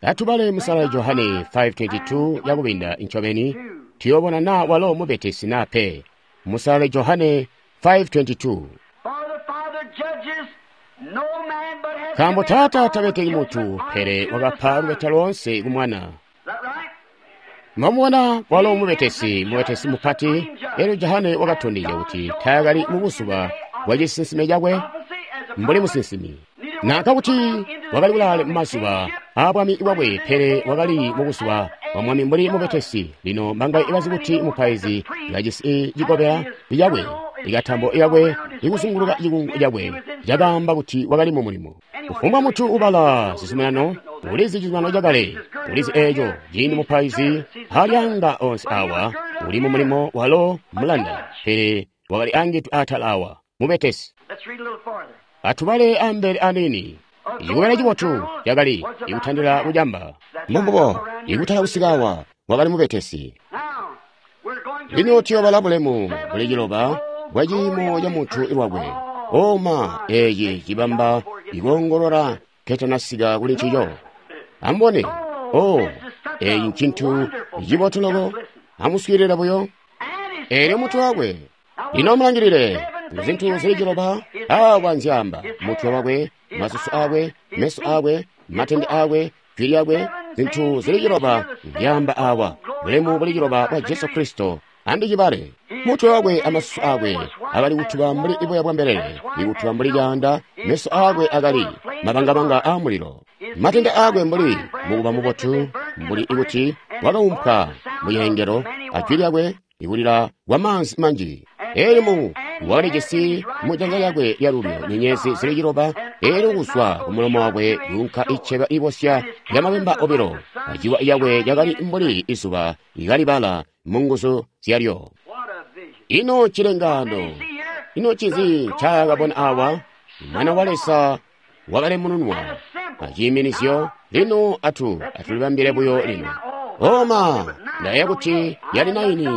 Atubale musala Johane five twenty-two yakubinda incobeni, tuyobona na walo mubetesi na pe. Musala Johane five twenty-two. Nkaambo Taata tabeteki muntu, pele wakapa lubeta loonse ku Mwana. Mwamubona walo mubetesi, mubetesi mupati. Elyo Johane wakatondezya kuti taakali mubuzuba bwa cisinsime cakwe mbuli musinsimi, nanka kuti wakali kulaale mumazuba aabwami bwakwe, pele wakali mubuzuba bwa Mwami mbuli mubetesi. Lino mbangaye bazi kuti mupaizi kajisi cikobela cakwe, ikatambo yakwe ikuzunguluka cikungu cakwe cakaamba kuti wakali mu mulimo. Kufumbwa muntu ubala zizuminano ulizi cizuminano cakale, ulizi eco ciindi mupaizi alyanga onse awa uli mu mulimo walo mulanda, pele wakali angidwe atala awa mubetesi. Atubale ambele anini. Icikobela cibotu cakali ikutandila kucamba. Mbombubo, ikutala kusika awa wakali mubetesi. Lino tuyobala bulemu buli ciloba bwa ciimo ca muntu lwakwe. Oma eeci cibamba ikoongolola ketanasika kuli ncico. Amubone, o eeci ncintu cibotu loko. Amuswiilile buyo. Eelyo mutwe wakwe. Lino amulangilile zintu zili ciloba awa nzyaamba: mutwe wakwe, masusu akwe, meso akwe, matende akwe, jwi lyakwe. Zintu zili ciloba nzyaamba awa, bulemu buli ciloba bwa Jesu Kristo. Andicibale. Mutwe wakwe amasusu akwe akali kutuba mbuli boya bwa mbelele, ikutuba mbuli caanda. Meso akwe akali mabangabanga a mulilo. Matende akwe mbuli mukuba mubotu, mbuli ikuti wakaumpwa muyengelo, ajwi lyakwe ikulila kwa maanzi manji. Eelyo mu wakalijisi mu janza lyakwe lyalulyo nyenyezi zili ciloba, eelyo kuzwa kumulomo wakwe kuunka iceba ibosya lyamabemba obilo, aciwa yakwe yakali mbuli izuba ikalibala mu nguzu zyalyo. Ino cilengano, ino ncinzi ncaakabona awa? Mwana wa Leza wakalemununwa aciiminizyo. Lino atu atulibambile buyo lino. Oma, ndayeeya kuti yali naini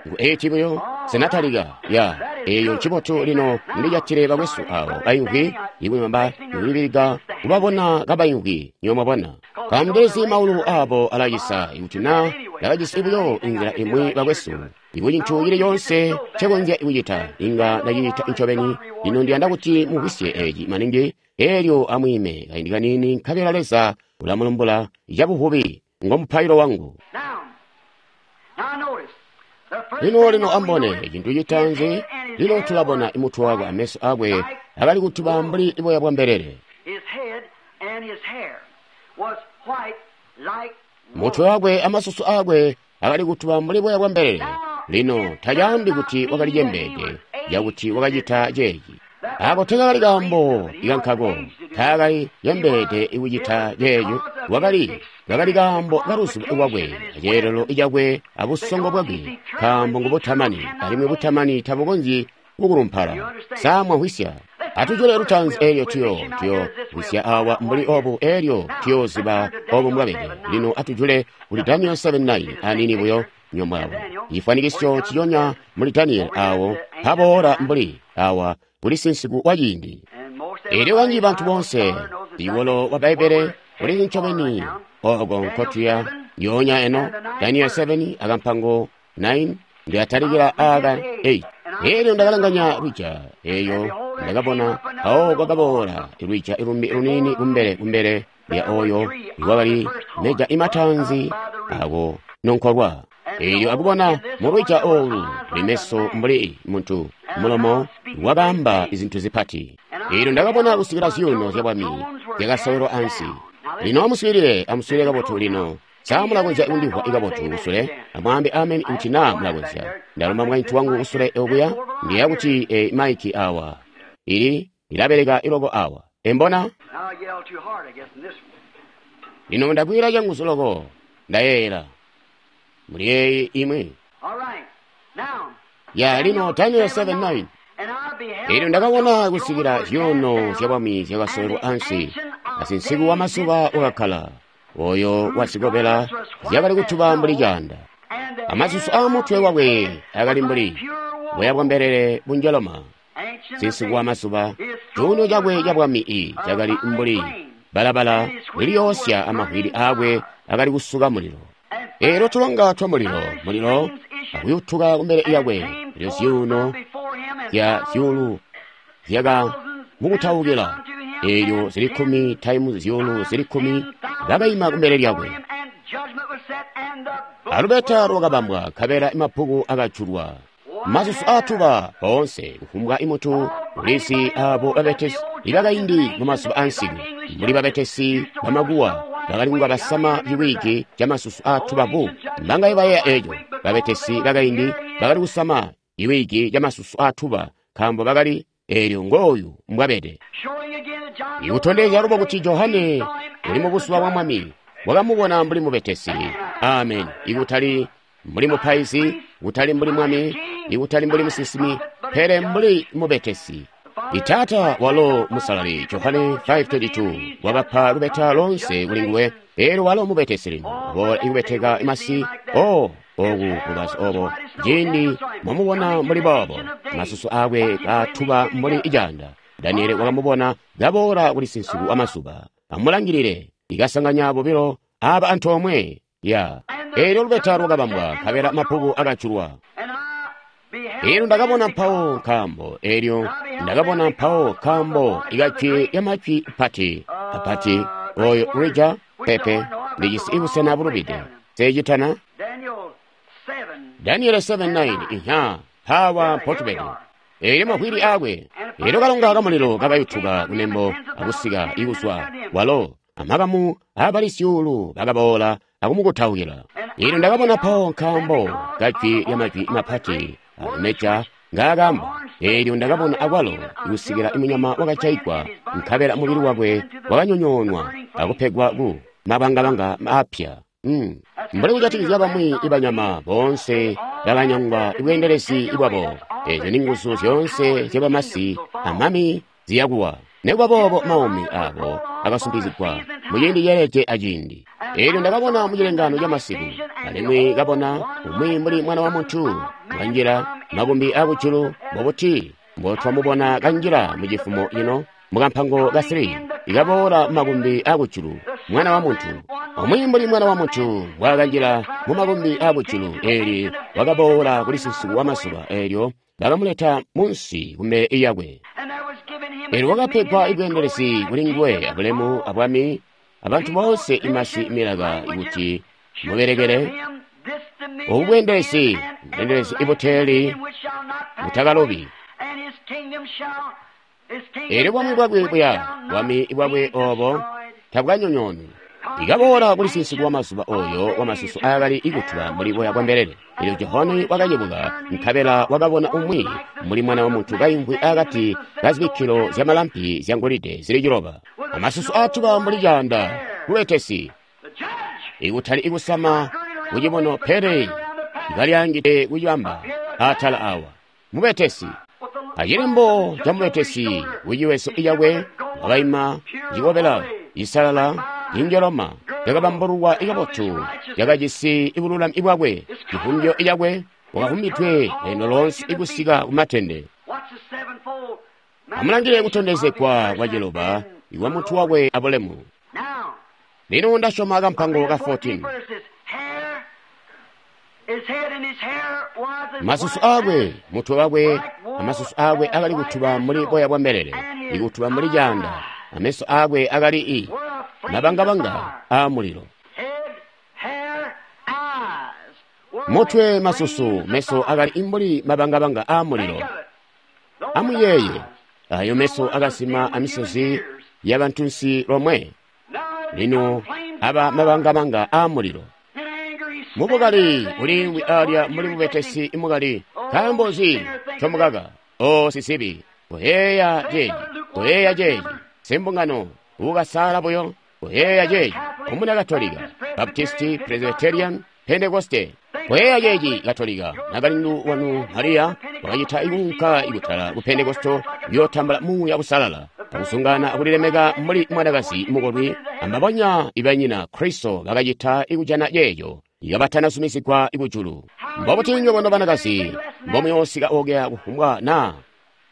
ngu eiti buyo senatalika ya eyo ncibotu. Lino ndijatile bakwesu abo bayimvwi ikwimba ikulibilika kubabona kabayimvwi nyomwabona kamundezi maulu abo alacisa. Ikuti na ndakajisi buyo inzila imwi bakwesu, iku cintu cili coonse ncekonzya kucita inga ndacicita ncobeni. Lino ndiyanda kuti mumvwisye eci maningi. Eelyo amwiime kaindi kanini, nkabela Leza ulamulumbula cabuvubi. Ngo mupailo wangu. Lino lino ambone cintu citaanzi. Lino tulabona imutwe wakwe ameso akwe akali kutuba mbuli boya bwa mbelele. Mutwe wakwe amasusu akwe akali kutuba mbuli boya bwa mbelele. Lino tacaambi kuti wakali cembeede yakuti wakacita ceeci. Ako tekakali kaambo ikankako, taakali cembeede ikucita ceeco. Wakali kakali kaambo kaluzubo lwakwe, aceelelo cakwe abusongo bwakwe, nkaambo ngubutamani, alimwi butamani tabukonzyi kukulumpala. Sa mwamvwisya? Atujule lutaanzi eelyo tuyo tuyo vwisya awa mbuli obu, eelyo tuyooziba obu mbwabede. Lino atujule kuli Daniel seven nine anini buyo nyomwabo. Cifwanikisyo ciyonya muli Daniel awo paboola mbuli awa kuli sinsiku wa ciindi. Eelyo kanji bantu bonse iwolo wa Baibele uli ncobeni oko nkotuya nyonya eno Daniel seven akampango nine ndiyatalikila aka eight. Eelyo ndakalanganya lwija eyo ndakabona awo kwakaboola lwija ilumbi lunini kumbele kumbele lya oyo iwakali meja imatanzi ako nonkolwa. Eelyo akubona mulwija olu limeso mbuli muntu mulomo wakaamba izintu zipati. Eelyo ndakabona kusikila zyuuno zyabwami zyakasowelwa ansi. Lino amuswiilile, amuswiilile kabotu lino. Sa mulakonzya kundimvwa kabotu kusule? Amwaambe amen kuti naa mulakonzya. Ndalomba mukaintu wangu kusule okuya, ndiya kuti e, maiki awa ili ilabeleka iloko awa embona. Lino ndakwira changuzu loko ndayeera muli eyi imwe ya lino Daniel seven nine. Eelyo ndakabona kusikila zyuuno zyabwami zyakasowelwa ansi, asinsiku wa masuba wakakkala oyo wazikobela zyakali kutuba mbuli caanda, amasusu aamutwe wakwe akali mbuli boya bwa mbelele bunjoloma. Sinsiku wa masuba cuuno cakwe cabwami i cakali mbuli balabala liliyoosya, amavwili akwe akali kusuka mulilo. Eelyo tulonga twa mulilo mulilo akuyutuka kumbele yakwe. Elyo zyuuno zya zyuulu zyaka mukutaukila, eelyo zili kkumi taimu zyuulu zili kkumi bakaima kumbele lyakwe. Alubeta lwakabambwa, nkabela mabbuku akajulwa. Masusu aatuba boonse kufumbwa imutu ulisi abo babetesi ibakaindi mu mazuba ansiku, mbuli babetesi bamakuwa bakali kunga basama ciwiki ca masusu aatuba bu. Mbangaye bayeeya eco? Babetesi bakaindi bakali kusama ciwiki ca masusu aatuba nkaambo bakali Eelyo ngooyu mbwabede. Ikutondezya lubo kuti Johane uli mu buzuba bwa Mwami wakamubona mbuli mubetesi. Amen. Ikutali mbuli mupaizi, kutali mbuli mwami, ikutali mbuli musinsimi, pele mbuli mubetesi. Itaata walo musalali Johane five twenty-two wakapa lubeta lonse kuli nguwe. Eelyo walo mubetesi lino boola ikubeteka masi. O oku bubazi obo ciindi mwamubona mbuli boobo, masusu akwe kaatuba mbuli ijanda. Daniele wakamubona kaboola kuli sinsiku amazuba. Amulangilile ikasanganya bobilo aba antoomwe ya. Eelyo lubeta lwakabambwa, nkabela mabbuku akajulwa. Eelyo ndakabona mpawo nkaambo, eelyo ndakabona mpawo nkaambo ikajwi lyamajwi pati apati oyo Rija pepe ndijisi ibusena bulubide. Sechitana Daniel seven nine inha hawa mpotubede. Eelyo mavwili akwe. Eelyo kalonga kamulilo kakayutuka kunembo akusika ikuzwa walo amakamu abali syuulu bakaboola akumukutaukila. Eelyo ndakabona mpawo nkaambo kajwi lyamajwi mapati ameja ngaakamba. Eelyo ndakabona akwalo ikusikila imunyama wakajaigwa, nkabela mubili wakwe wakanyonyoonwa akupegwa ku mabangabanga apya. Mm. Mbuli kujatikizya bamwi ibanyama boonse bakanyangwa ibweendelezi bwabo. Eezyo ni nguzu zyoonse zyabamasi amami ziyakuwa. Nekuba boobo maumi abo akasumpizigwa muciindi ceelede aciindi. Eelyo ndakabona mucilengano camasiku, alimwi kabona umwi mbuli mwana wa muntu kanjila makumbi akujulu. Mbobuti mbotwamubona kanjila mucifumo cino mukampango ka three, ikaboola makumbi akujulu mwana wa muntu. Umwi mbuli mwana wa muntu mbwaakanjila mumakumbi akujulu, eelyo wakaboola kuli sinsiku wamazuba. Eelyo bakamuleta munsi kumbele yakwe. Eelyo wakapegwa ibweendelezi kuli nguwe abulemu abwami abantu boonse imasi milaka kuti mubelekele. Obu bweendelezi bweendelezi ibuteeli butakalobi. Eelyo bwami bwakwe buya bwami bwakwe obo tabwanyonyoonwi. Ikaboola kuli sinsiku wamazuba oyo wamasusu aakali ikutuba mbuli boya bwa mbelele. Eelyo Johane wakacebuka, nkabela wakabona umwi mbuli mwana wa muntu kaimvwi akati kazibikkilo zyamalampi zyangolide zili ciloba, amasusu aatuba mbuli caanda. Kubetesi ikutali ikusama kucibono, pele ikalyaangide kucibamba atala awa. Mubetesi acilembo ca mubetesi kuciweso icakwe wakaima cikobela cisalala injoloma yakabambululwa ikabotu, yakajisi ibululami bwakwe. Civumbyo icakwe wakavumbidwe leno lonse ikusika kumatende. Amulangile kutondezegwa kwa ciloba ikwa mutu wakwe abulemu. Lino ndasyoma kampango ka fourteen. Masusu akwe, mutwe wakwe, amasusu akwe akali kutuba mbuli boya bwa mbelele, ikutuba mbuli caanda. Ameso akwe akali i mabangabanga a mulilo. Mutwe, masusu, meso akali imbuli mabangabanga a mulilo. Amuyeeye, ayo meso akasima amisozi yabantunsi lomwe. Lino aba mabangabanga a mulilo. Mubukali uliimvwi alya muli mubetesi imukali. Nkaambo nzi ncomukaka? O sisibi, kuyeeya ceeci, kuyeeya ceeci. Simbungano ukasaala buyo, kuyeeya ceeci. Omuna Katolika, Baptisti, Presbyterian, Pentekoste, kuyeeya ceeci. Katolika nakalindu wanu Mariya wakacita ikunka ikutala ku Pentekosto kuyootambula Muuya Usalala akusungana akulilemeka mbuli mwanakazi mukolwi. Ambabonya ibanyina Kristo bakacita ikujana ceeco ikabatanazumizigwa ikujulu. Mbobuti nywebo nobanakazi mbomuyoosika okya kufumbwa naa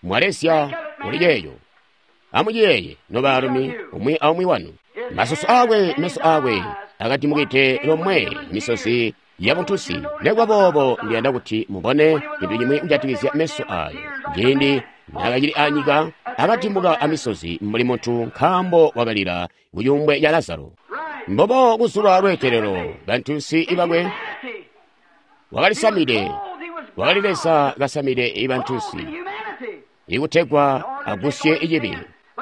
mwalesya kuli ceeco? Amuciyeeye nobaalumi, umwi aumwi wanu. Masusu akwe, meso akwe akadimukide lomwe misozi yabuntusi. Nekuba boobo ndiyanda kuti mubone cintu cimwi kujatikizya meso ayo. Ciindi naakacili anyika akadimuka amisozi mbuli muntu, nkaambo wakalila kucuumbwe ca Lazaro. Mbobo kuzulwa lweetelelo bantunsi ibakwe wakalisamide, wakali Leza kasamide ibantunsi ikutegwa agusye icibi.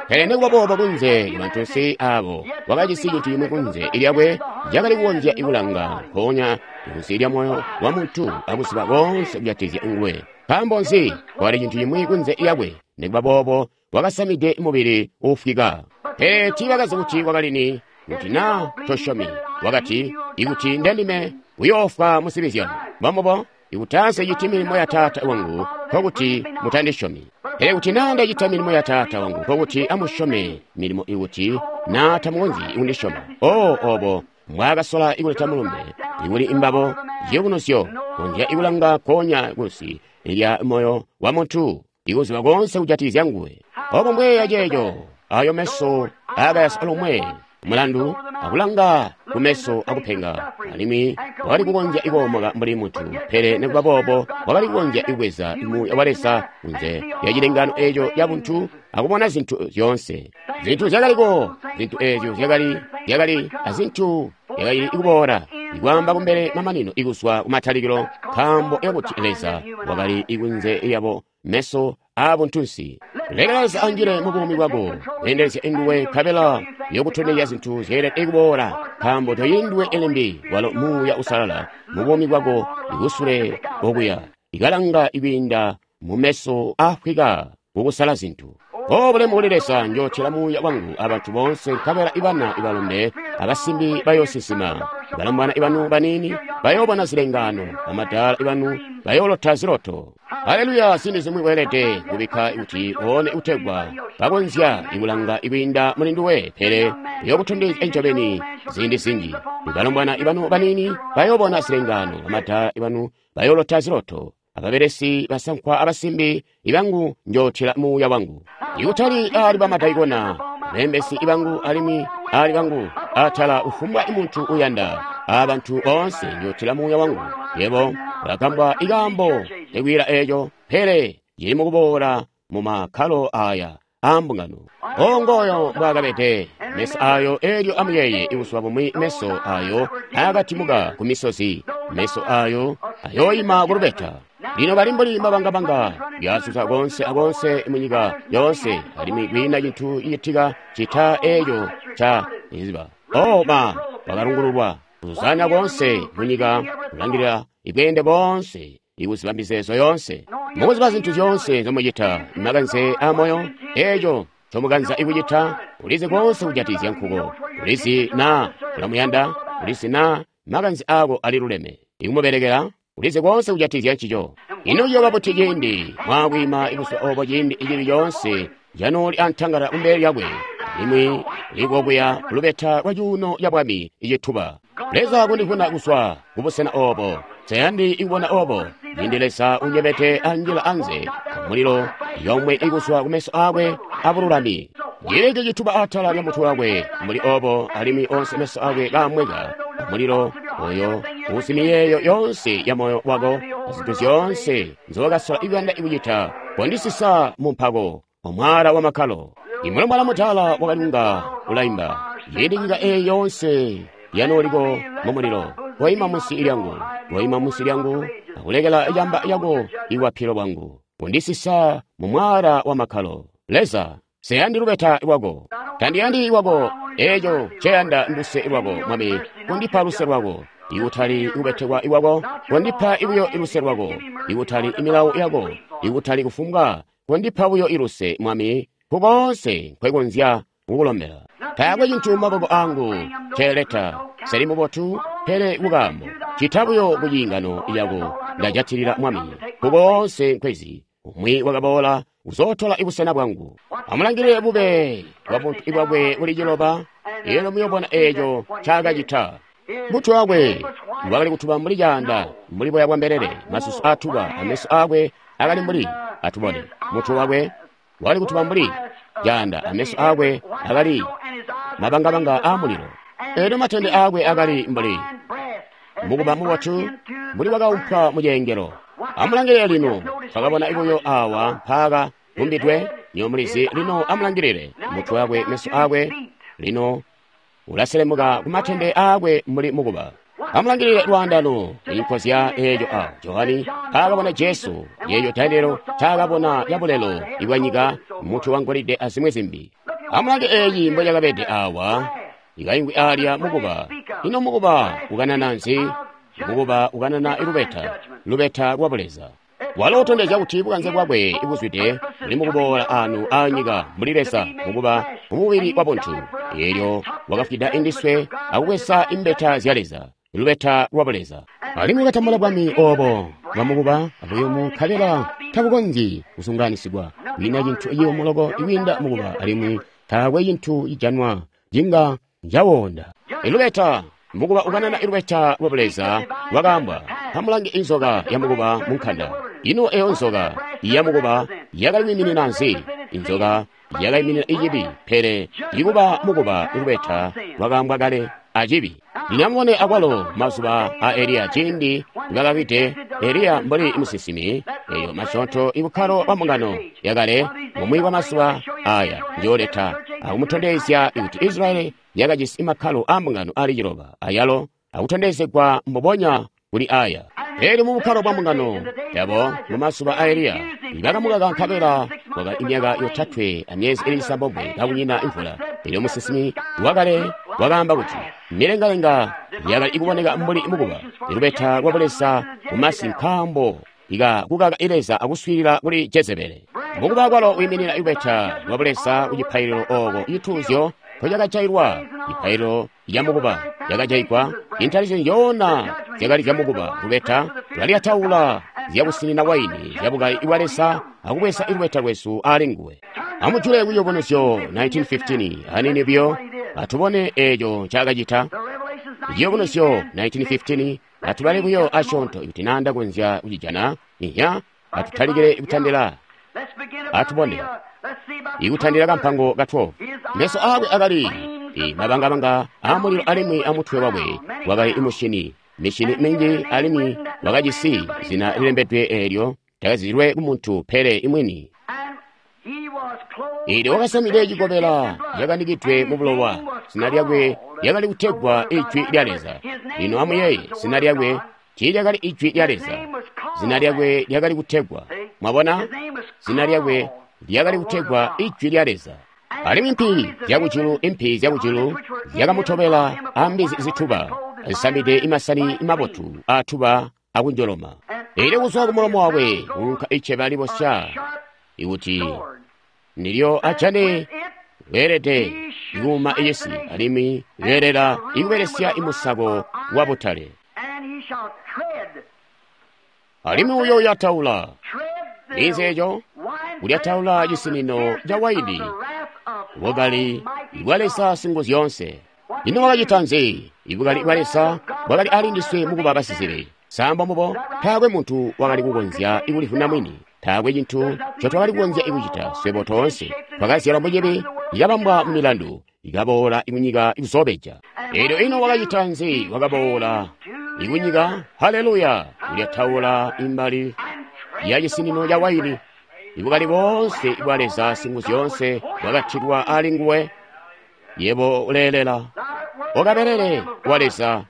Pele nekuba boobo kunze ibantunsi abo wakajisi cintu cimwi kunze ilyakwe cakali kukonzya ikulanga mpoonya kunze lya moyo wa muntu akuziba koonse kujatikizya nguwe. Nkaambo nzi? Kwali cintu cimwi kunze lyakwe. Nekubaboobo wakasamide mubili uufwika. Pele tiibakazi kuti wakali ni, kuti naa tosyomi. Wakati, ikuti ndendime, uyoofwa muzibi zyanu. Mbomubo, ikuti nseciti milimo ya Taata wangu, nkokuti mutandisyomi. Pele kuti naa ndacita milimo ya Taata wangu, nkokuti amusyome milimo ikuti naa tamukonzyi kundisyoma. Oh, obo mbwaakasola ikuleta mulumbe ikuli imbabo ciyubunuzyo, konzya ikulanga konya kunsi lya moyo wa muntu, ikuziba konse kujatikizya nguwe. Obo mbweya ceeco, ayo meso aakayasa lomwe mulandu akulanga kumeso akupenga, alimwi wakali kukonzya ikoomoka mbuli muntu, pele nikuba boobo wakali kukonzya ikubweza Muuya wa Leza kunze lya cilengano eeco ca buntu akubona zintu zyoonse. Zintu zyakaliko, zintu eezyo zyakali zyakali azintu zyakali ikuboola, ikwaamba kumbele mamanino ikuzwa kumatalikilo, nkaambo yakuti Leza wakali ikunze yabo meso aabuntunsi. Leka Leza anjile mu buumi bwako, kweendelezya nguwe nkabela yokutondezya zintu zyeelede kuboola, nkaambo toyindiwe limbi walo Muuya Uusalala mu buumi bwako ikusule okuya, ikalanga ikwiinda mu meso aafwika kukusala zintu. O bulemu kuli Leza, njootela Muuya wangu abantu boonse, nkabela ibana ibalombe abasimbi bayoosinsima, balombwana ibanu baniini bayoobona zilengaano, bamadaala ibanu bayoolota ziloto. Haleluya! Ziindi zimwi weelede kubikka kuti oone utegwa bakonzya ikulanga ikwiinda muli nduwe, pele uyokutondezya ncobeni ziindi zinji. Balombwana ibanu baniini bayoobona zilengaano, bamadaala ibanu bayoolota ziloto. Ababelesi basankwa abasimbi ibangu njootela Muuya wangu. Ikutali ali bamadaikona, beembesi ibangu alimwi ali bangu atala ufumbwa muntu uyanda, abantu boonse njootela Muuya wangu. Yebo ulagambwa ikaambo ikwiila eeco, pele cili mukuboola mu makkalo aya aambungano. Ongoyo mbwaakabede meso ayo elyo amuyeeye ibuzuba bumwi meso ayo aakatimuka ku misozi, meso ayo ayooyima ku lubeta. Lino bali mbuli mabangabanga yazuza konse akonse munyika yoonse, alimwi kwiina cintu cicitika cita eeco ca iziba. Oh ma, bakalungululwa kuzuzanya konse munyika, kulangilila ibweende boonse, ikuziba mizeezo yoonse, mukuziba zintu zyoonse nzomucita, makanze amoyo, eeco ncomukanza ikucita, ulizi konse kujatikizya nkuko, ulizi naa ulamuyanda, ulizi naa makanze aako aliluleme, ikumubelekela, ulizi konse kujatikizya ncico. Ino ciyooba buti ciindi mwaakwiima ibuzuba obo ciindi icili coonse canooli antangala kumbele lyakwe, alimwi likokuya kulubeta lwa cuuno ca bwami icituba. Leza kundivuna kuzwa kubusena obo, nseyandi ikubona obo, ciindi Leza unyemete anjila anze amulilo yomwe ikuzwa kumeso aakwe abululami. Cileke cituba atala lya mutwe wakwe mbuli obo, alimwi onse meso akwe kaamweka amulilo oyo uzi miyeeyo yonse ya moyo wako azintu zyoonse nzowakasola ikuyanda ikucita, kondisisa mu mpako omwala wa makkalo. Imulombwana mutala wakalunga ulaimba, ciindi nyika eyi yonse yanooliko mu mulilo, koima munsi lyangu, koima munsi lyangu, akulekela camba yako iwapilo bwangu, kundisisa mu mwala wa makkalo. Leza, nseyandi lubeta lwako, tandiyandi lwako, eeco nceyanda nduse lwako, Mwami, kundipa luse lwako, ikutali kubetekwa iwako, kondipa buyo iluse lwako, ikutali imilawo yako, ikutali kufumbwa, kondipa buyo iluse, Mwami, kukoonse nkwekonzya kukulombela. Taakwe cintu mumaboko angu nceeleta, nseli mubotu, pele kukaambo, cita buyo ku ciingano cako ndajatilila, Mwami, kukoonse nkwezi. Umwi wakaboola uzootola ibusena bwangu. Amulangilile bube bwa buntu bwakwe buli ciloba, elyo muyobona eeco ncaakacita. Mutwe wakwe wakali kutuba mbuli caanda, mbuli boya bwa mbelele, masusu aatuba, ameso aakwe akali mbuli atubone. Mutwe wakwe wakali kutuba mbuli caanda, ameso aakwe akali mabangabanga aamulilo. Elyo matende aakwe akali mbuli mukuba mubotu, mbuli wakaumpwa mucengelo. Amulangilile lino, twakabona ibuyo awa mpaaka gumbidwe, nyo mulizi. Lino amulangilile mutwe wakwe, meso aakwe, lino ulaselemuka kumatende aakwe mbuli mukuba. Amulangilile lwaandano inkozya eeco a Johani taakabona Jesu, yeeyo Danielo taakabona yabulelo ibwanyika, mutwe wangolide azimwi zimbi. Amulange eeyi mbocakabede awa, ikaingwi alya mukuba. Ino mukuba ukanana nzi? Mukuba ukanana ilubeta, lubeta lwa buleza. Walo utondezya kuti bukanze bwakwe ibuzwide buli mukuboola anu aanyika mbuli Leza mukuba mumubili wa buntu. Eelyo wakafwida indiswe akubweza imbeta zya Leza, lubeta lwa Buleza. Alimwi wakatambula bwami obo bwamukuba abuyumu nkabela tabukonzyi kusunganisigwa. Kwiina cintu ciyumu loko ikwiinda mukuba alimwi taakwe cintu cijanwa cinga cawonda. Ilubeta mukuba ukanana ilubeta lwa Buleza lwakaambwa. Amulange inzoka ya mukuba munkanda. Ino eyo nzoka ya mukuba yakali kwiiminina nzi? Inzoka yakaiminina icibi, pele ikuba mukuba ilubeta lwakaambwa kale acibi. Lino amubone akwalo mazuba a Eliya ciindi nibakawide Eliya mbuli musinsimi, eyo masyoonto ibukkalo bwa mbungano yakale bumwi bwa mazuba aya njooleta akumutondezya kuti Israyeli yakajisi makkalo a mbungano ali ciloba ayalo akutondezegwa mbubonya kuli aya. Elyo mu bukkalo bwa mbungano yabo mu mazuba a Eliya bakamukaka nkabela kwakali imyaka yotatwe amyezi ili cisambomwe kakunyina imvula. Elyo musinsimi wakale wakaamba kuti milengalenga yakali kuboneka mbuli mukuba, ilubeta lwa Buleza mumasi nkaambo ika kukaka Leza akuswiilila kuli Jezebele. Mukuba kwalo wiiminina ilubeta lwa Buleza ku cipaililo ooko cituuzyo mpocakajailwa. Cipaililo ya mukuba yakajaigwa, intalisyo njoona zyakali zya mukuba. Lubeta lwalyataula zyakusinina waini zyabukali bwa Leza akubweza ilubeta lwesu ali nguwe. Amujule ku Ciyubunuzyo nineteen fifteen anini buyo atubone eeco ncaakacita. Ciyubunuzyo nineteen fifteen atubale buyo asyoonto kuti nanda konzya kucijana. Inya atutalikile kutandila atubone ikutandila kampango ka twelve. Meso aakwe akali mabangabanga aamulilo alimwi amutwe wakwe wakali imushini mishini minji alimwi wakajisi zina lilembedwe eelyo takazilwe kumuntu pele imwini. Eelyo wakasamide cikobela cakanikidwe mu bulowa, zina lyakwe lyakali kutegwa Ijwi lya Leza. Lino amuyeeye, zina lyakwe tiilyakali Ijwi lya Leza, zina lyakwe lyakali kutegwa, mwabona, zina lyakwe lyakali kutegwa Ijwi lya Leza. Alimwi impi zyakujulu, impi zyakujulu zyakamutobela ambizi zituba zisamide imasani mabotu aatuba akunjoloma. Eelyo kuzwa kumulomo wakwe kuunka iceba libosya ikuti nilyo ajane weelede ikuuma icisi alimwi weelela ikubelesya imusako wa butale. Alimwi uyo ulyataula ninzi eco ulyataula cisinino ca waini bukali bwa Leza Singuzyoonse. Ino wakacita nzi? Ibukali bwa Leza bwakali ali ndiswe mukuba basizibi. Samba mubo taakwe muntu wakali kukonzya ikulivuna mwini. Taakwe cintu ncotwakali kukonzya ikucita. Swebo toonse twakazyalwa mucibi, ikabambwa mu milandu, ikaboola ikunyika ikuzobeja. Eelyo ino wakacita nzi? Wakaboola ikunyika, haleluya, ulyataula imbali ya cisinino ca waini. Ibukali boonse bwa Leza Singuzyoonse bwakatilwa ali nguwe. Yebo uleelela, okabelele wa Leza,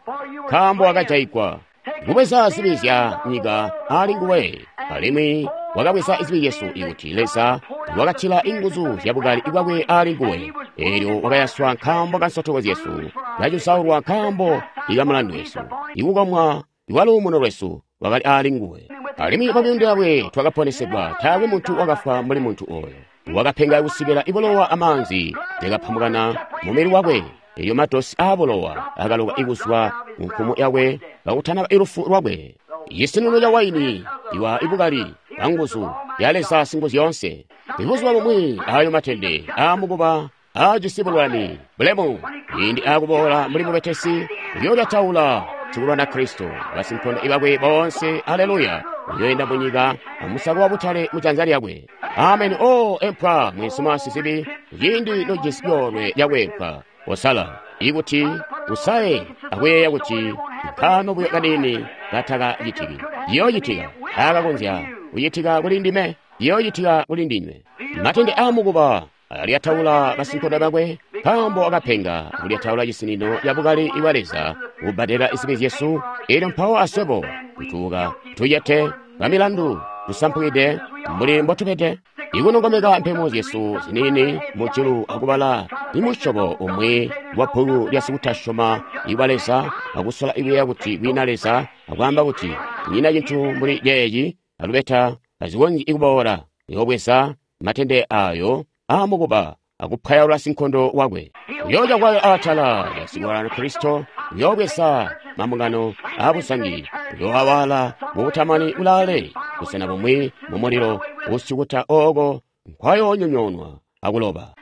nkaambo wakajaigwa kubweza zibi zya nyika ali nguwe. Alimwi wakabweza zibi zyesu ikuti Leza wakatila inguzu zyabukali bwakwe ali nguwe. Eelyo wakayaswa nkaambo ka nsotoko zyesu, kacusaulwa nkaambo ikamulandu wesu, ikukomwa iwaluumuno lwesu wakali ali nguwe. Alimwi mumyuunda yakwe twakaponesegwa. Taakwe muntu wakafwa mbuli muntu oyo. Wakapenga kusikila ibulowa amaanzi zyakapambukana mumubili wakwe. Elyo matosi aabulowa akaloka ikuzwa munkumu yakwe kakutanaba ilufu lwakwe. Cisinino ca waini iwa ibukali bwanguzu ya Leza Singuzyoonse. Ibuzuba bumwi ayo matende aamukuba aajisi bulwani bulemu ciindi aakuboola mbuli mubetesi uyolyataula sikulwana Kristo basinkondo ibakwe boonse. Aleluya! Uyoenda munyika amusako wa butale mujanza lyakwe. Ameni. O empwa mweensuma sizibi, ciindi nojisi coolwe lyakwempwa osala ikuti usaye akuyeeya kuti nkaano buyo kaniini katakacitiki. Ciyoocitika akakonzya kucitika kuli ndime, ciyoocitika kuli ndinywe. Matende aamukuba alyataula basinkondo bakwe, nkaambo akapenga kulyataula cisinino cabukali bwa Leza kubbadela zibi zyesu. Eelyo mpawo aswebo tutuuka tujete bamilandu tusampukide mbuli mbotubede, ikunongomeka mpemo zyesu ziniini mujulu akubala imusyobo umwi wa bbuku lya sikutasyoma ibwa Leza akusola ikuyeeya kuti kwiina Leza akwaamba kuti kunyina cintu mbuli ceeci. alubeta tazikonzyi kuboola. Uyoobweza matende ayo aamukuba akupwayaula sinkondo wakwe. Uyooca kwayo atala lya Kristo, uyoobweza mambungano aabuzangi, uyooawala mubutamani kulaale, busena bumwi mumulilo usyukuta ooko nkwayoonyonyoonwa akuloba.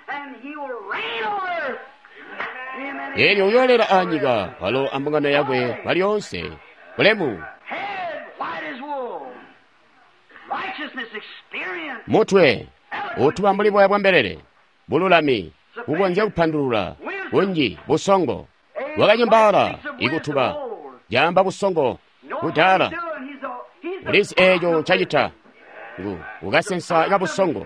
Eelyo uyoolela anyika walo ambungano yakwe kwalyoonse. Bulemu! Mutwe utuba mbuli boya bwa mbelele, bululami, kukonzya kupandulula, kunji, busongo. Wakanyembaala ikutuba, caamba busongo, kudala. Ulizi eeco ncacita. Ngu ukasensa kabusongo,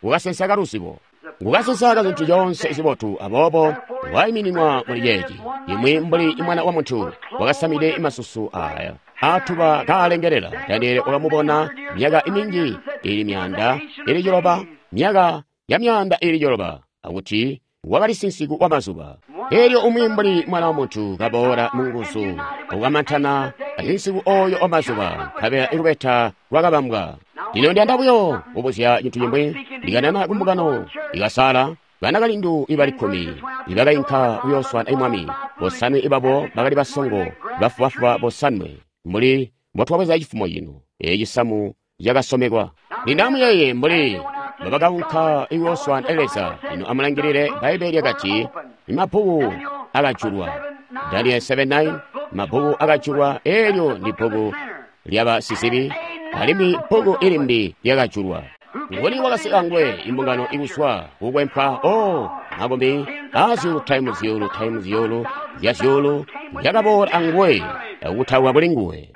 ukasensa kaluzibo, ngukasensa kazintu zyoonse zibotu. Aboobo waimininwa muli ceeci, imwi mbuli mwana wa muntu wakasamide masusu aya atuba kaalengelela. Daniele wakamubona myaka minji ili myaanda ili ciloba, myaka ya myaanda ili ciloba, akuti wakali sinsiku wa mazuba. Eelyo umwi mbuli mwana wa muntu kaboola mu nguzu akukamantana asinsiku oyo wa mazuba, nkabela ilubeta lwakabambwa. Lino ndiyanda buyo kubuzya cintu cimwi. Ndikanana kumbungano ikasala banakalindu ibali kkumi ibakainka kuyooswana mwami. Bosanwe ibabo bakali basongo, bafubafuba bosanwe, mbuli mbotwabweza cifumo cino. Eeci cisamu cakasomekwa. Lino amuyeeye mbuli mbabakaunka kuyooswana Leza. Lino amulangilile, Bbaibbele lyakati mabbuku akajulwa. Daniel seven nine, mabbuku akajulwa. Eelyo ndi bbuku lyabasizibi, alimwi bbuku ilimbi lyakajulwa. Nguni wakasika ngwe imbungano ikuswa kukwempwa? O makumi azyuulu taimu zyuulu taimu zyuulu zya zyuulu zyakaboola anguwe akutauka kuli nguwe.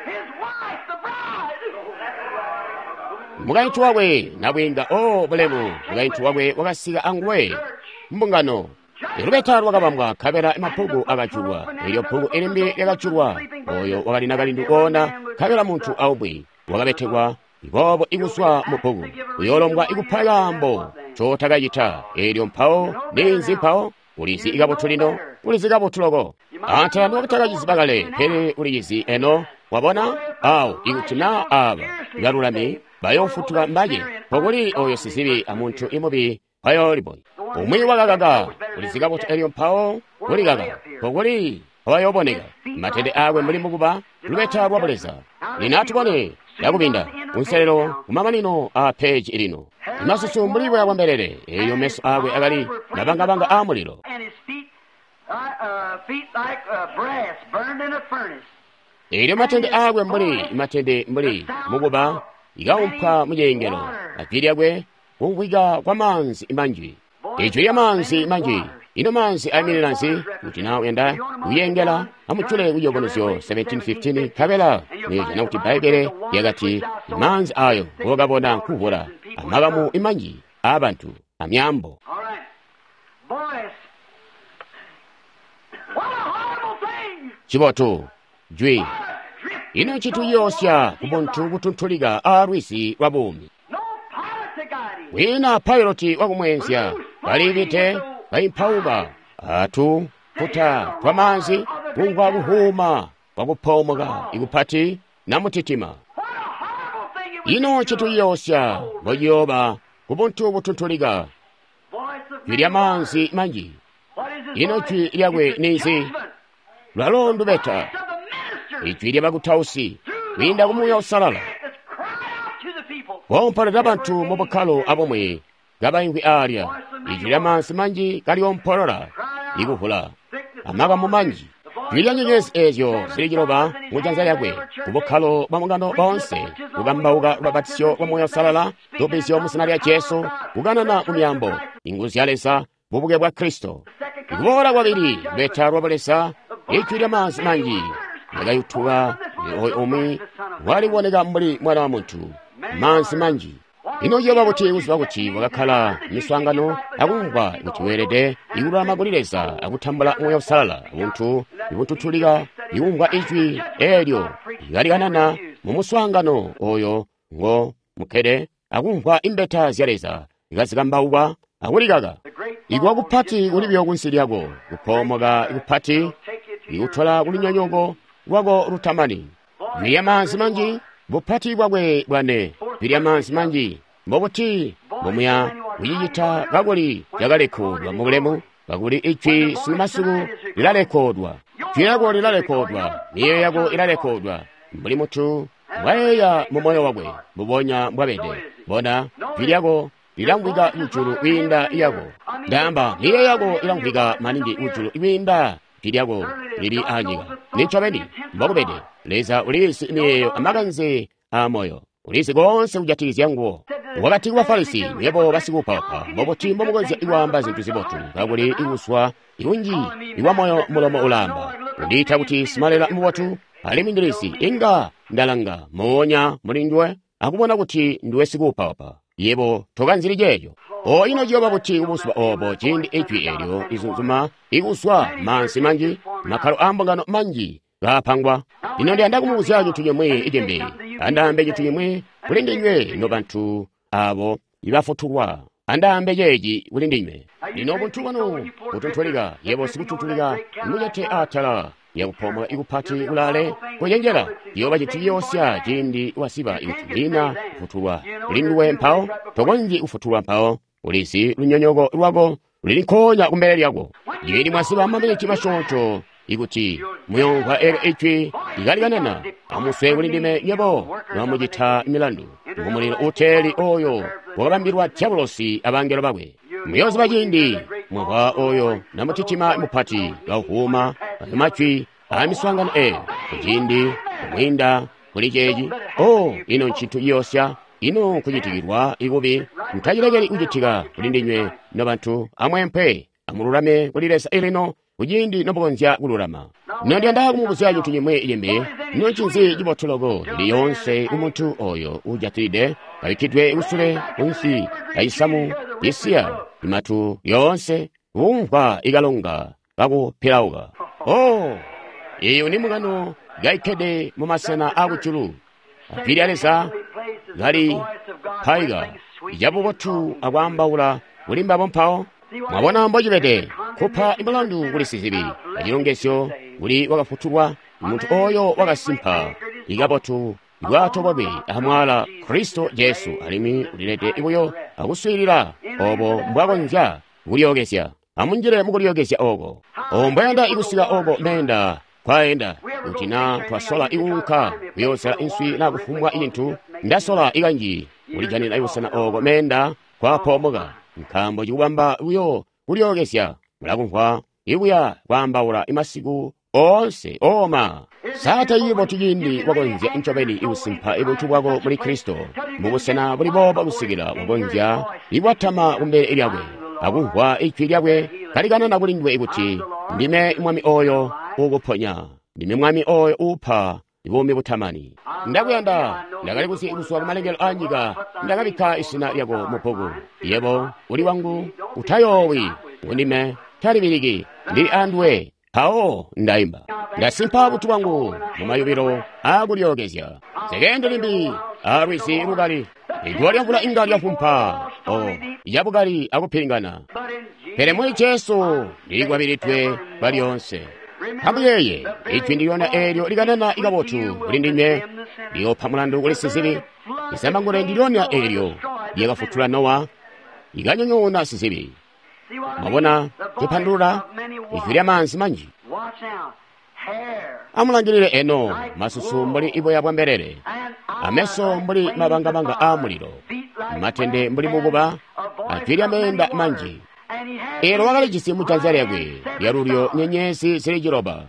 Mukaintu wakwe nabwiinga, o bulemu, mukaintu wakwe wakasika anguwe mbungano. Ilubeta lwakabambwa, nkabela mabbuku akajulwa. Eelyo bbuku ilimbi lyakajulwa. Oyo wakali nakalindu koona, nkabela muntu aumwi wakabetekwa boobo ikuswa mu bbuku. Uyoolombwa ikupa kaambo ncotakacita. Eelyo mpawo ninzi mpawo? Ulizi kabotu lino, ulizi kabotu loko. Antela niwakutakaciziba kale, pele ulizizi eno. Wabona? Awo ikuti naa aaba balulami bayoofutuka mbace, pokuli oyo sizibi amuntu imubi bayoolibonya. Umwi wakakaka, ulizi kabotu elyo mpawo ulikaka, pokuli abayooboneka matende aakwe mbuli mukuba lubeta lwa Buleza. Lino atubone yakubinda kunselelo kumamanino a peji lino. Masusu mbuli boya bwa mbelele, eelyo meso aakwe akali mabangabanga aamulilo. Eelyo matende aakwe mbuli matende mbuli mukuba ikaumpwa muciyengelo, ajwi lyakwe kumvwika kwa maanzi manji. Ijwi lya maanzi manji. Ino maanzi aiminina nzi? Kuti naa uyanda kuyengela, amujule kuciyubunuzyo seventeen fifteen, nkabela muyojana kuti Bbaibbele lyakati maanzi ayo ngokabona nkuvula amakamu imanji aabantu amyaambo. Cibotu jwi. Ino ncintu ciyoosya kubuntu butuntulika aalwizi lwa buumi. Wina pailoti wakumweenzya balibite baimpauka atu puta twa maanzi kumvwa kuhuuma kwakupoomoka ikupati namutitima. Ino ncintu ciyoosya mbociyooba kubuntu butuntulika jwi lya maanzi manji. Ino jwi lyakwe ninzi? Lwalo ndubeta, ijwi lya bakutausi kwiinda ku Muuya Uusalala. Koompolola bantu mu bukkalo abumwi kabaimvwi aalya, ijwi lya maanzi manji kalyompolola ikuvula amakamu manji. Jwi lya nyenyezi eezyo zili ciloba mujanza lyakwe kubukkalo bwa mbungano boonse, kukambauka lubabatizyo lwa Muuya Uusalala, lubbizyo mu zina lya Jesu, kukanana mu myaambo, inguzu zya Leza, bubuke bwa Kristo. Kuboola kwabili, lubeta lwa Buleza, ijwi lya maanzi manji lyakayutuka oyo umwi waliboneka mbuli mwana wa muntu, maanzi manji. Ino ciyooba kuti kuziba kuti wakakkala miswaangano akumvwa kuti weelede ikululama kuli Leza akutambula Muuya Uusalala, buntu ibutuntulika ikumvwa ijwi eelyo ikalikanana mu muswaangano oyo ngo mukkede akumvwa imbeta zya Leza ikazikambaukwa akulikaka. Ikuwa kupati kuli buyo kunsi lyako, kupoomoka kupati ikutola kulunyonyoko lwako lutamani. Jwi lya maanzi manji, Bupati bwakwe bwane, jwi maanzi manji, mbobuti mbomuya kucicita kakuli cakalekodwa mubulemu, kakuli ijwi sunumasiku lilalekodwa. Jwi lyako lilalekodwa, miyeeyo yako ilalekodwa, mbuli mutu mbwayeeya mu moyo wakwe, mbubonya mbwabede. Bona, jwi lyako lilamvwika kujulu kwiinda yako. Ndaamba, miyeeyo yako ilamvwika maningi kujulu kwiinda jwi lyako lili anyika. Nincobeni, mbokubede. Leza ulizi miyeeyo amakanze a moyo. Ulizi konse kujatikizya nguwo. Wakati ku Bafarisi, "Nywebo basikuupaupa, mbobuti mbomukonzya kwaamba zintu zibotu, kakuli ikuswa ikunji iwa moyo mulomo ulaamba. Undiita kuti simalela mubotu, alimwi ndilizi inga ndalanga moonya muli nduwe akubona kuti nduwe sikuupaupa. Yebo tokanzili ceeco." O ino ciyooba buti kubuzuba obo ciindi ijwi eelyo lizunzuma ikuswa maanzi manji, makkalo aambungano manji kaapangwa. Lino ndiyanda kumubuzya cintu cimwi icimbi. Andaambe cintu cimwi kuli ndinywe nobantu abo ibafutulwa. Andaambe ceeci kuli ndinywe. Lino buntu bwanu butuntulika, yebo sikutuntulika, mucete atala yakupomola ikupati kulaale kucenjela. Ciyooba cintu ciyoosya ciindi wasiba ikuti lina kufutulwa kuli nduwe mpawo, tokonzyi kufutulwa mpawo. Ulizi lunyonyoko lwako luli nkoonya kumbele lyako. Ciindi mwasiba maminiti masyoonto ikuti muyomvwa eelyo ijwi likalikanana, amuswe kuli ndime nywebo mwamucita milandu ngumulilo uteeli oyo wakabambilwa dyabulosi abangelo bakwe. Muyooziba ciindi mwamvwa oyo namutitima mupati kauvuuma majwi aamiswaangano eeyo kuciindi kumwiinda kuli ceeci. O ino ncintu ciyoosya, ino nkucitikilwa ikubi. Mutacilekeli kucitika kuli ndinywe nobantu. Amweempe, amululame kuli Leza ilino kuciindi nomukonzya kululama. Lino ndiyanda kumubuzya cintu cimwi cimbi. Ino ncinzi cibotu loko lili yoonse kumuntu oyo uujatilide kabikkidwe kusule kunsi kacisamu cisiya imatu yoonse kumvwa ikalonga kakupilauka? O iyo ni mukano kaikkede mumasena akujulu. Jwi lya Leza kali paika icabubotu akwaambaula kuli mbabo mpawo. Mwabona mbocibede kupa mulandu kuli sizibi acilongezyo kuli wakafutulwa, muntu oyo wakasimpa ikabotu bwato bwakwe amwala Kristo Jesu, alimwi ulilede buyo akuswiilila obo mbwakonzya kulyookezya. Amunjile mukulyookezya oko. O mbwayanda ikusika oko meenda kwaenda. Kuti na twasola ikuunka kuyoozela inswi na kufumbwa cintu, ndasola ikanji kulijanina ibusena oko meenda kwapomoka, nkaambo cikubamba buyo kulyookezya. Mulakumvwa ikuya kwaambaula imasiku oonse oma. Sata cibotu ciindi wakonzya ncobeni ikusimpa ibuntu bwako muli Kristo mubusena buli boobo kusikila wakonzya ikwatama kumbele lyakwe akumvwa ijwi lyakwe kalikanana kuli nduwe kuti, "Ndime Mwami oyo uukuponya, ndime Mwami oyo uupa buumi butamani. Ndakuyanda, ndakali kuzi kuzwa kumalengelo a nyika, ndakabikka izina lyako mu bbuku. Yebo uli wangu, utayoowi, undime talibiliki, ndili anduwe." Mpawo ndaimba, ndasimpa butu bwangu mumayubilo aakulyookezya. Nsekendi limbi alwizi lukali, iguwa lyamvula inga lyafumpa o yabukali akupilingana, pele muli Jesu ndilikwabilidwe kwalyoonse. Amuyeeye ijwi ndilyona eelyo likanana ikabotu kuli ndinywe liyoopa mulandu kuli sizibi. Izambangulwe ndilyona eelyo lyakafutula Nowa likanyonyoona sizibi. Mwabona cipandulula ijwi lya maanzi manji. Amulangilile eno masusu mbuli iboya bwa mbelele, ameso mbuli mabangabanga a mulilo, matende mbuli mukuba, ajwi lya meenda manji. Elo wakalijisi mujanza lyakwe lyalulyo nyenyezi zili ciloba.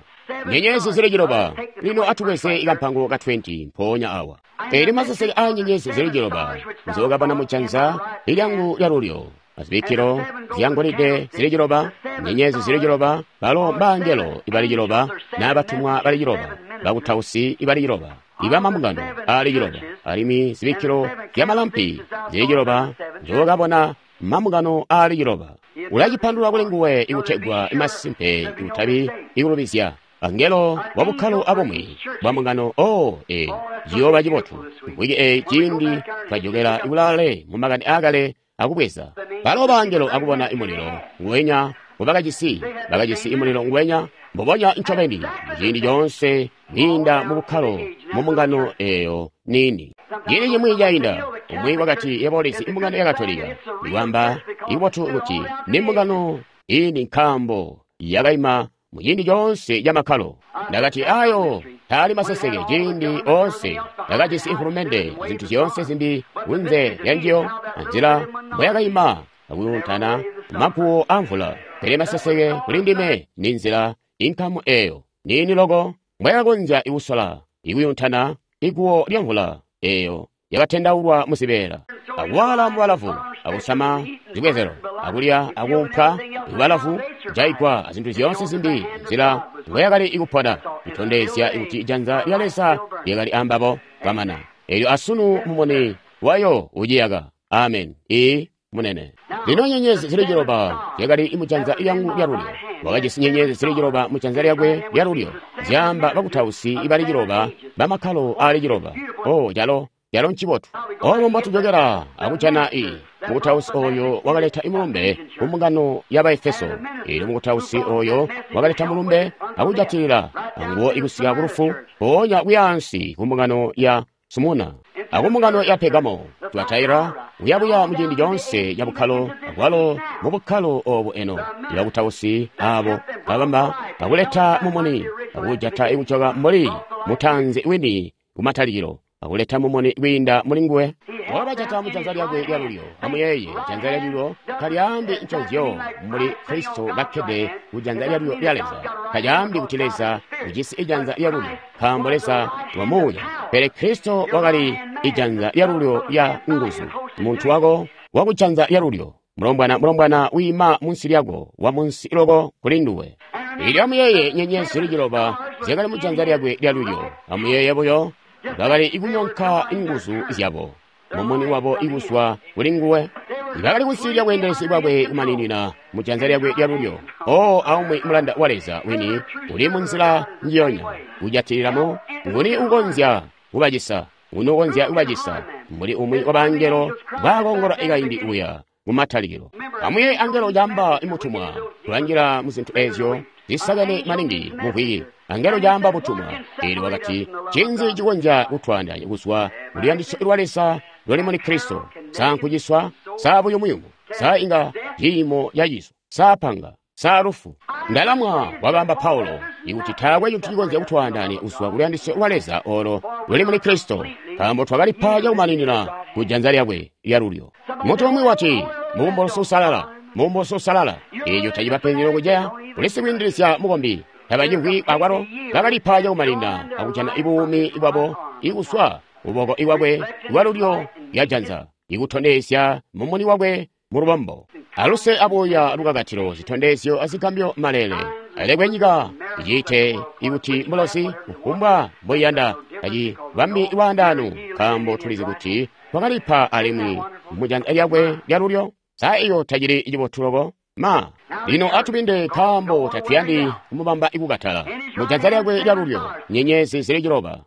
Nyenyezi zili ciloba. Lino atubweze ikampango ka twenty mpoonya awa. Eli maseseke a nyenyezi zili ciloba nzokabona mujanza lyangu lyalulyo, azibikkilo zyangolide zili ciloba, nyenyezi zili ciloba, balo mbangelo ibali ciloba, n'abatumwa bali ciloba, bakutausi ibali ciloba, ibamambungano ali ciloba, alimwi zibikkilo zyamalampi zili ciloba nzokabona mambungano ali ciloba. Ulacipandulula kuli nguwe ikutegwa masimpe utabi ikulubizya. Angelo wa bukkalo abumwi bwa mbungano o e ciyooba cibotu mvwiki eyi ciindi twajokela ikulaale mu makani aakale akubweza balo bangelo akubona imulilo nguwenya ngubakajisi. Bakajisi imulilo nguwenya Mbubonya ncobeni, ciindi coonse kwiinda mu bukkalo mu mbungano eyo niini. Ciindi cimwi cainda, umwi wakati yebo ulizi imbungano ya Katolika, iwamba ibotu kuti ni mbungano ini nkaambo yakaima mu ciindi coonse ca makkalo. Ndakati ayo taali maseseke ciindi oonse ndakajisi ifulumende zintu zyoonse zimbi kunze lya njiyo anzila mboyakaima akuyuntana maguwo amvula. Pele maseseke kuli ndime ni nzila inkamu eyo niini loko mbwayakakonzya ikusola ikuyuntana iguwo lya mvula eyo yakatendaulwa muzibeela akuwala mubalavu akusama zibwezelo akulya akuumpwa ibalavu jaigwa azintu zyoonse zimbi nzila mbweyakali ikupona kutondezya kuti janza lya Leza lyakali ambabo kwamana. Elyo asunu mumuni wayo uciyaka. Amen. Ii munene. Lino nyenyezi zili ciloba zyakali mujanza lyangu lyalulyo. Wakajisi nyenyezi zili ciloba mujanza lyakwe lyalulyo, zyaamba bakutausi ibali ciloba bamakkalo aali ciloba. Oh, calo calo ncibotu. Obo mbotujokera akujana i mukutausi oyo wakaleta imulumbe ku mbungano ya Baefeso. Elyo mukutausi oyo wakaleta mulumbe akujatilila anguwo ikusika ku lufu, mpoonya kuyaansi ku mbungano ya Sumuna aku mbungano ya Pegamo, Tuataira, kuyabuya muciindi coonse ca bukkalo, akwalo mu bukkalo obu eno. Ibakutausi abo babamba akuleta mumuni akujata ikujoka mbuli mutanzi wini kumatalikilo, akuleta mumuni kwiinda muli nguwe. Wakabajata mujanza lyakwe lyalulyo. Amuyeeye, janza lyalulyo talyaambi nconzyo muli Kristo kakkede kujanza lyalulyo lya Leza. Talyaambi kuti Leza ujisi ijanza lyalulyo, nkaambo Leza wa muuya. Pele Kristo wakali ijanza lyalulyo lya nguzu. Muntu wako wakujanza lyalulyo, mulombwana mulombwana wiima munsi lyako, wa munsi loko kuli nduwe. Elyo amuyeeye nyenyezi zili ciloba zyakali mujanza lyakwe lyalulyo. Amuyeeye buyo, bakali ikunyonka inguzu zyabo, mumuni wabo ikuswa kuli nguwe. Bakali kunsi lya bweendelezi bwakwe kumaninina mujanza lyakwe lyalulyo. O aumwi mulanda wa Leza wini uli munzila njiyonya kujatililamo, nguni ukonzya kubacisa, nguni ukonzya kubacisa mbuli umwi wa bangelo baakongola ikaindi uya mumatalikilo. Amuyeeye angelo caamba imutumwa, kulanjila mu zintu ezyo zisakene maningi muvwiki. Angelo caamba butumwa. Elyo wakati, cinzi cikonzya kutwaandaanya kuzwa kuluyandisyo lwa Leza luli muli Kristo? Sa nkuciswa? Sa buyumuyumu? Sa inga ciimo caciso? Sa panga? Sa lufu? Ndalamwa, wabamba Paulo, ikuti taakwe cintu cikonzya kutwaandaanya kuzwa kuluyandisyo lwa Leza olo luli muli Kristo, nkaambo twakalipa cakumaninina ku janza lyakwe lyalulyo. Muntu umwi wati, mubumbulosi usalala, mubumbulosi usalala. Eeco tacibapenzi lokuceya, kuli sikwiindilizya mukombi. Tabacimvwi akwalo, bakalipa cakumaninina akujana ibuumi bwabo ikuswa kuboko ikwakwe lwalulyo lyajanza, ikutondezya mumuni wakwe mu lubombo. Aluse abuya lukakatilo zitondezyo azigambyo malele. Alekwe nyika iciite ikuti mulosi kufumbwa mboiyanda tacibambi lwaandaano, nkaambo tulizi kuti twakalipa alimwi mujanza lyakwe lyalulyo. Sa iyo tacili cibotu loko? Ma, lino atubinde nkaambo tatuyandi kumubamba ikukatala. Mujanza lyakwe lyalulyo nyenyezi zili ciloba.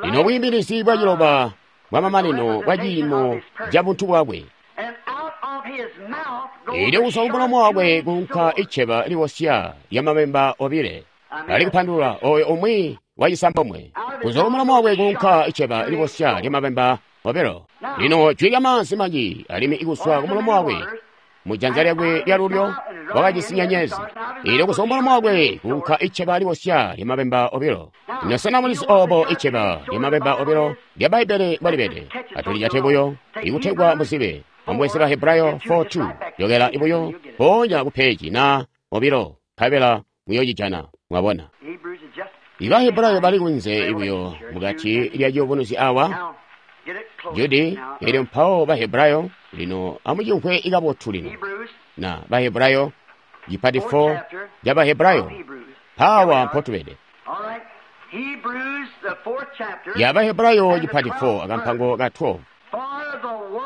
Lino bwiimbilizi bwa ciloba bwamamanino bwa ciimo ca buntu bwakwe. Elyo kuzwa kumulomo wakwe kunka iceba liwosya lya mabemba obile. Ali kupandulula oyo umwi wacisambomwe. Kuzwa kumulomo wakwe kunka iceba liwosya lya mabemba obilo. Lino jwi lya maanzi manji alimwi ikuzwa kumulomo wakwe mujanza lyakwe lyalulyo wakajisi nyenyezi. Elyo kuzwa kumulomo wakwe kunka iceba liwosya lya mabemba obilo. Lino sena mulizi obo iceba lya mabemba obilo lya Bbaibbele mbwalibede? Atulijate buyo ikutegwa muzibe. Amubweze ba Hebrayo four two, jokela ibuyo mpoonya ku peji na obilo, nkabela muyocijana. Mwabona, iba Hebrayo bali kunze ibuyo mukati lya ciyubunuzyo awa Judi. Elyo mpawo ba Hebrayo lino amucimvwe ikabotu lino na ba Hebrayo cipati four ca ba Hebrayo mpawa mpotubede. Ya ba Hebrayo cipati four akampango ka twelve.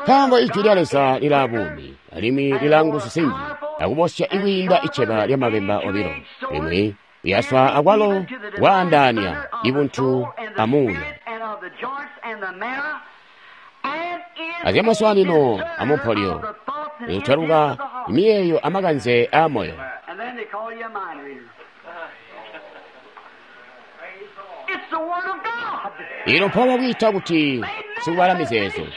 Nkaambo ijwi lya Leza lila buumi alimwi lila nguzu zinji, akubosya ikwiinda iceba lya mabemba obilo, limwi liyaswa akwalo kwaandaanya ibuntu amuuya, azyamaswaanino amumpolyo, litaluka miyeeyo amakanze aamoyo. call you a mind reader. It's the Word of God. Ino mpawo kwiita kuti sikubala mizeezo. Church.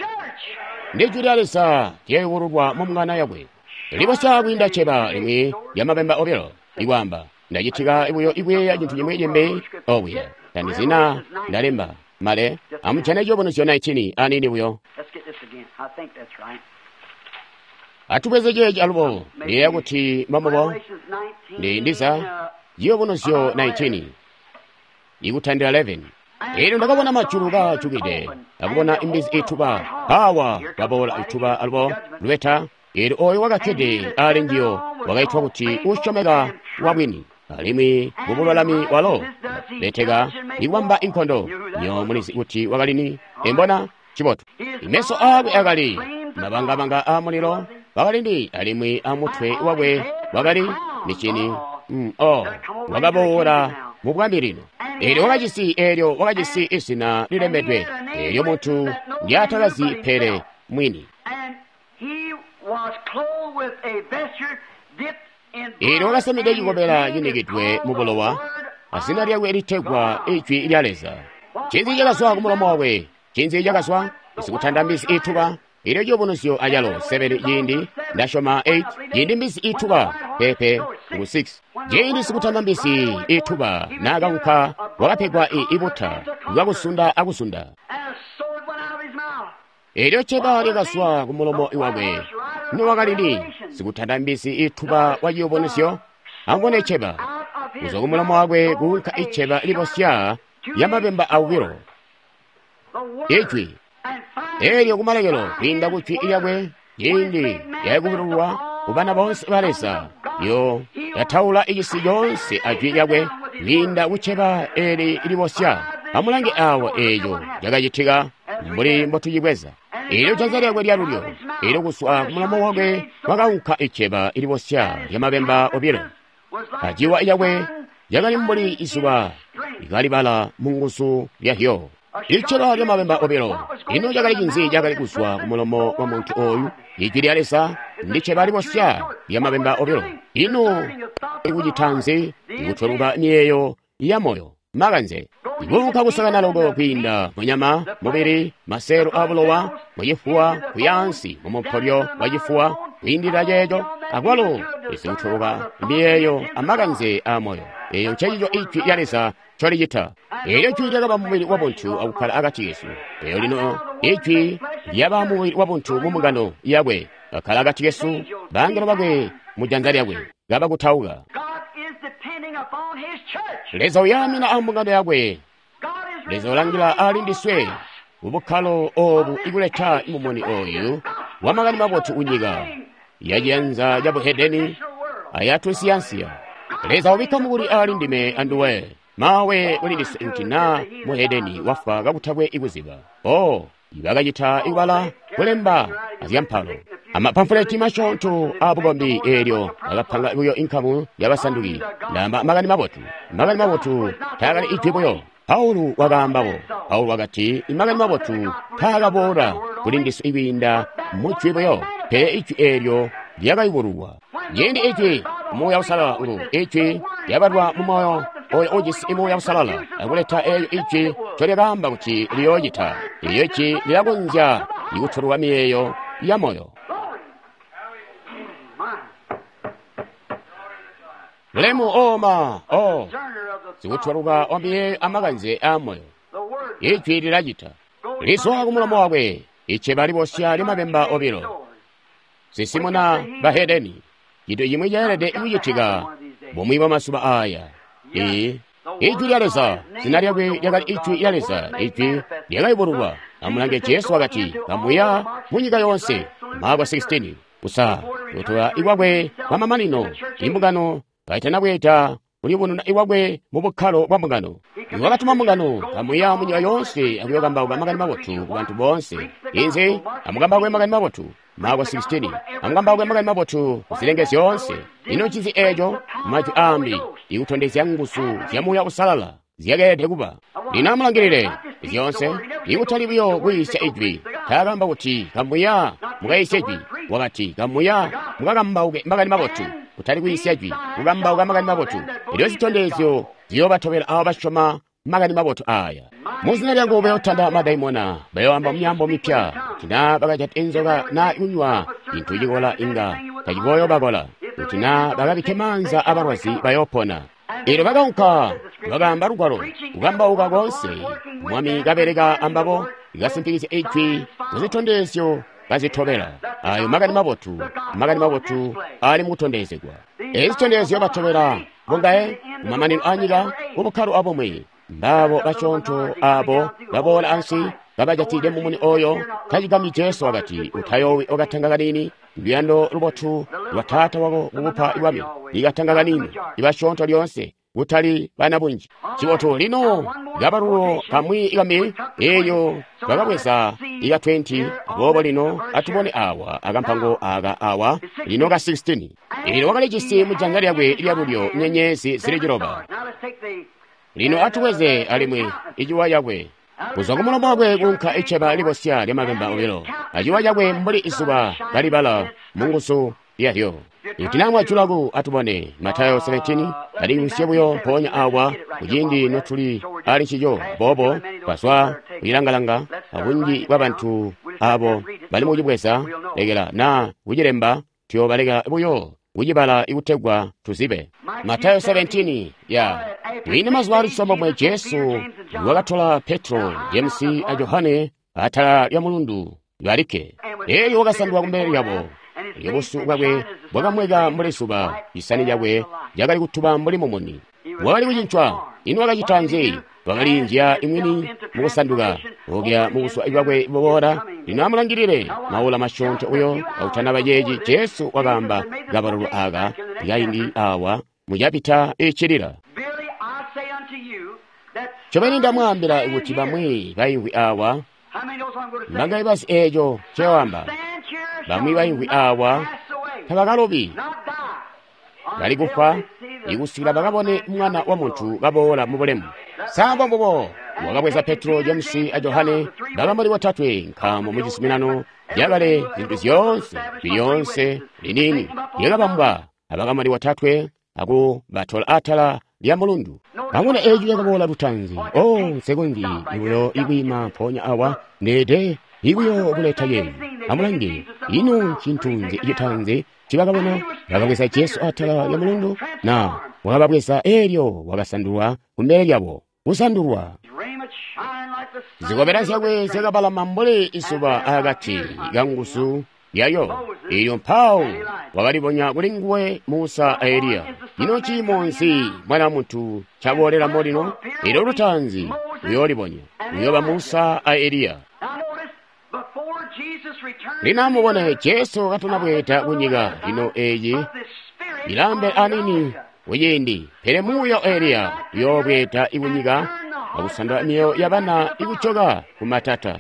Ndi jwi lya Leza lyayubululwa mu mbungano yakwe. Libosya kwiinda cceba limwi lya mabemba obilo. Ikwaamba, ndacitika buyo ikuyeeya cintu cimwi cimbi okuya. Tandizina ndalemba. Male, amujane ciyubunuzyo nineteen aniini buyo. Let's get this again. I think that's right. Atubweze ceeci alubo. Ndiyeeya kuti mbamubo. Revelations nineteen. Ndi ndiza uh, ciyubunuzyo nineteen. Ikutandila eleven. Elyo ndakabona majulu kaajukide, akubona imbizi ituba, awa kaboola ituba alubo lubeta. Elyo oyo wakakkede ali njiyo wakaitwa kuti usyomeka wabwini, alimwi mubululami walo beteka iwamba inkondo. Nyo mulizi kuti wakalini embona cibotu. Imeso aakwe akali mabangabanga a mulilo wakalindi, alimwi amutwe wakwe wakali micini. Mm, oh, wakaboola mu bwami lino. Eelyo wakajisi eelyo wakajisi izina lilembedwe eelyo muntu ndyatakazi pele mwini. And he was clothed with a vesture dipped in Eelyo blood, wakasamide and his cikobela name is cinikidwe called mu the bulowa, Word azina of lyakwe litegwa God. ijwi lya Leza. Ncinzi cakazwa ku mulomo wakwe? Ncinzi cakazwa? Sikutanda mbizi ituba. Eelyo ciyubunuzyo acalo seven ciindi ndasyoma eight ciindi mbizi ituba pepe ngu six ciindi sikutanda mbizi ituba naakaunka wakapegwa i ibuta lwakusunda akusunda. And a sword went out of his mouth. Eelyo cceba lyakazwa ku mulomo wakwe. Nowakalili sikutanda mbizi ituba wa ciyubunuzyo? Amubone cceba. Out of his Kuzwa ku mulomo wakwe mouth kuunka goes a iceba libosya sharp lya mabemba awiro. the Word. Ijwi. And finally, Eelyo kumalekelo kwiinda ku jwi lyakwe ciindi lyakubululwa ku bana boonse ba Leza yo yataula icisi coonse ajwi lyakwe kwiinda kucceba eeli libosya. Amulange awa eeco cakacitika mbuli mbotucibweza. Eelyo janza lyakwe lyalulyo eelyo kuzwa ku mulomo wakwe kwakaunka iceba libosya lya mabemba obilo. was like Aciwa lyakwe the sun lyakali mbuli izuba likalibala mu nguzu lyahyo. Iceba lya mabemba obilo. Ino cakali cinzi cakali kuzwa ku mulomo wa muntu oyu? Ijwi lya Leza ndi cceba libosya lya mabemba obilo. Ino ikucita nzi? Ikutweluka miyeeyo ya moyo makanze. Ikuunka kusakana loko kwiinda munyama, mubili, maselo abulowa, muchifuwa, kuyansi, mumupolyo wa chifuwa, kwiindilila ceeco, akwalo izikutweluka miyeeyo amakanze a moyo. Eeyo ncencico ijwi lya Leza ncolicita. Eelyo jwi lyakaba mubili wa buntu akukkala akati kesu. Eelyo lino ijwi lyaba mubili wa buntu mu mbungano yakwe, akkala akati kesu, bangelo bakwe mu janza lyakwe, kabakutauka. God is depending upon his church. Leza uyamina a mbungano yakwe. God is Leza ulangila ali ndiswe mubukkalo obu ikuleta mumuni oyu wa makani mabotu kunyika yaciyanza ca buhedeni ayatunsiyansiya. Leza ubikka mukuli ali ndime anduwe mawe uli ndiswe kuti na muhedeni wafwa kakutakwe ikuziba. O ibakacita ibala kulemba azyampalo amapamfuleti masyoonto abukombi eelyo akapanga buyo inkamu yabasanduki. Ndaamba makani mabotu. Makani mabotu taakali ijwi buyo. Paulo wakaambabo. Paulo wakati makani mabotu taakaboola kuli ndiswe ikwiinda mujwi buyo, pele ijwi eelyo lyakayubululwa. Ciindi ijwi Muuya Uusalala ulu ijwi lyabalwa mu moyo oyo ujisi Muuya Uusalala akuleta eelyo ijwi ncolyakaamba kuti liyoocita. Eelyo ijwi lilakonzya ikutweluka miyeeyo ya moyo. Glory. My. Bulemu oma o Discerner of the sikutweluka wa miyeeyo amakanze a moyo. the Word Ijwi lilacita. Lizwa ku mulomo wakwe iceba libosya lya mabemba obilo. Sisimuna bahedeni. Cintu cimwi ceelede kucitika bumwi bwa mazuba aya. Ee, ijwi lya Leza, zina lyakwe lyakali ijwi lya Leza, ijwi lyakayubululwa. Amulange Jesu wakati, kamuya mu nyika yoonse. Marko sixteen. Kusa, kutola ikwakwe kwa mamanino, imbungano kaitanabweeda kulibonona iwakwe mu bukkalo bwa mbungano. Wakatuma mbungano kamuya mu nyika yoonse akuyokambauka makani mabotu ku bantu boonse. Inzi amukambauke makani mabotu. Marko sixteen. Amukambauke makani mabotu ku zilenge zyoonse. Ino ncinzi eeco? Majwi aambi ikutondezya nguzu zya Muuya Uusalala zyakeelede kuba. Lino amulangilile zyoonse ikutali buyo kwiisya ijwi. Taakamba kuti kamuya mukaisye ijwi. Wakati kamuya mukakambauke makani mabotu. kutali kwiisya jwi, kukambauka makani mabotu. Elyo zitondezyo ziyoobatobela abo basyoma makani mabotu aya. Mu zina lyangu bayotanda madaimona, bayoamba myaambo mipya. Kuti naa bakajata inzoka naa kunywa cintu cikola inga tacikooyobakola. Kuti naa bakabikke maanza abalwazi bayoopona. Elyo bakaunka, bakaamba lugwalo, kukambauka koonse. Mwami kabeleka ambabo, kasimpikizya ijwi muzitondezyo kazitobela. Ayo makani mabotu, makani mabotu ali mukutondezegwa. Ezi zitondezyo batobela bongaye kumamanino anyika kubukkalo abumwi. Mbabo basyoonto abo baboola ansi kabajatide mumuni oyo. Tacigambyi Jesu wakati, utayoowi okatanga kanini, luyando lubotu lwa taata wako kukupa bwami. Ikatanga kanini, ibasyoonto lyoonse, kutali bana bunji. Cibotu lino kabalulo kamwi kambi eyo bakabweza ika twenty. Aboobo lino atubone awa akampango aka awa lino ka sixteen. Elyo wakalijisi mu janza lyakwe lyalulyo nyenyezi zili ciloba. Lino atubweze alimwi iciwa cakwe. Kuzwa kumulomo wakwe kunka iceba libosya lyamabemba obilo, aciwa cakwe mbuli izuba kalibala munguzu lyalyo. Ikuti naa mwajulaku atubone Matayo seventeen, aliyusye buyo mpoonya awa kuciindi notuli ali ncico. Boobo twazwa kucilangalanga abunji bwabantu abo bali mukucibweza lekela naa kucilemba, tuyoobaleka buyo kucibala ikutegwa tuzibe. Matayo seventeen ya kwiina mazuba ali cisambomwe Jesu wakatola Petro, James a Johane atala lya mulundu balikke. Elyo wakasandulwa kumbele lyabo. Elyo busu bwakwe bwakamweka mbuli zuba, isani lyakwe lyakali kutuba mbuli mumuni. Wakali kucincwa. Ino wakacita nzi? Wakalinjia imwini mukusanduka okya mubuswa bwakwe buboola. Lino amulangilile maula masyoonto uyo autanaba ceeci. Jesu wakaamba kabalulu aka kaindi awa mucapita icilila. Ncobeni ndamwaambila kuti bamwi baimvwi awa mbangaye bazi eeco ncewaamba. Bamwi baimvwi awa tabakalobi, bali kufwa ikusikila bakabone Mwana wa Muntu kaboola mu bulemu. Samba mbubo wakabweza Petro, James a Johane bakamboni botatwe, nkaambo mu cizuminano cakale zintu zyoonse lyoonse liniini lyakabambwa abakamboni botatwe akubatola atala lya mulundu. Amuna eeco cakaboola lutanzi. Oh, nsekonzyi ibuyo ikwiima mpoonya awa ndeede ibuyo kuleta ceeci. Amulange, ino ncintu nzi citanzi ncibakabona? Bakabweza Jesu atala lya mulundu, na wakababweza eelyo wakasandulwa kumbele lyabo. Kusandulwa. Zikobela zyakwe zyakabalama mbuli izuba akati kanguzu yayo. Elyo mpawo wakalibonya kuli nguwe Musa a Eliya. Ino ciimo nzi Mwana wa Muntu ncaboolela lino? Elyo lutanzi uyoolibonya, uyooba Musa a Eliya. Lino amubone Jesu katanabweeda kunyika lino eeci ilambe anini kuciindi, pele muuya Eliya uyoobweeda ikunyika akusandula mioyo yabana ikujoka kumatata.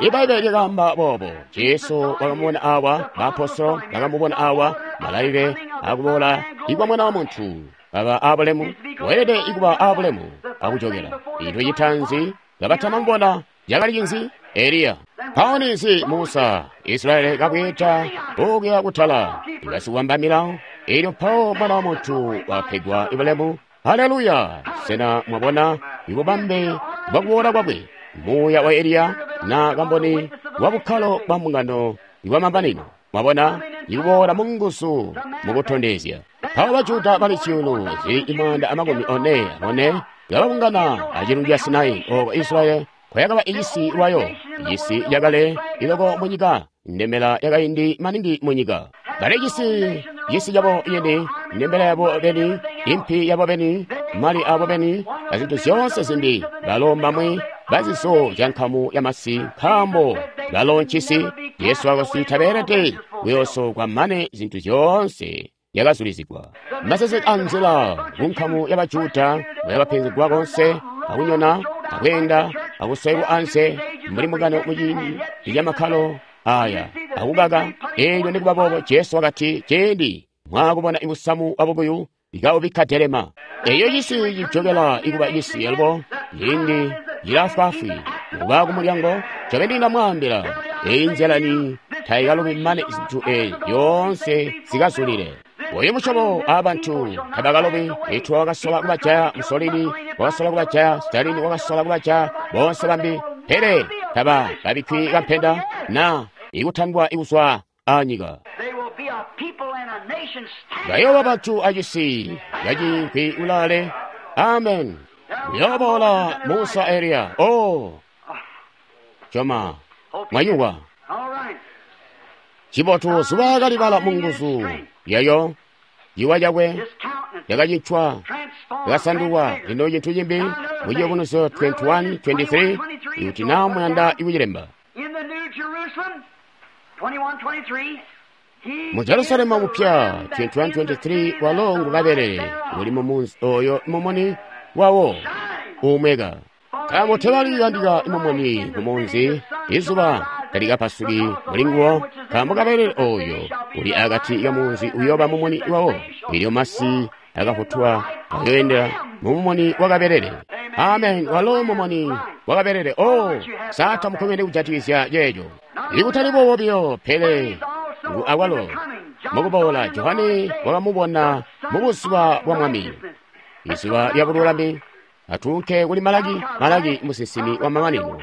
Ibbaibbele lyakaamba boobo. Jesu wakamubona awa, baapostolo bakamubona awa, malalile akuboola ikwa Mwana wa Muntu kaba abulemu, weelede ikuba abulemu akujokela. Cintu citanzi kabatanamubona cakali cinzi? Eliya. Mpawo ninzi Musa, Israeli kabweeda okuya kutala, ibasikwamba milawo. Elyo mpawo Mwana wa Muntu wapegwa ibulemu. Haleluya! Sena mwabona ibubambe bwakuboola kwakwe? Muuya wa Eliya na kamboni wa bukkalo bwa mbungano ibwamamanino. Mwabona ikuboola munguzu mukutondezya. Mpawo Bajuda bali zyuulu zili imwanda amakumi one amone kababungana acilundu ca Sinai oko Israeli kwayakaba icisi lwayo, icisi cakale iloko munyika, ndembela yakaindi maningi munyika. Bali cisi, cisi cabo yeni, ndembela yabo beni, impi yabo beni, mali abo beni, azintu zyoonse zimbi. Balo mbamwi bazizo zya nkamu ya masi, nkaambo balo ncisi. Yesu wakati tabeelede kuyoosokwa mane zintu zyoonse yakazulizigwa. Maseseke anzila kunkamu ya Bajuda bayabapenzegwa konse akunyona akweenda akuswekwa anse mbuli mukano muciindi lyamakkalo aya akukaka. Eelyo nikuba boobo Jesu wakati ciindi mwaakubona ibusamu bwabukuyu ikaubikka delema. Eyo cisi cijokela ikuba cisi alubo ciindi cilaafwaafwi kuba kumulyango. Ncobeni ndamwaambila, eyi nzyalani tayikalubi mane zintu eezi zyoonse zikazulile. Oyu musyobo abantu tabakalobi. Hitler wakasola kubajaya, Mussolini wakasola kubajaya, Stalin wakasola kubajaya, bonse bambi, pele taba kabikkwi kampenda na ikutandwa ikuzwa anyika. Bayooba bantu acisi kacinkwi ulaale. Amen. Uyoboola Musa Eliya. Oh, coma mwayuwa cibotu zuba kalibala mu nguzu yayo ciwa cakwe yakacincwa yakasandulwa. Lino cintu cimbi mu Ciyubunuzyo twenty-one twenty-three, ikuti naa muyanda ikucilemba. Mu Jerusalemu mupya twenty-one twenty-three, walo ngu kabelele uli mu munzi oyo mumuni wawo umweka. Nkaambo tebali yandika mumuni mu munzi, izuba talikapasuki muli nguwo, nkaambo kabelele oyo uli akati ka munzi uyooba mumuni wawo. Elyo masi akafutwa ayoendera mu mumuni wa kabelele. Amen. Walo mumuni wa kabelele. Oh, sata mukomene kujatikizya ceeco. Ikutali boobo biyo, pele ngu awalo mukuboola Johane wakamubona mu buzuba bwa Mwami, izuba lya bululami. Atuunke kuli Malaki. Malaki musinsimi wa mamanino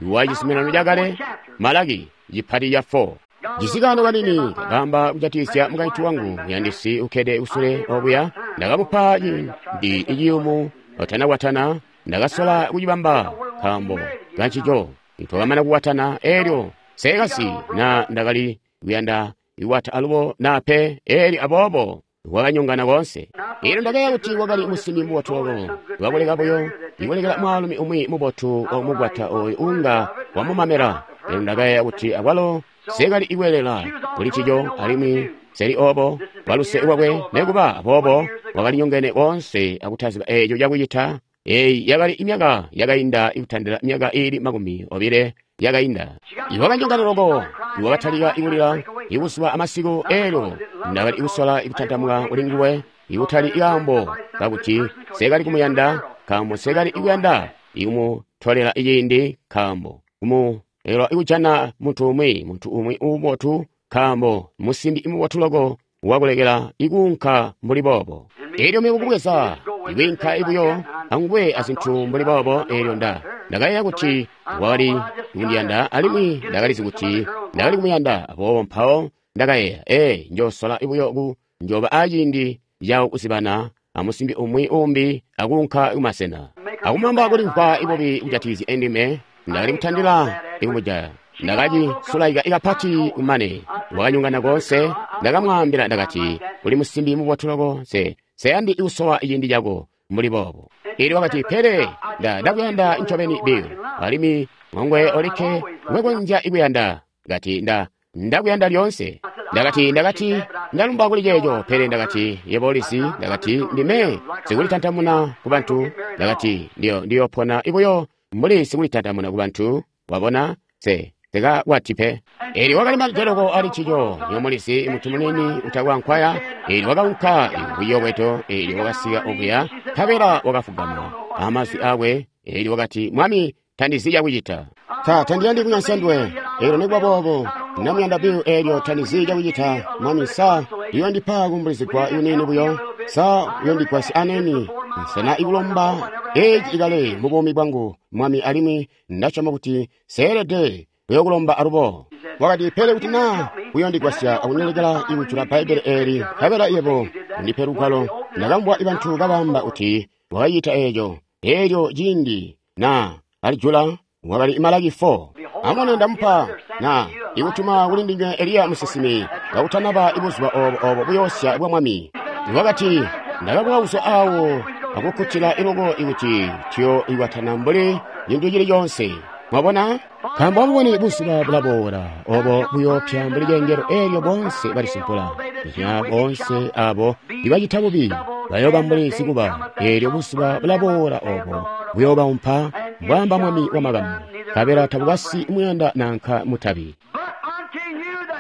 wa cizuminano cakale. Malaki cipati ca four. Cisikano kanini kakamba kujatikizya mukaintu wangu muyandisi ukkede kusule obuya. Ndakamupa ciindi iciyumu otanakwatana. Ndakasola kucibamba nkaambo kancico. Twakamana kukwatana, elyo seekasi na ndakali kuyanda iwata alubo na pe, elyo aboobo wakanyongana konse. Elyo ndakayeeya kuti wakali musimi mubotu loko, wakuleka buyo ikulekela mwaalumi umwi mubotu omukwata oyo unga wamumamela. Elyo ndakayeeya kuti akwalo seekali ikweelela kuli ncico, alimwi seli obo waluse lwakwe. Nekuba aboobo wakalinyongene konse akutaziba eeco cakucita. Eyi yakali imyaka yakainda ikutandila myaka iili makumi obile yakainda. Iwakanyongana loko, iwakatalika ikulila ikuzuba amasiku. Elyo ndakali ikusola ikutantamuka kuli nguwe, ikutali ikaambo kakuti seekali kumuyanda, nkaambo seekali ikuyanda ikumutolela ciindi, nkaambo kumulekelwa ikujana muntu umwi, muntu umwi umubotu, nkaambo musimbi imubotu loko wakulekela ikuunka mbuli boobo. Elyo mebo kubweza ikwiinka ibuyo anguwe azintu mbuli boobo. Elyo nda ndakayeeya kuti wakali kundiyanda, alimwi ndakalizi kuti ndakali kumuyanda. Aboobo mpawo ndakayeeya, ee, njoosola ibuyo ku njooba aciindi cawo kuzibana amusimbi umwi umbi akuunka kumasena akumamba kulimvwa ibubi kujatikizya endime. Ndakali kutandila ikumujaya. Ndakacisulaika ikapati kumane wakanyongana konse. Ndakamwaambila ndakati, uli musimbi mubotu loko, se seyandi ikusowa ciindi cako mbuli boobo. Elyo wakati, pele nda ndakuyanda ncobeni Bill, alimwi ngongwe olikke ngwekonzya ikuyanda. Kati nda ndakuyanda lyoonse. Ndakati ndakati ndalumba kuli ceeco, pele ndakati yebo ulizi, ndakati ndime sikulitantamuna ku bantu. Ndakati ndiyo ndiyopona ibuyo mbuli sikulitantamuna ku bantu, wabona, se sekakwati pe. Elyo wakali majeloko ali ncico, nyomulizi muntu munini utakwa nkwaya. Elyo wakaunka kuyobweto, elyo wakasika okuya, nkabela wakafugama amazwi akwe. Elyo wakati, Mwami, tandizi cakucita. Ta tandiyandi kunyansya nduwe. Elyo nikuba boobo ndamuyanda Bill. Elyo tandizi cakucita. Mwami, sa uyondipa kuumbulizigwa kunini buyo? Sa uyondigwasya aneni? Nsena ikulomba eci ikale mu buumi bwangu, Mwami, alimwi ndasyoma kuti seelede kuyokulomba alubo. Wakati, pele kuti naa uyondigwasya akunyolekela ikujula Bbaibbele eeli, nkabela yebo undipe lugwalo. Ndakamvwa bantu kabaamba kuti wakacita eeco. Elyo ciindi na alijula wakali Malaki four. Amone ndamupa na ikutuma kuli ndinywe Eliya musinsimi kakutanaba ibuzuba obo obo buyoosya bwa Mwami. Wakati, ndakabuka kuzwa awo akukkutila iloko ikuti tuyo ikwatana mbuli cintu cili coonse. Mwabona? Nkaambo amubone buzuba bulaboola obo buyoopya mbuli cengelo, elyo bonse balisumpula. Nya bonse abo ibacita bubi bayooba mbuli sikuba. Elyo buzuba bulaboola obo buyoobawumpa, mbwaamba Mwami wamakamu, nkabela tabukasi muyanda nanka mutabi.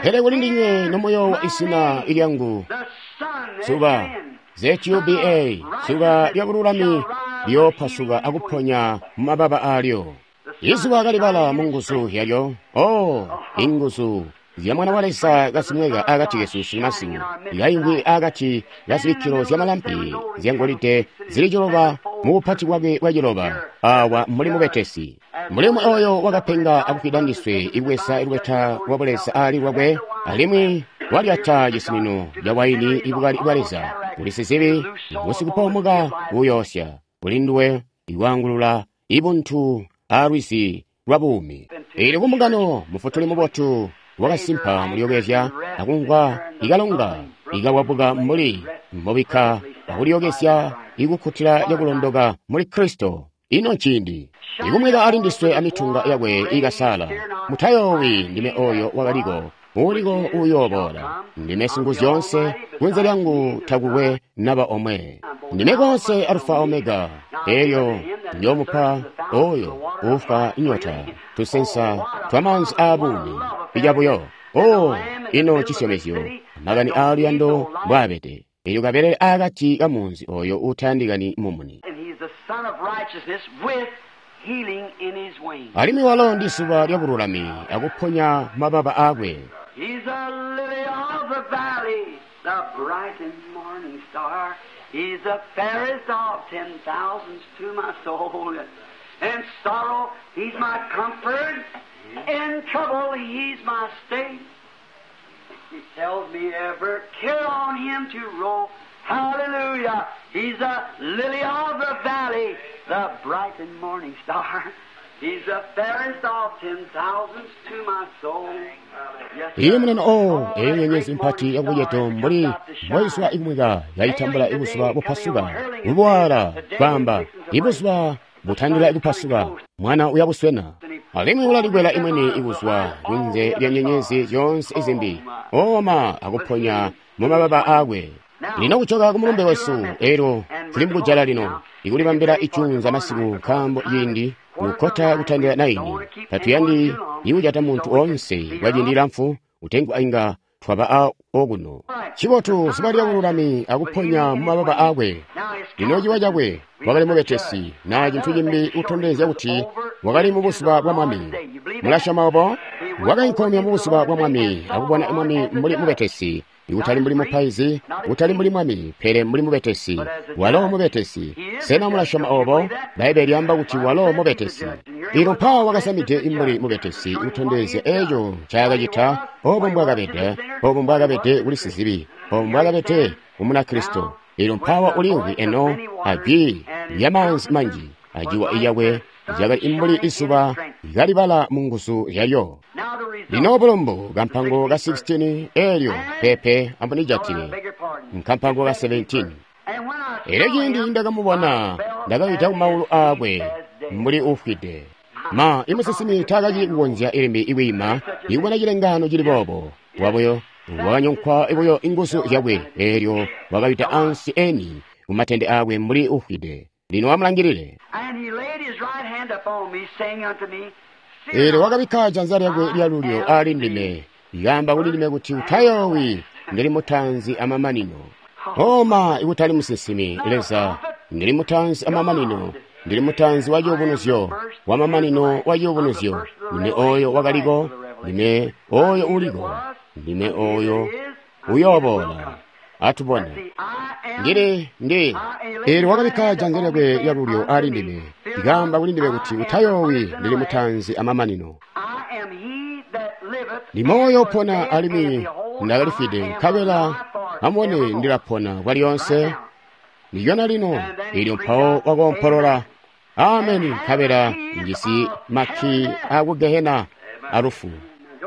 Pele kuli ndinywe nomuyoowa izina lyangu, zuba Z U B A, zuba lya bululami liyoopasuka akuponya mumababa aalyo. Izuba kalibala mu nguzu yalyo. Oh, inguzu zya Mwana wa Leza kazimweka akati kesu sunumasiku, kaimvwi akati ka zibikkilo zya malampi zyangolide zili ciloba mu bupati bwakwe bwa ciloba. Awa muli mubetesi. Mulimo oyo wakapenga akufwida ndiswe, ibweza lubeta lwa Buleza ali lwakwe, alimwi walyata cisinino ca waini ibukali bwa Leza. Uli sizibi, ngusikupoomoka uyoosya, kuli nduwe iwaangulula ibuntu a lwizi lwa buumi. Eelyo kumbungano mufutuli mubotu wakasimpa mulyokezya akumvwa ikalonga ikawabuka mbuli mbobikka akulyokezya ikukkutila cakulondoka muli Kristo. Ino nciindi ikumweka ali ndiswe amitunga yakwe ikasala. Mutayoowi, ndime oyo wakaliko, uuliko uyooboola. Ndime Singuzyoonse, kunze lyangu takukwe naba omwe. Ndime konse Alufa Omega, elyo ndiyoomupa oyo uufwa inyota tusensa twamaanzi aabuumi icabuyo. O, ino cisyomezyo, makani aaluyando mbwaabede. Elyo kabelele akati kamunzi oyo uutayandikani mumuni. And he's the Son of Righteousness with healing in his wings. Alimwi walo ndi zuba lya bululami akuponya mababa akwe. He's a lily of the valley, the bright and morning star. He's the fairest of ten thousands to my soul. In sorrow, he's my comfort. In trouble, he's my stay. He tells me ever care on him to roll. Hallelujah. He's a lily of the valley, the bright and morning star. He's the fairest of ten thousands to my soul. Yes, Iye sir. munene o eyo nyenyezi mpati yakubuceto mbuli mboizwa ikumweka yayitambula ibuzuba bupasuka bubuwala kwamba ibuzuba butandila ikupasuka mwana uyabuswena alimwi ulalikwela imweni ikuzwa kunze lya nyenyezi zyoonse izimbi oma akuponya mu mababa akwe. Lino kuchoka ku mulumbe wesu elo tuli mukujala lino ikulibambila icunza masiku nkaambo ciindi kukkota kutandila naini tatuyandi ikucata muntu onse kwa ciindi lamfu utengwa inga twaba a okuno. Cibotu zuba lya bululami akuponya mu mababa akwe. Lino ciwa cakwe wakali mubetesi na cintu cimbi kutondezya kuti wakali mu buzuba bwa Mwami. Mulasyoma obo? Wakainkomya mu buzuba bwa Mwami akubona Mwami mbuli mubetesi, ikutali mbuli mupaizi, kutali mbuli mwami, pele mbuli mubetesi. Walo mubetesi. Sena mulasyoma obo? Bbaibbele lyaamba kuti walo mubetesi. Ilo mpawo wakasamide imbuli mubetesi kutondezya eco ncaakacita, obo mbwakabede, obo mbwakabede kuli sizibi, obo mbwakabede ku Munakristo. Ilo mpawo ulimvwi eno ajwi lyamaanzi manji, ajiwa iyakwe lyakali imbuli izuba kalibala mu nguzu zyalyo. Now the result. Lino bulumbu kampango ka sixteen elyo pepe ambunijatile Beg your pardon. nkampango ka seventeen. And when I Elyo saw ciindi him, ndakamubona I fell ndakawida at kumaulu his feet akwe as dead. mbuli ufwide. Ma imusisimi taakacili kukonzya ilimbi ikwiima ikubona cilengano cili boobo. Wabuyo wakanyonkwa buyo inguzu zyakwe, elyo wakawida ansi eni kumatende akwe mbuli ufwide. Lino amulangilile. And he laid his right hand upon me, saying unto me, Fear Elyo not, wakabikka janza lyakwe lyalulyo ali ndime, yamba kuli ndime kuti utayoowi, ndili mutanzi amamanino. Oma ikutali musinsimi, Leza, ndili mutanzi amamanino, ndili mutanzi wa ciyubunuzyo, wa mamanino wa ciyubunuzyo. Ndime oyo wakaliko, ndime oyo uliko, ndime oyo uyooboola. Atubone. see, I am Ndili ndi eelyo wakabikka janza lyakwe lyalulyo ali ndime, likamba kuli ndime kuti utayoowi, ndili mutanzi amamanino. I am he that liveth Ndimoyo and was upona dead, and alimwi behold, ndakalifwide, I am nkabela alive forevermore. amubone ndilapona kwalyonse. Ndiyona lino eelyo mpawo wakoompolola ameni, nkabela njisi makki aku gehena alufu.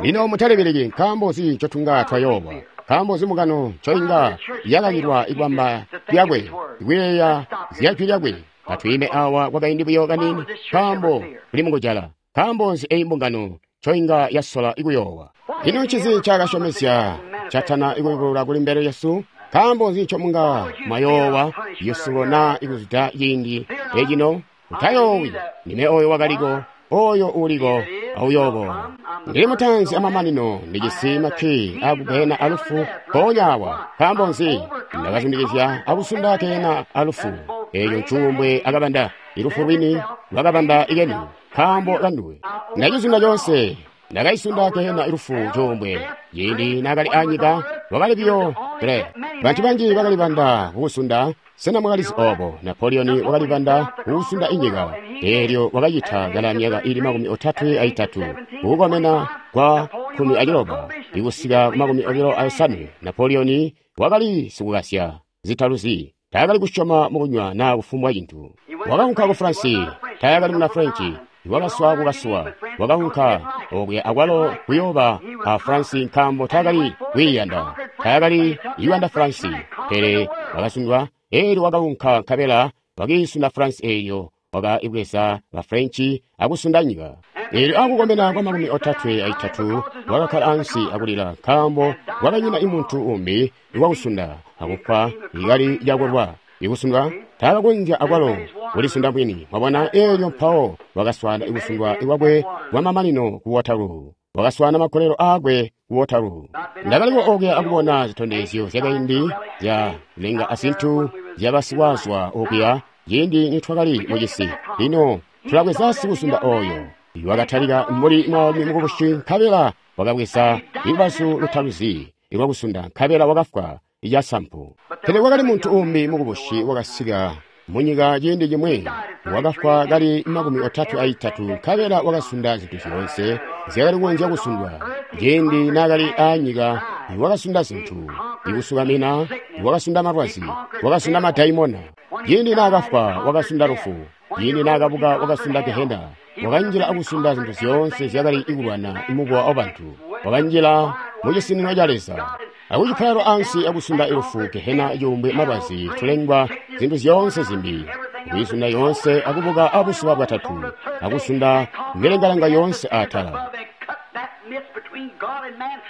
Lino mutalibeleki nkaambo nzi ncotunga twayoowa, nkaambo nzi mukano ncoinga yakakilwa ikwamba lyakwe ikuyeeya zyajwi lyakwe. Atwiime awa kwakaindi buyo kaniini, nkaambo kuli mukujala. Nkaambo nzi eyi mbungano ncoinga yasola ikuyoowa? Ino ncinzi ncaakasyomezya catana ikuyubulula kuli mbele yesu? Nkaambo nzi ncomunga mwayoowa yusulo na ikuzwida ciindi ecino? Utayoowi, ndime oyo wakaliko, oyo uliko, auyooboola. Ndili mutanzi amamanino, ndijisi makki akugehena alufu mpoonya awa. Nkaambo nzi? Ndakazundikizya akusunda gehena alufu. Eeyo ncuumbwe akabanda, ilufu lwini lwakabanda ikeni, nkaambo kanduwe. Ndacizunda conse Ndakaisunda gehena lufu cuumbwe. Ciindi naakali anyika wakali biyo pele bantu banji bakalibanda kukusunda. Sena mwakalizi obo? Napoleon wakalibanda kukusunda inyika. Eelyo wakacita kala myaka ili makumi otatwe aitatu kukukomena kwa kumi aciloba ikusika makumi obilo ayosanwe. Napoleon wakali sikukasya zitaluzi. Taakali kusyoma mukunywa naa kufumbwa cintu. Wakaunka ku France. Taakali muna French. Wakaswa kukaswa. Wakaunka okuya akwalo kuyooba a France nkaambo taakali kwiiyanda. Taakali kuyanda France. Pele wakasundwa. Eelyo wakaunka nkabela wakiisunda France eelyo wakaibweza ba French akusunda nyika. Eelyo akukomena kwa makumi otatwe aitatu wakakkala ansi akulila nkaambo kwakanyina imuntu umbi wakusunda akufwa ikali lyakolwa ikusundwa taakakonzya akwalo kulisunda mwini. Mwabona? Eelyo mpawo wakaswaana ikusundwa ikwakwe kwamamanino ku Waterloo. Wakaswaana makolelo aakwe ku Waterloo. Ndakaliko okuya akubona zitondezyo zyakaindi zya lenga azintu zyabasiwazwa okuya ciindi nitwakali mucisi. Lino tulabweza sikusunda oyo wakatalika mbuli mwaalumi mukubusi nkabela wakabweza lubazu lutaluzi lwakusunda nkabela wakafwa icasampu. Pele kwakali muntu umbi mukubusi wakasika munyika ciindi cimwi wakafwa kali makumi otatwe aitatu nkabela wakasunda zintu zyoonse zyakali kukonzya kusundwa. Ciindi naakali aanyika wakasunda zintu ikusukamina, wakasunda malwazi, wakasunda madaimona. Ciindi naakafwa wakasunda lufu. Ciindi naakabuka wakasunda gehena. Wakanjila akusunda zintu zyoonse zyakali ikulwana imukowa wabantu. Wakanjila mucisinino ca Leza akucipayalo ansi akusunda ilufu, gehena, cuumbwe, malwazi, tulengwa, zintu zyoonse zimbi. Akuyisunda yoonse akubuka abuzuba bwatatu akusunda milengalenga yoonse atala.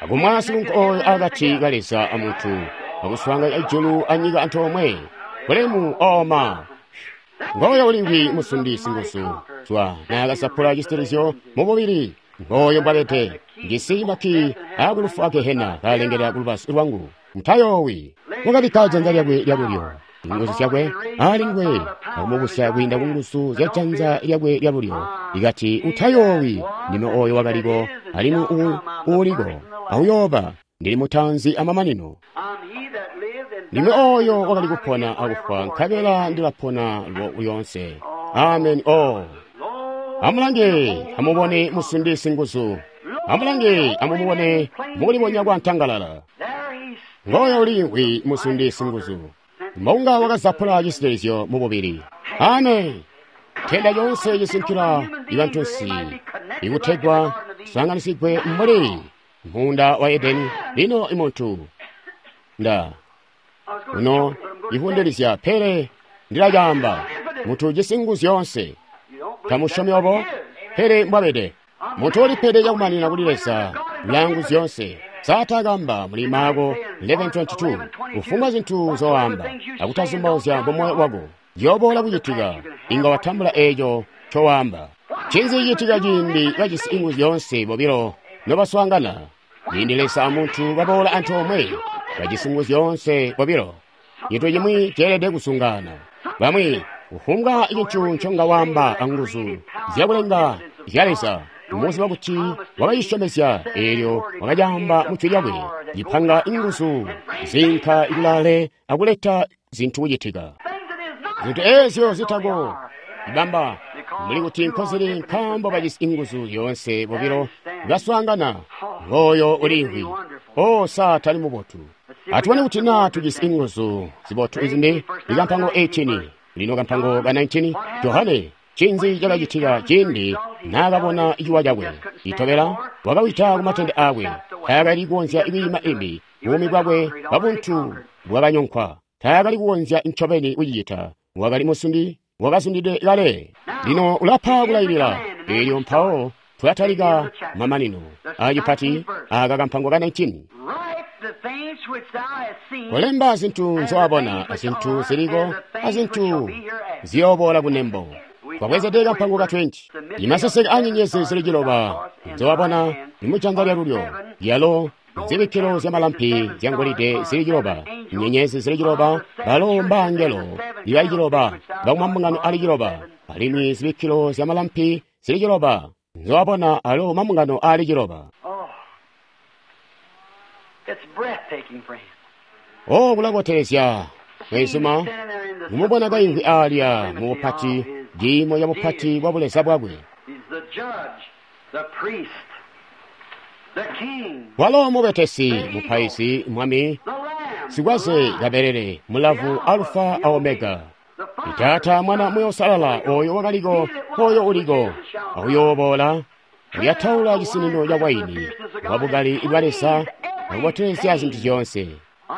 Akumwa sikunku oyo akati ka Leza amuntu akuswaanganya ijulu anyika antoomwe. Bulemu oma. Ngoyo ulimvwi musundi singuzu zwa naakasapula cisitilizyo mububili. Ngoyo mbwabede ngisi maki akulufu agehena kalengela kulubazu lwangu. Mutayoowi. Wakabikka janza lyakwe lyalulyo inguzu zyakwe alinguwe akumubusya kwiinda kunguzu zya janza lyakwe lyalulyo. Ikati utayoowi, ndime oyo wakaliko alimwi uuliko auyooba, ndili mutanzi amamanino. Ndime oyo wakali kupona akufwa nkabela ndilapona lyoonse. Amen. O amulange amubone musundi singuzu. Amulange amumubone mukulibonya kwa ntangalala. Ngoyo ulimvwi musundi singuzu mbonga wakazapula cisitilizyo mububili. Amen. Tenda yoonse cisinkila ibantunsi ikutegwa sanganisigwe mbuli munda wa Edeni. Lino imuntu nda uno ihundelizya pele ndilacamba muntu ujisi nguzu zyoonse. Tamusyomi obo? Pele mbwabede muntu ulipede cakumanina kuli Leza ulangu zyoonse. Satakamba muli Marko eleven twenty-two kufumbwa zintu zoamba akutazumbauzya mumoyo wako ziyoboola kucitika, inga watambula eeco ncowaamba. Ncinzi cicitika ciindi bajisi inguzu zyoonse bobilo nobaswaangana? Ciindi Leza amuntu baboola antoomwe bajisi nguzu zyoonse bobilo, cintu cimwi ceelede kusungana. Bamwi kufumbwa cintu nconga waamba anguzu zyakulenga zya Leza, muziba kuti wakayisyomezya eelyo wakacaamba mu jwi lyakwe, cipanga inguzu zinka ikulale akuleta zintu kucitika. Zintu eezyo zitako ibamba mbuli kuti nkozili nkaambo bajisi inguzu zyoonse bobilo baswaangana. Ngoyo ulimvwi. O sa tali mubotu. Atubone kuti naa tujisi inguzu zibotu izimbi. Ikampango eighteen lino kampango ka nineteen. Johane ncinzi cakacitika ciindi naakabona ciwa cakwe itobela? Wakawita kumatende aakwe. Taakali kukonzya kwiima imbi. Buumi bwakwe bwabuntu bwakanyonkwa. Taakali kukonzya ncobeni kucicita. Wakali musundi, wakasundide kale. Lino ulapa kulailila. Eelyo mpawo tulatalika mamanino acipati aka kampango ka nineteen. Kolemba zintu nzowabona azintu ziliko azintu ziyooboola kunembo. Twabwezede kampango ka twenty. Imaseseke anyenyezi zili ciloba nzowabona nimujanza lyalulyo lyalo zibikkilo zyamalampi zyangolide zili ciloba, nyenyezi zili ciloba, balo mbangelo ibali ciloba bakumambungano ali ciloba, alimwi zibikkilo zyamalampi zili ciloba nzowabona alo mambungano aali ciloba. Oh, it's breathtaking, friend. O kulabotelezya mweenzuma Standing there in the kumubona kaimvwi alya mu bupati ciimo ca bupati bwa buleza bwakwe. He's the judge, the priest, the king, Walo mubetesi, mupaizi, mwami, the lamb, sikwaze kabelele, mulavu, alufa a omega. the Father, Taata mwana Muuya Uusalala oyo wakaliko, oyo uliko, akuyooboola, kuyataula cisinino ca waini wabukali bwa Leza akubotelezya zintu zyoonse.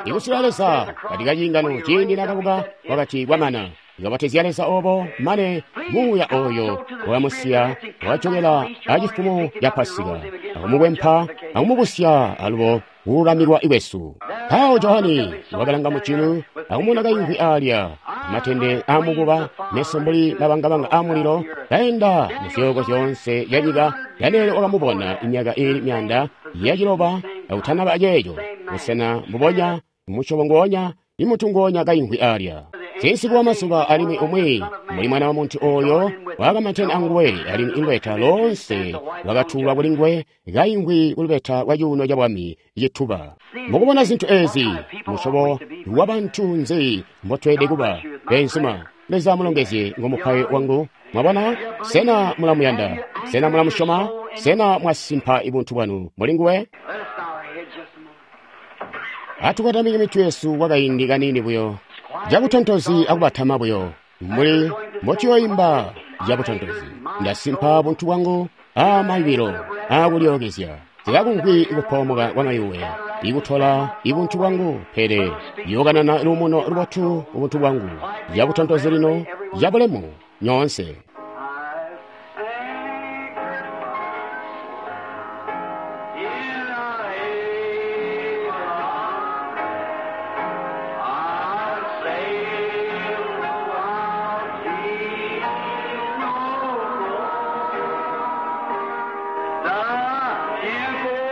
Ikusula Leza katika ciingano ciindi nakabuka wakati kwamana. Ikabotezya Leza obo mane muuya oyo wakamusiya wakajokela acifumo ca Pasika akumukwempa akumubusya alubo kululamikwa kwesu. Mpawo Johani wakalanga mujulu akumubona kaimvwi alya amatende aamukuba meso mbuli mabangabanga aamulilo kaenda muzyooko zyoonse zyanyika. Daniele wakamubona imyaka iili myaanda yaciloba akutanaba ceeco busena mbubonya musyobo ngoonya imuntu ngoonya kaimvwi alya. Sinsiku wa mazuba alimwi umwi mbuli mwana wa muntu oyo wakamantene anguwe alimwi ilubeta loonse lwakatulwa kuli nguwe kaimvwi kulubeta lwa cuuno ca bwami cituba. Mukubona zintu ezi musyobo wa bantu nzi mbotweelede kuba beenzuma. Leza amulongezye ngomupayo wangu. Mwabona? Sena mulamuyanda? Sena mulamusyoma? Sena mwasimpa ibuntu bwanu muli nguwe? Let us bow our heads just a moment. Atukotamike mitwe yesu kwakaindi kaniini buyo cabutontozi akubatama buyo mbuli mbotuyoimba cabutontozi. Ndasimpa buntu bwangu aamayubilo aakulyookezya zikakumvwi kupoomoka kwa mayuwe ikutola ibuntu bwangu, pele yokanana luumuno lubotu ubuntu bwangu cabutontozi lino cabulemu nyoonse. I've anchored in a haven. I'll sail the wild sea no more. The tempest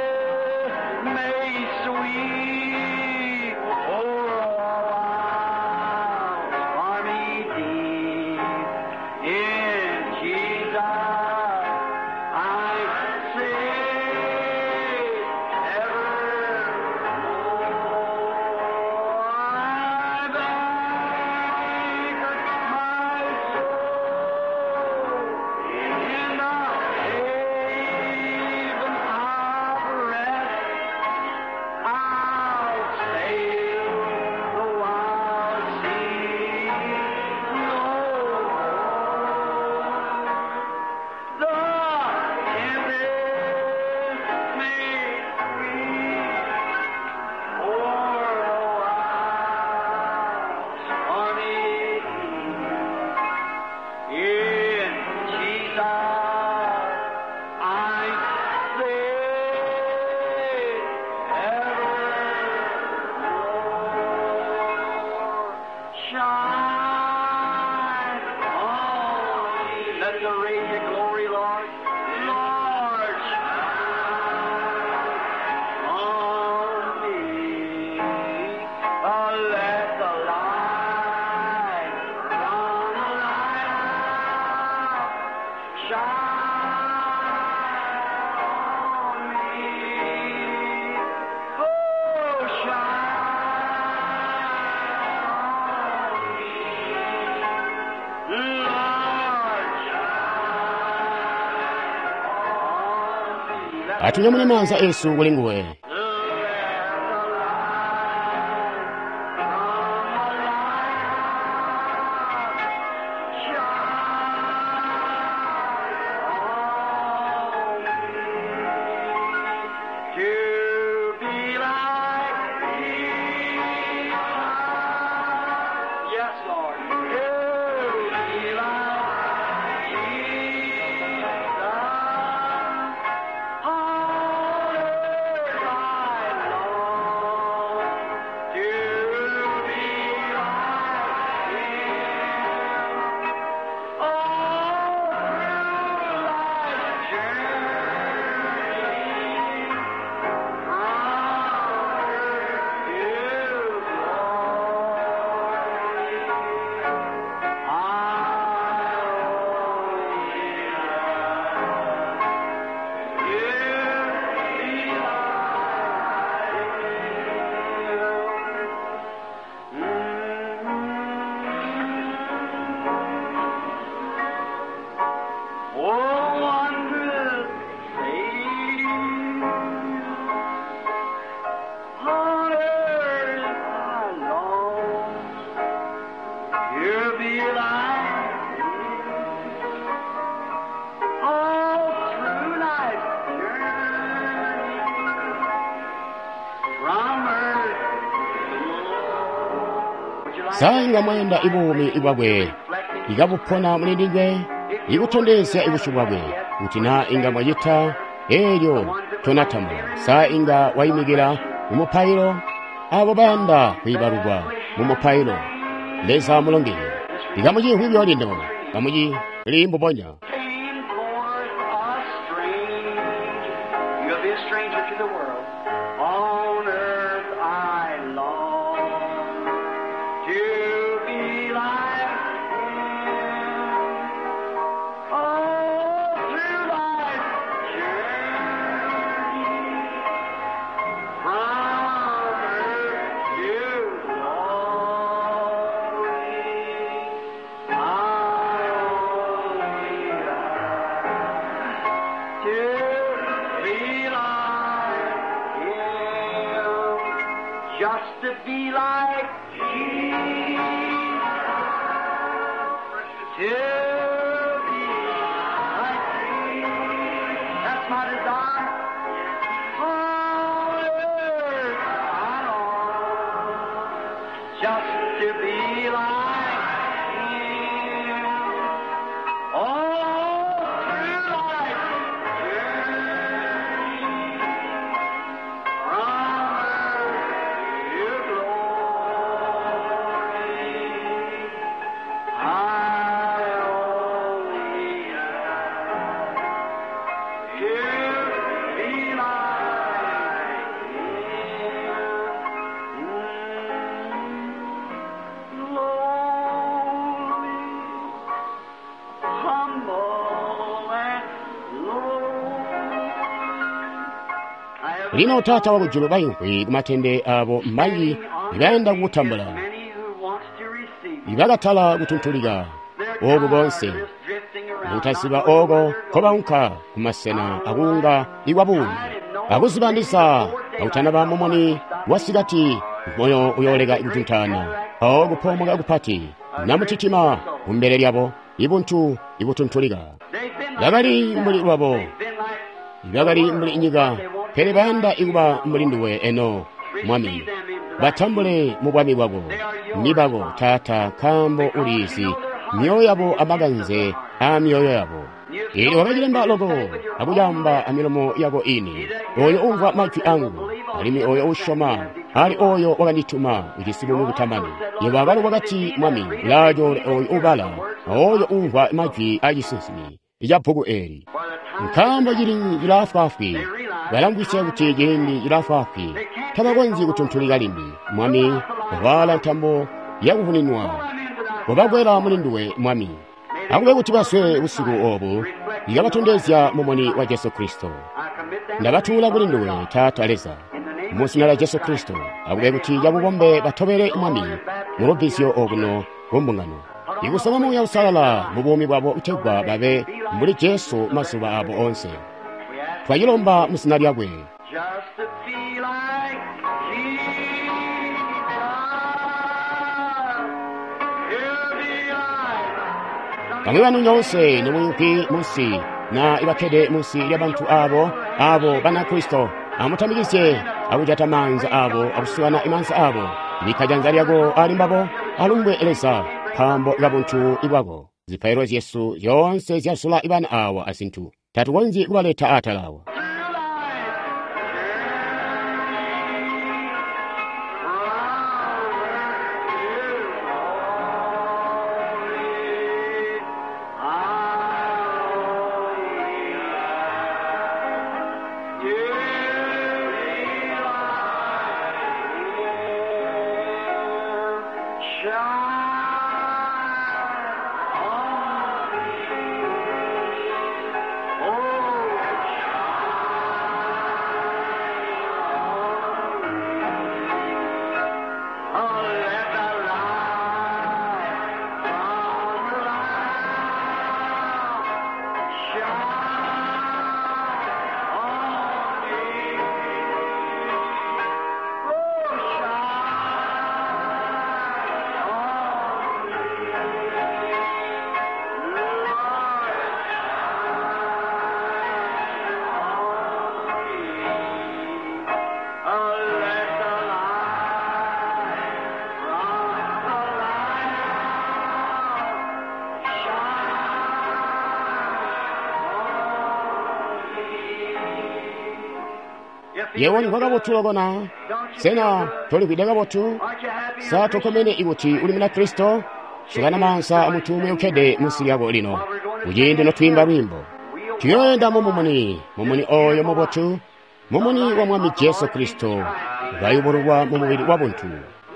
may sweep o'er a wild stormy deep. In Jesus I say evermore. I've anchored my soul in the haven of rest. I'll sail the wild sea no more. The tempest may sweep o'er the wild stormy sea. In Jesus I say evermore. Shine on me. Let the radiant glory, Lord, Lord, shine on me. Oh, let the light from the lighthouse shine on me. Oh, shine on me. Lord, shine on me. Let Atunyamune maanza esu kuli nguwe. the light from the lighthouse shine on me. To be like Jesus. Yes, Lord. To be like Jesus. On earth Sa inga mwayanda ibuumi bwakwe ikabupona muli ndinywe, ikutondezya ibusyu bwakwe? Kuti na inga mwacita eelyo tonatambula, sa inga waimikila mu mupailo? Abo bayanda kwiibalukwa mu mupailo, Leza amulongeye. Ikamucimvwi buyo lino, kamucili mbubonya. Came forth a stranger. You'll be a stranger to the world. On earth I long to be like him. Oh, through life's journey, from earth to glory, I only to be like him, just to be like Jesus, to be like Jesus. That's my desire. On earth I long just to be like him. All through life's journey, from earth to glory, I only ask to be like Him. Lowly, humble and low. I have Lino Taata wakujulu baimvwi kumatende abo mbanji ibayanda kukutambula, many who wants to receive. ibakatala kutuntulika oku konse, kutaziba oko nkobaunka kumasena akuunga ikwa buumi, akuzibandisa akutanaba mumuni wasikati, moyo uyooleka kutuntaana, mpawo kupoomoka kupati namutitima kumbele lyabo ibuntu ibutuntulika. They've been like Bakali mbuli lwabo, they've been like bakali mbuli nyika, pele bayanda ikuba mbuli nduwe eno Mwami. Batambule mu bwami bwako, ni bako Taata, nkaambo uliizi myoyo yabo amakanze aa myoyo yabo. Eelyo wakacilemba loko akucamba amilomo yako ini. Oyo umvwa majwi angu, alimwi oyo usyoma ali oyo wakandituma ujisi buumi butamani. Yebo akalo wakati Mwami, ulaacoole oyo ubala, oyo umvwa majwi aacisinsimi ca bbuku eeli. for the time Nkaambo cili cilaafwaafwi, balamvwisya kuti ciindi cilaafwaafwi, tabakonzyi kutuntulika limbi. Mwami, waala ntambo yakuvuninwa, wabakwela muli nduwe Mwami. Akube kuti baswe busiku obu, ikabatondezya mumuni wa Jesu Kristo. I commit them Ndabatuula kuli nduwe Taata Leza, in the name mu zina lya Jesu Kristo. Akube kuti cabubombe batobele Mwami mu lubbizyo okuno ku mbungano, ikusama Muuya Uusalala mu buumi bwabo kutegwa babe mbuli Jesu mazuba abo onse. we ask Twacilomba mu zina lyakwe. just to be like Jesus. To be like Bamwi banu nyoonse nimuyimvwi munsi na ibakkede munsi lyabantu abo abo Banakristo, amutamikizye akujata maanza abo akusukana imaanza abo. Bikka janza lyako ali mbabo, alumbwe Leza nkaambo kabuntu bwako. Zipailo zyesu zyoonse zyasula ibana awa azintu, tatukonzyi kubaleta atala awa. through life's Oh, shine on Yebo ulimvwa kabotu loko na? Sena tolimvwide kabotu? Sa tokkomene ikuti uli Munakristo? Sukana maanza amuntu umwi ukkede munsi lyako lino, kuciindi notwiimba lwiimbo. Tuyoenda mu mumuni, mumuni oyo mubotu, mumuni wa Mwami Jesu Kristo, kayubululwa mu mubili wa buntu.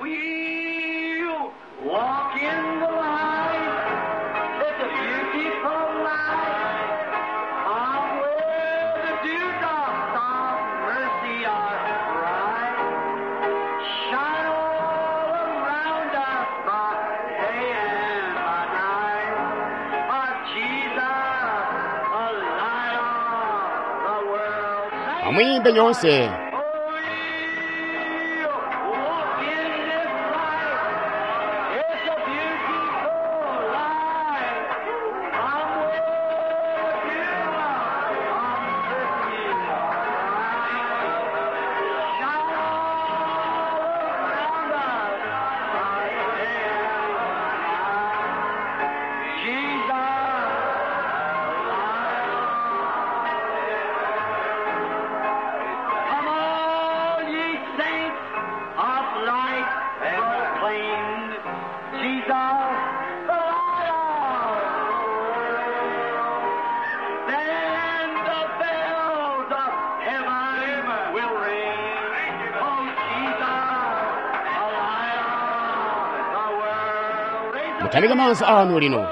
We'll walk in the light. It's a beautiful light. On where the dewdrops of mercy are bright. Shine all around us by day and by night. Our Jesus, the light of the world. Sing. Amwiimbe nyoonse. Oh, we'll walk in this light. It's a beautiful light. I'm with you. I'm with you. Shine all around us by day and night. Jesus, Come all ye saints of light proclaim Jesus the light of the world. Then the bells of heaven will ring. Oh Jesus, the light of the world. Raise up Mutamike maanza anu lino.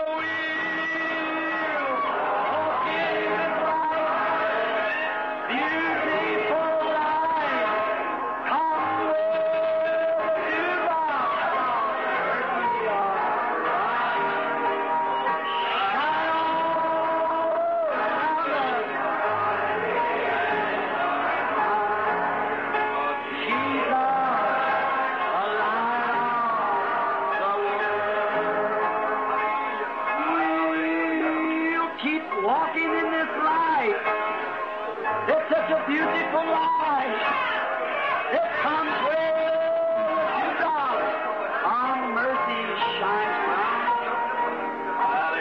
We'll keep walking in this light. It's such a beautiful light. It comes where the dewdrops on mercy shines bright.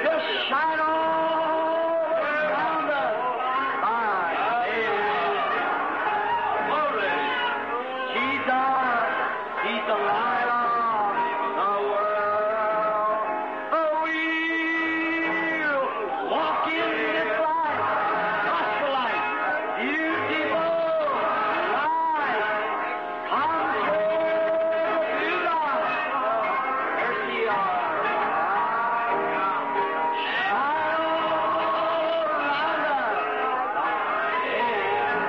Just shine all around us by day and night. Jesus, He's the light of the world. Oh, we'll walk in this light, gospel light, beautiful light. Comes where the dewdrops of mercy are bright. Shine all around us by day and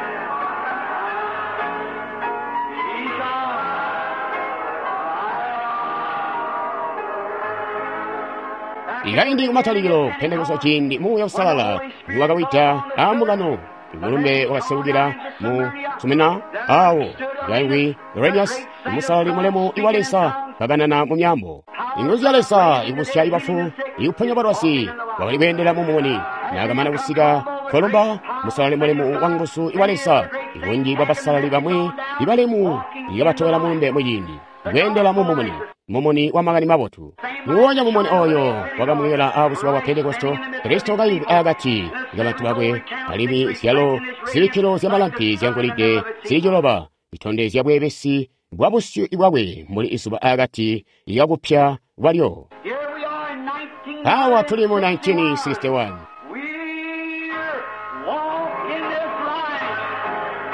Ikaindi kumatalikilo Pentekoste ciindi Muuya Uusalala niwakawida aambungano, mulumbe wakaseukila mu Sumina awo kaingwi Irenaeus musalali mulemu iwa Leza kakanana mu myaambo. Inguzu ya Leza ikubusya ibafu ikuponya balwazi wakali kweendela mu mumuni. Naakamana kusika Kolumba musalali mulemu wa nguzu iwa Leza, ibunji bwa basalali bamwi ibalemu ikabatobela mulumbe muciindi kweendela mu mumuni, mumuni wa makani mabotu. Nguwonya mumuni oyo wakamwela abuzuba bwa Pentekosto, Kristo kaingwi akati kabantu bakwe, alimwi zyalo zibikkilo zyamalampi zyangolide zili ciloba zitondezya bweebesi bwa busyu bwakwe mbuli izuba akati kakupya kwalyo. Here we are in nineteen Awa tuli mu nineteen sixty-one. We're walking this life.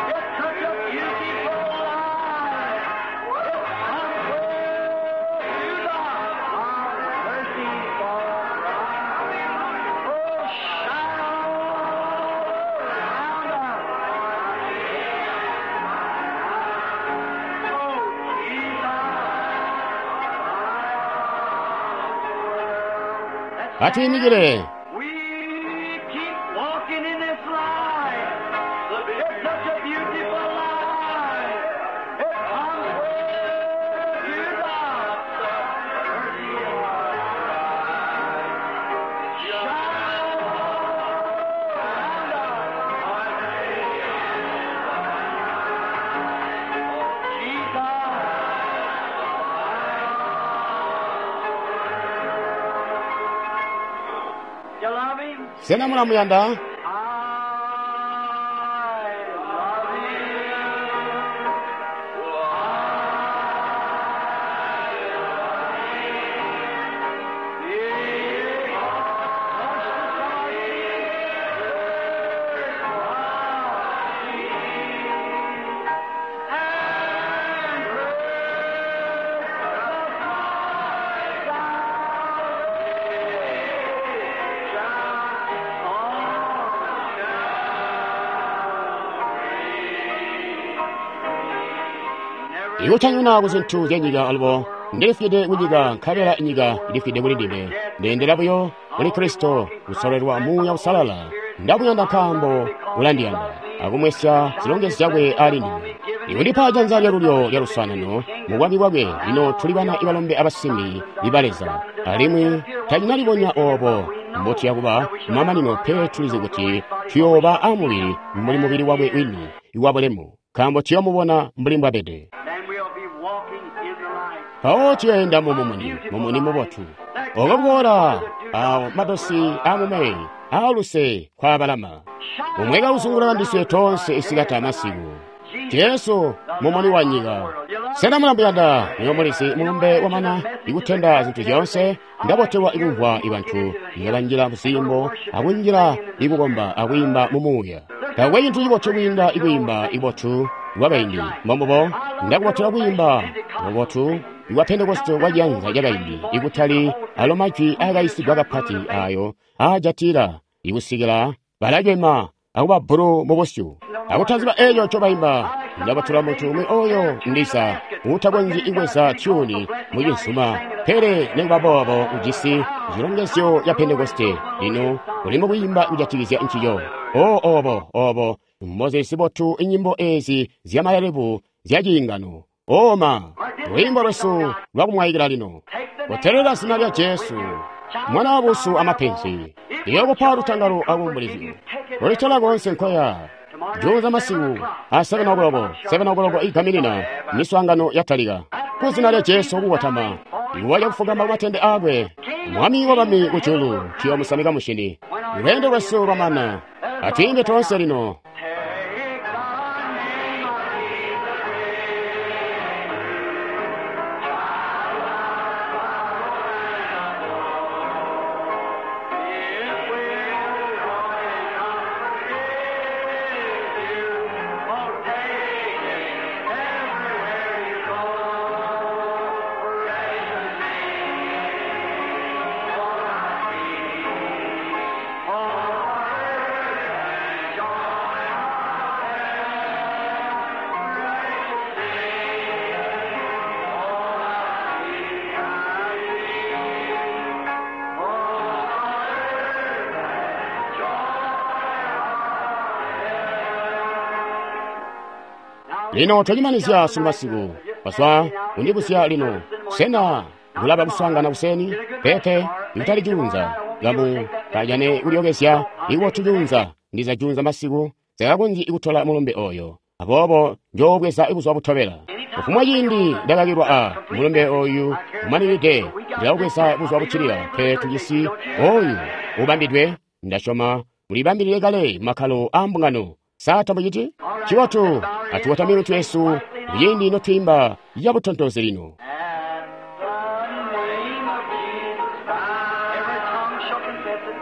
It's such a beautiful life. It comes with you, our mercy for Oh, shine all around us. Oh, Jesus. Atuyimikile. We keep walking in this life. It's such a beautiful life. It comes with you, God. Mercy Shine around us. Jesus. You love him? Sena mulamuyanda? I love him. Ikutanyuna ku zintu zya nyika alubo, Ndilifwide ku nyika nkabela nyika ilifwide kuli ndime. Ndeendela buyo kuli Kristo, kusololelwa Muuya Uusalala. Ndamuyanda nkaambo ulandiyanda, akumwesya zilongezyo zyakwe ali ndime. Ikundipa janza lyalulyo lya luswaanano mu bwami bwakwe. Lino tuli bana ibalombe abasimbi iba Leza, alimwi tacinalibonya oobo mbotuya kuba kumamanino, pele tulizi kuti tuyooba amubili mbuli mubili wakwe wini wabulemu, nkaambo tuyoomubona mbuli mbwabede. Then we'll be walking in the light. Mpawo tuyoenda mu mumuni, mumuni mubotu. Oko kuboola awo madosi amume aaluse kwabalama. Umweka uzunguluka ndiswe toonse isikati amasiku. Jesu mumuni wa nyika. Sena mulamuyanda? Niyo mulizi mulumbe wamana ikutenda zintu zyoonse. Ndabotelwa ikumvwa ibantu ngabanjila muziyimbo akunjila ikukomba akwiimba mu muuya. Taakwe cintu cibotu kwiinda ikwiimba ibotu lwakaindi. Mbombubo ndakubotelwa kwiimba mubotu iwa Pentekoste kwa ciyanza cakaindi, ikutali alo majwi aakaisigwa kapati ayo aajatila ikusikila balacema akuba bbulu mu busyu akutaziba eeco ncobaimba. Ndabatula muntu umwi oyo ndiza uutakonzyi ikweza tyuni mu cinsuma, pele nikuba boobo ujisi cilongezyo ca Pentekoste. Lino uli mukwiimba kujatikizya ncico. O obo obo mbozili zibotu inyimbo eezi zyamalelebu zyaciingano. Oma lwiimbo lwesu lwakumwayikila lino. Kutelela zina lya Jesu, mwana wa busu amapenzi, liyokupa lutangalo akuumbulizyo. Ulitola koonse nkoya. Juunza masiku a seven o'clock, seven o'clock igaminina miswaangano yatalika. Kuzina lya Jesu kukotama, iwa lyakufugama kumatende aakwe, Mwami wa bami kujulu, tuyomusamika mushini. Lweendo lwesu lwamana, atwiimbe toonse lino. Take the name of Jesus. It will if you won't take it everywhere you go. Precious name, for I see, for joy Lino twacimanizya sunu masiku. Baswa kundibuzya lino, sena kulaba kuswaangana kuseni? Peepe, ikutali juunza. Kamu kajane kulyokezya ikubotu juunza. Ndiza juunza masiku sakakonzyi ikutola mulumbe oyo. Aboobo njoobweza buzuba butobela. Kufumwa ciindi ndakakilwa a mulumbe oyu umaninide, ndilawubweza buzuba buccilila. Pele tujisi oyu ubambidwe, ndasyoma mulibambilile kale makkalo aa mbungano. Sa tamuciti? Cibotu, atukotamike mitwe yesu kuciindi notwiimba yabutontozi lino. At the name of Jesus, every tongue shall confess it.